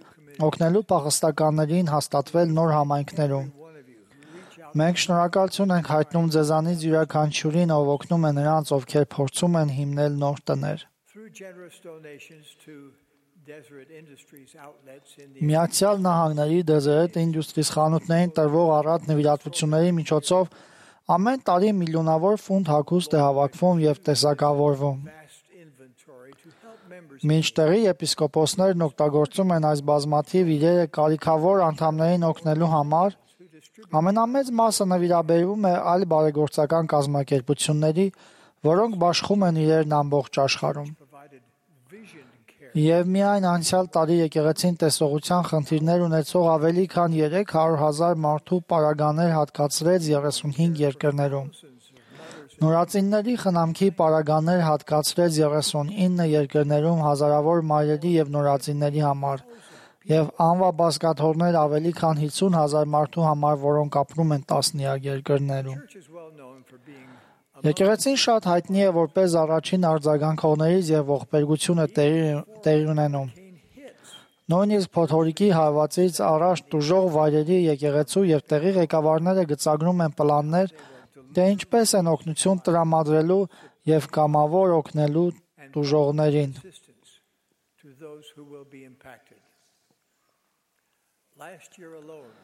օգնելու փախստականներին հաստատվել նոր համայնքներում։ one of you who reach out Մենք շնորհակալություն ենք հայտնում ձեզանից յուրաքանչյուրին, ով օգնում է նրանց, ովքեր փորձում են հիմնել նոր տներ։ through generous donations to Deseret Industries outlets in the Միացյալ Նահանգների Deseret Industries խանութներին տրվող առատ նվիրատվությունների միջոցով ամեն տարի միլիոնավոր ֆունտ հագուստ է հավաքվում եւ տեսակավորվում։ vast inventory to help members Մինչտեղի եպիսկոպոսներն օգտագործում են այս բազմաթիվ իրերը կարիքավոր անդամներին օգնելու համար, ամենամեծ մասը նվիրաբերվում է այլ բարեգործական կազմակերպությունների, որոնք բաշխում են իրերն ամբողջ աշխարհում։ provided vision care Եվ միայն անցյալ տարի եկեղեցին տեսողության խնդիրներ ունեցող ավելի քան 300,000 մարդու պարագաներ հատկացրեց 35 երկրներում։ Նորածինների խնամքի պարագաներ հատկացրեց 39 երկրներում հազարավոր մայրերի եւ նորածինների համար եւ անվաբազկաթոռներ ավելի քան 50,000 մարդու համար, որոնք ապրում են տասնյակ երկրներում։ church is well known for being Եկեղեցին շատ հայտնի է որպես առաջին արձագանքողներից եւ ողբերգությունը տեղի ունենում։ Նույնիսկ փոթորիկի հարվածից առաջ տուժող վայրերի եկեղեցու եւ տեղի ղեկավարները գծագրում են պլաններ, թե ինչպես են օգնություն տրամադրելու եւ կամավոր օգնելու տուժողներին։ assistance to those who will be impacted. Last year alone,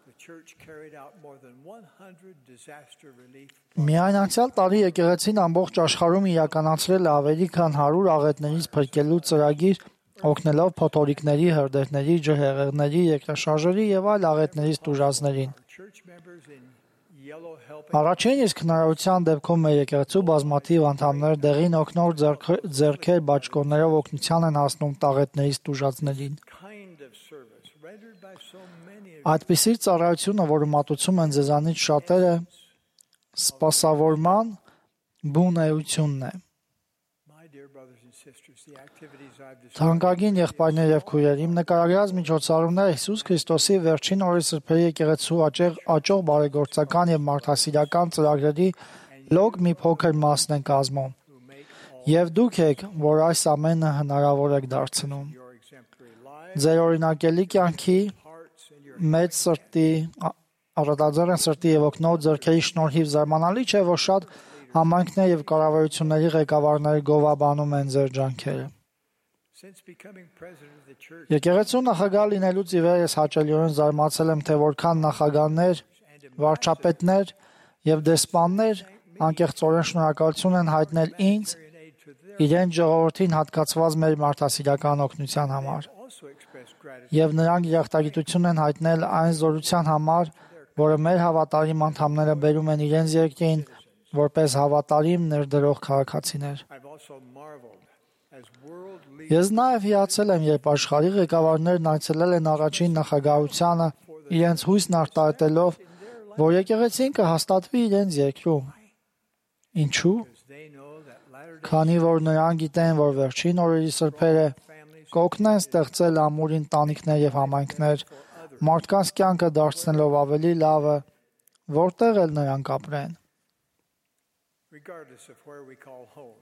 the church carried out more than 100 disaster relief Միայն անցյալ տարի եկեղեցին ամբողջ աշխարհում իրականացրել է ավելի քան 100 աղետներից փրկելու ծրագիր, օգնելով փոթորիկների, հրդեհների, ջրհեղեղների, երկրաշարժերի եւ այլ աղետներից տուժածներին։ church members in yellow helping Առաջին իսկ հնարավորության դեպքում մեր եկեղեցու բազմաթիվ անդամներ դեղին օգնոր ձեռքեր բաճկոններով օգնության են հասնում տաղետներից տուժածներին։ kind of service rendered by so many of Այդպիսի ծառայությունը, որը մատուցում են ձեզանից շատերը, սպասավորման բուն էությունն է։ my dear brothers and sisters. The activities I've described Թանկագին եղբայրներ եւ քույրեր, իմ նկարագրած միջոցառումները Հիսուս Քրիստոսի վերջին օրի սրբերի եկեղեցու աճող բարեգործական եւ մարդասիրական ծրագրերի լոկ մի փոքր մասն են կազմում։ Եվ դուք եք, որ այս ամենը հնարավոր եք դարձնում։ your exemplary lives, Ձեր օրինակելի կյանքի hearts, and your մեծ սրտի, առատաձեռն սրտի եւ օգնող ձեռքերի շնորհիվ զարմանալի չէ, որ շատ համայնքներ եւ կառավարությունների ղեկավարներ գովաբանում են ձեր ջանքերը։ since becoming president of the church Եկեղեցու նախագահ լինելուց ի վեր ես հաճելիորեն զարմացել եմ, թե որքան նախագահներ, վարչապետներ եւ դեսպաններ անկեղծորեն շնորհակալություն են հայտնել ինձ and aid to their իրեն ժողովրդին հատկացված մեր մարդասիրական օգնության համար։ also expressed gratitude Եվ նրանք երախտագիտություն են հայտնել այն զորության համար, որը մեր հավատարիմ անդամները բերում են իրենց երկրին որպես հավատարիմ ներդրող քաղաքացիներ։ I've also marveled as world leaders Ես նաև հիացել եմ, երբ աշխարհի ղեկավարներն այցելել են առաջին նախագահությանը իրենց հույսն արտահայտելով, որ եկեղեցին կհաստատվի իրենց երկրում։ Ինչու՞։ they know that latter-day Քանի որ նրանք գիտեն, որ վերջին օրերի սրբերը families կօգնեն ստեղծել ամուր ընտանիքներ եւ համայնքներ, մարդկանց կյանքը դարձնելով ավելի լավը, որտեղ էլ նրանք ապրեն։ regardless of where we call home.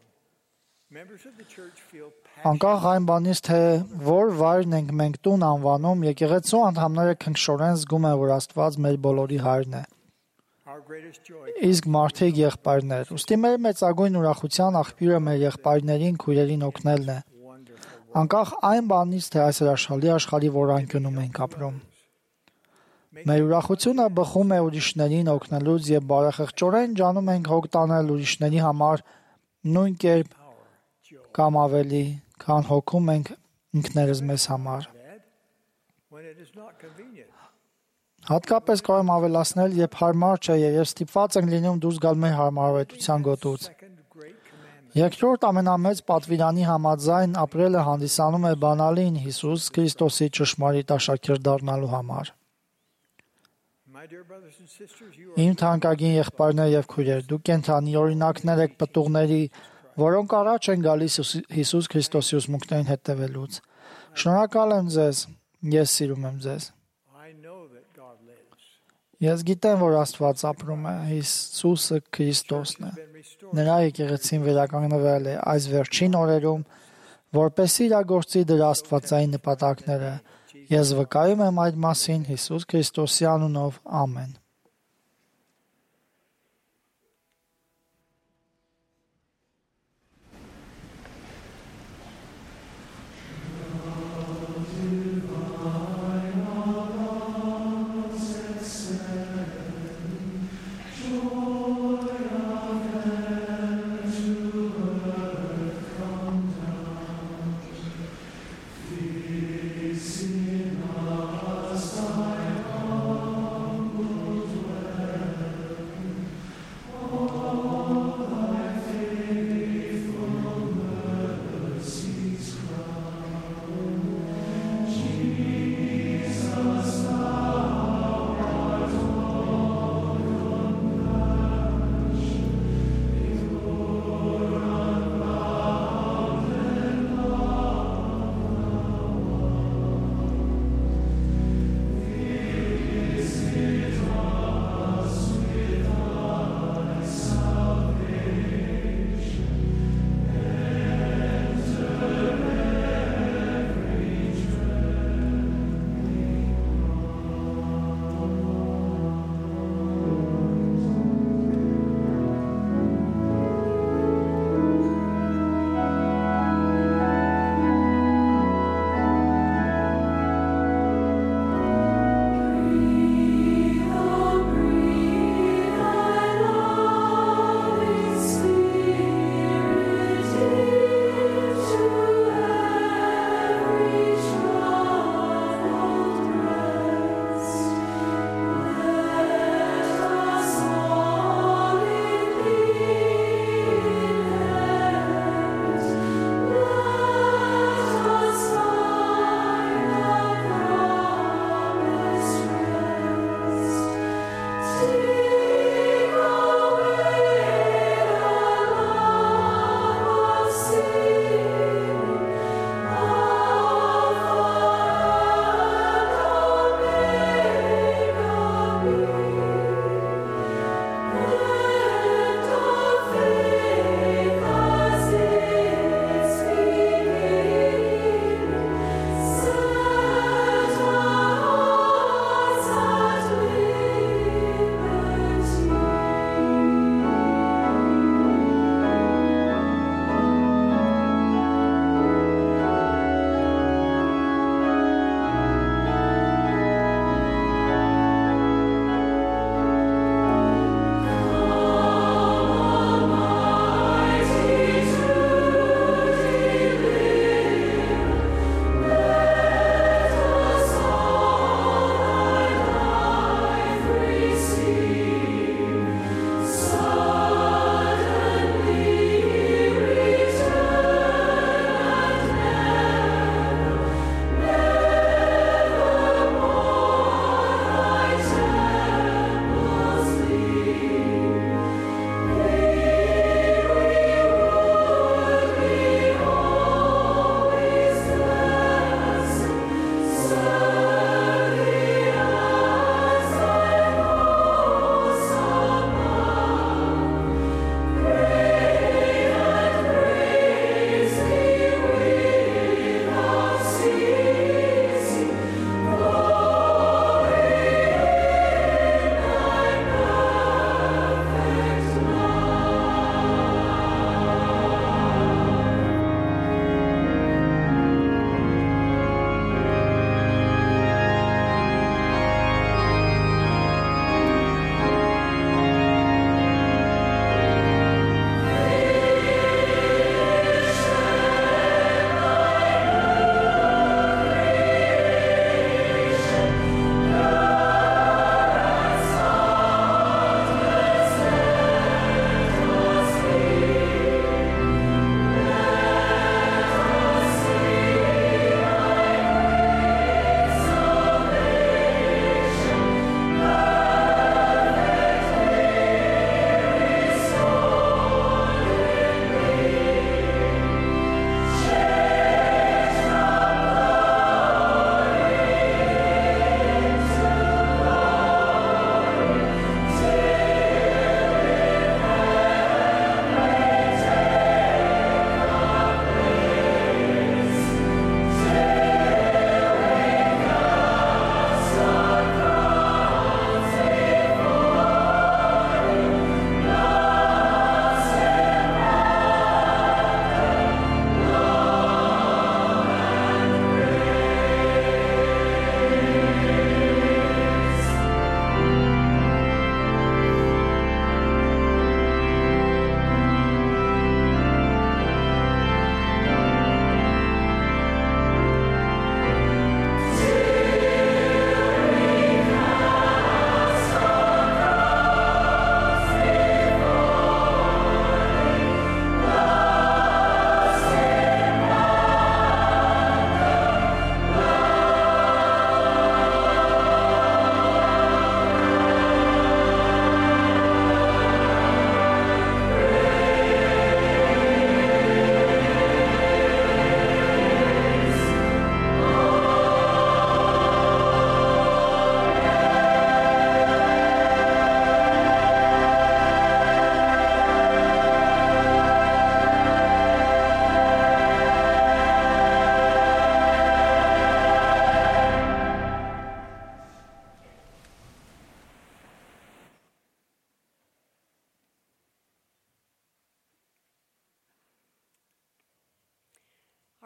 Members of the church feel passionate Անկախ այն բանից, թե որ վայրն ենք մենք տուն անվանում, եկեղեցու անդամները քնքշորեն զգում են, որ Աստված մեր բոլորի հայրն է։ our greatest joy Իսկ մարդիկ եղբայրներ։ Ուստի մեր մեծագույն ուրախության աղբյուրը մեր եղբայրներին, քույրերին օգնելն է։ wonderful Անկախ այն բանից, թե այս հրաշալի աշխարհի որ անկյունում ենք ապրում։ Մեր ուրախությունը բխում է ուրիշներին օգնելուց եւ բարեխղճորեն ջանում ենք հոգ տանել ուրիշների համար նույն կերպ կամ ավելի, քան հոգում ենք ինքներս մեզ համար։ bad when it is not convenient. Հատկապես կարող եմ ավելացնել, երբ հարմար չէ եւ ստիպված ենք լինում դուրս գալ մեր հարմարավետության գոտուց։ Second great commandment Երկրորդ ամենամեծ պատվիրանի համաձայն ապրելը հանդիսանում է բանալին Հիսուս Քրիստոսի ճշմարիտ աշակերտ դառնալու համար։ my dear brothers and sisters you are Իմ թանկագին եղբայրներ եւ քույրեր, դուք կենթանի օրինակներ եք պտուղների, որոնք առաջ են գալիս Հիսուս Քրիստոսի ուսմունքներին հետևելուց։ Շնորհակալ եմ ձեզ, ես սիրում եմ ձեզ։ I know that God lives Ես գիտեմ, որ Աստված ապրում է, Հիսուսը Քրիստոսն է։ been restored Նրա եկեղեցին վերականգնվել է այս վերջին օրերում, որպեսզի իրագործի դրա աստվածային նպատակները։ Ես վկայում եմ այդ մասին Հիսուս Քրիստոսի անունով։ Ամեն։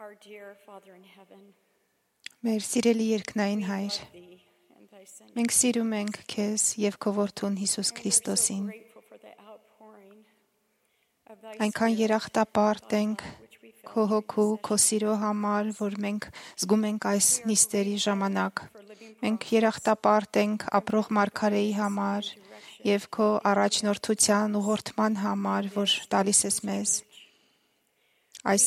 Our dear Father in heaven, Մեր սիրելի երկնային Հայր, thee and thy Son. մենք սիրում ենք քեզ եւ քո որդուն Հիսուս And we're so Քրիստոսին։ grateful for the outpouring of thy Այնքան Spirit երախտապարտ upon ենք us, which we felt քո during հոգու, this քո session. սիրո համար, որ մենք զգում ենք այս նիստերի ժամանակ։ Մենք երախտապարտ ենք ապրող մարգարեի համար եւ քո առաջնորդության ուղղորդման համար, որ տալիս ես մեզ։ Այս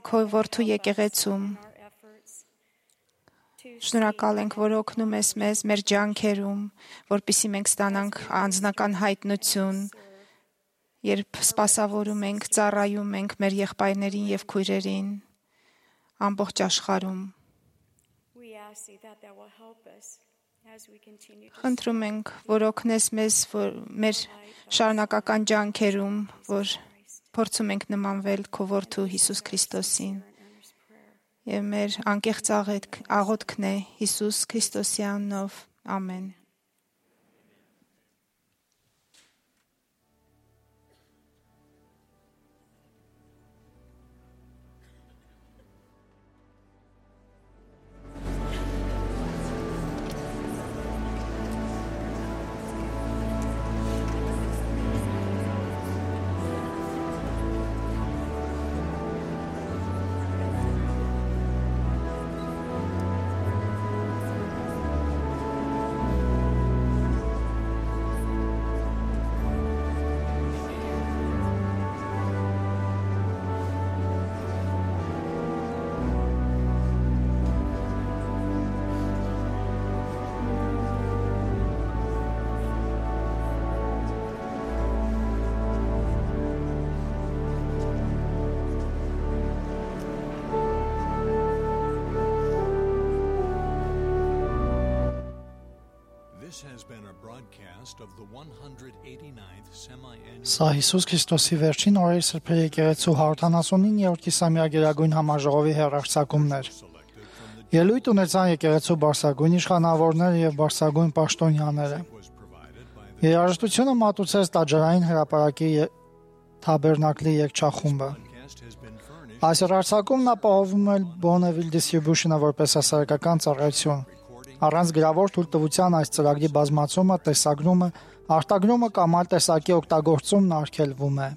քո որդու եկեղեցում Our efforts to շնորհակալ ենք, որ օգնում ես մեզ մեր ջանքերում, որպեսզի մենք ստանանք անձնական հայտնություն, երբ սպասավորում ենք, ծառայում ենք մեր եղբայրներին եւ քույրերին ամբողջ աշխարհում։ we ask thee that thou will help us as we continue to Խնդրում ենք, որ օգնես մեզ որ մեր շարունակական ջանքերում, որ փորձում ենք նմանվել քո որդու Հիսուս Քրիստոսին։ Եվ մեր անկեղծ աղոթքն է Հիսուս Քրիստոսի անունով։ Ամեն։ This has been a broadcast of the 189th semi-annual Սա Հիսուս Քրիստոսի վերջին օրերի սրբերի եկեղեցու 179-րդ կիսամյա գերագույն համաժողովի հեռարձակումն էր։ Ելույթ ունեցան եկեղեցու բարձրագույն իշխանավորները եւ բարձրագույն պաշտոնյաները։ Երաժշտությունը մատուցեց տաճարային հրապարակի թաբերնակլի երգչախումբը։ Այս հեռարձակումն ապահովում է Bonneville Distribution-ը որպես հասարակական ծառայություն։ Առանց գրավոր թույլտվության այս ծրագրի բազմացումը, տեսագրումը, արտագրումը կամ այլ տեսակի օգտագործումն արգելվում է։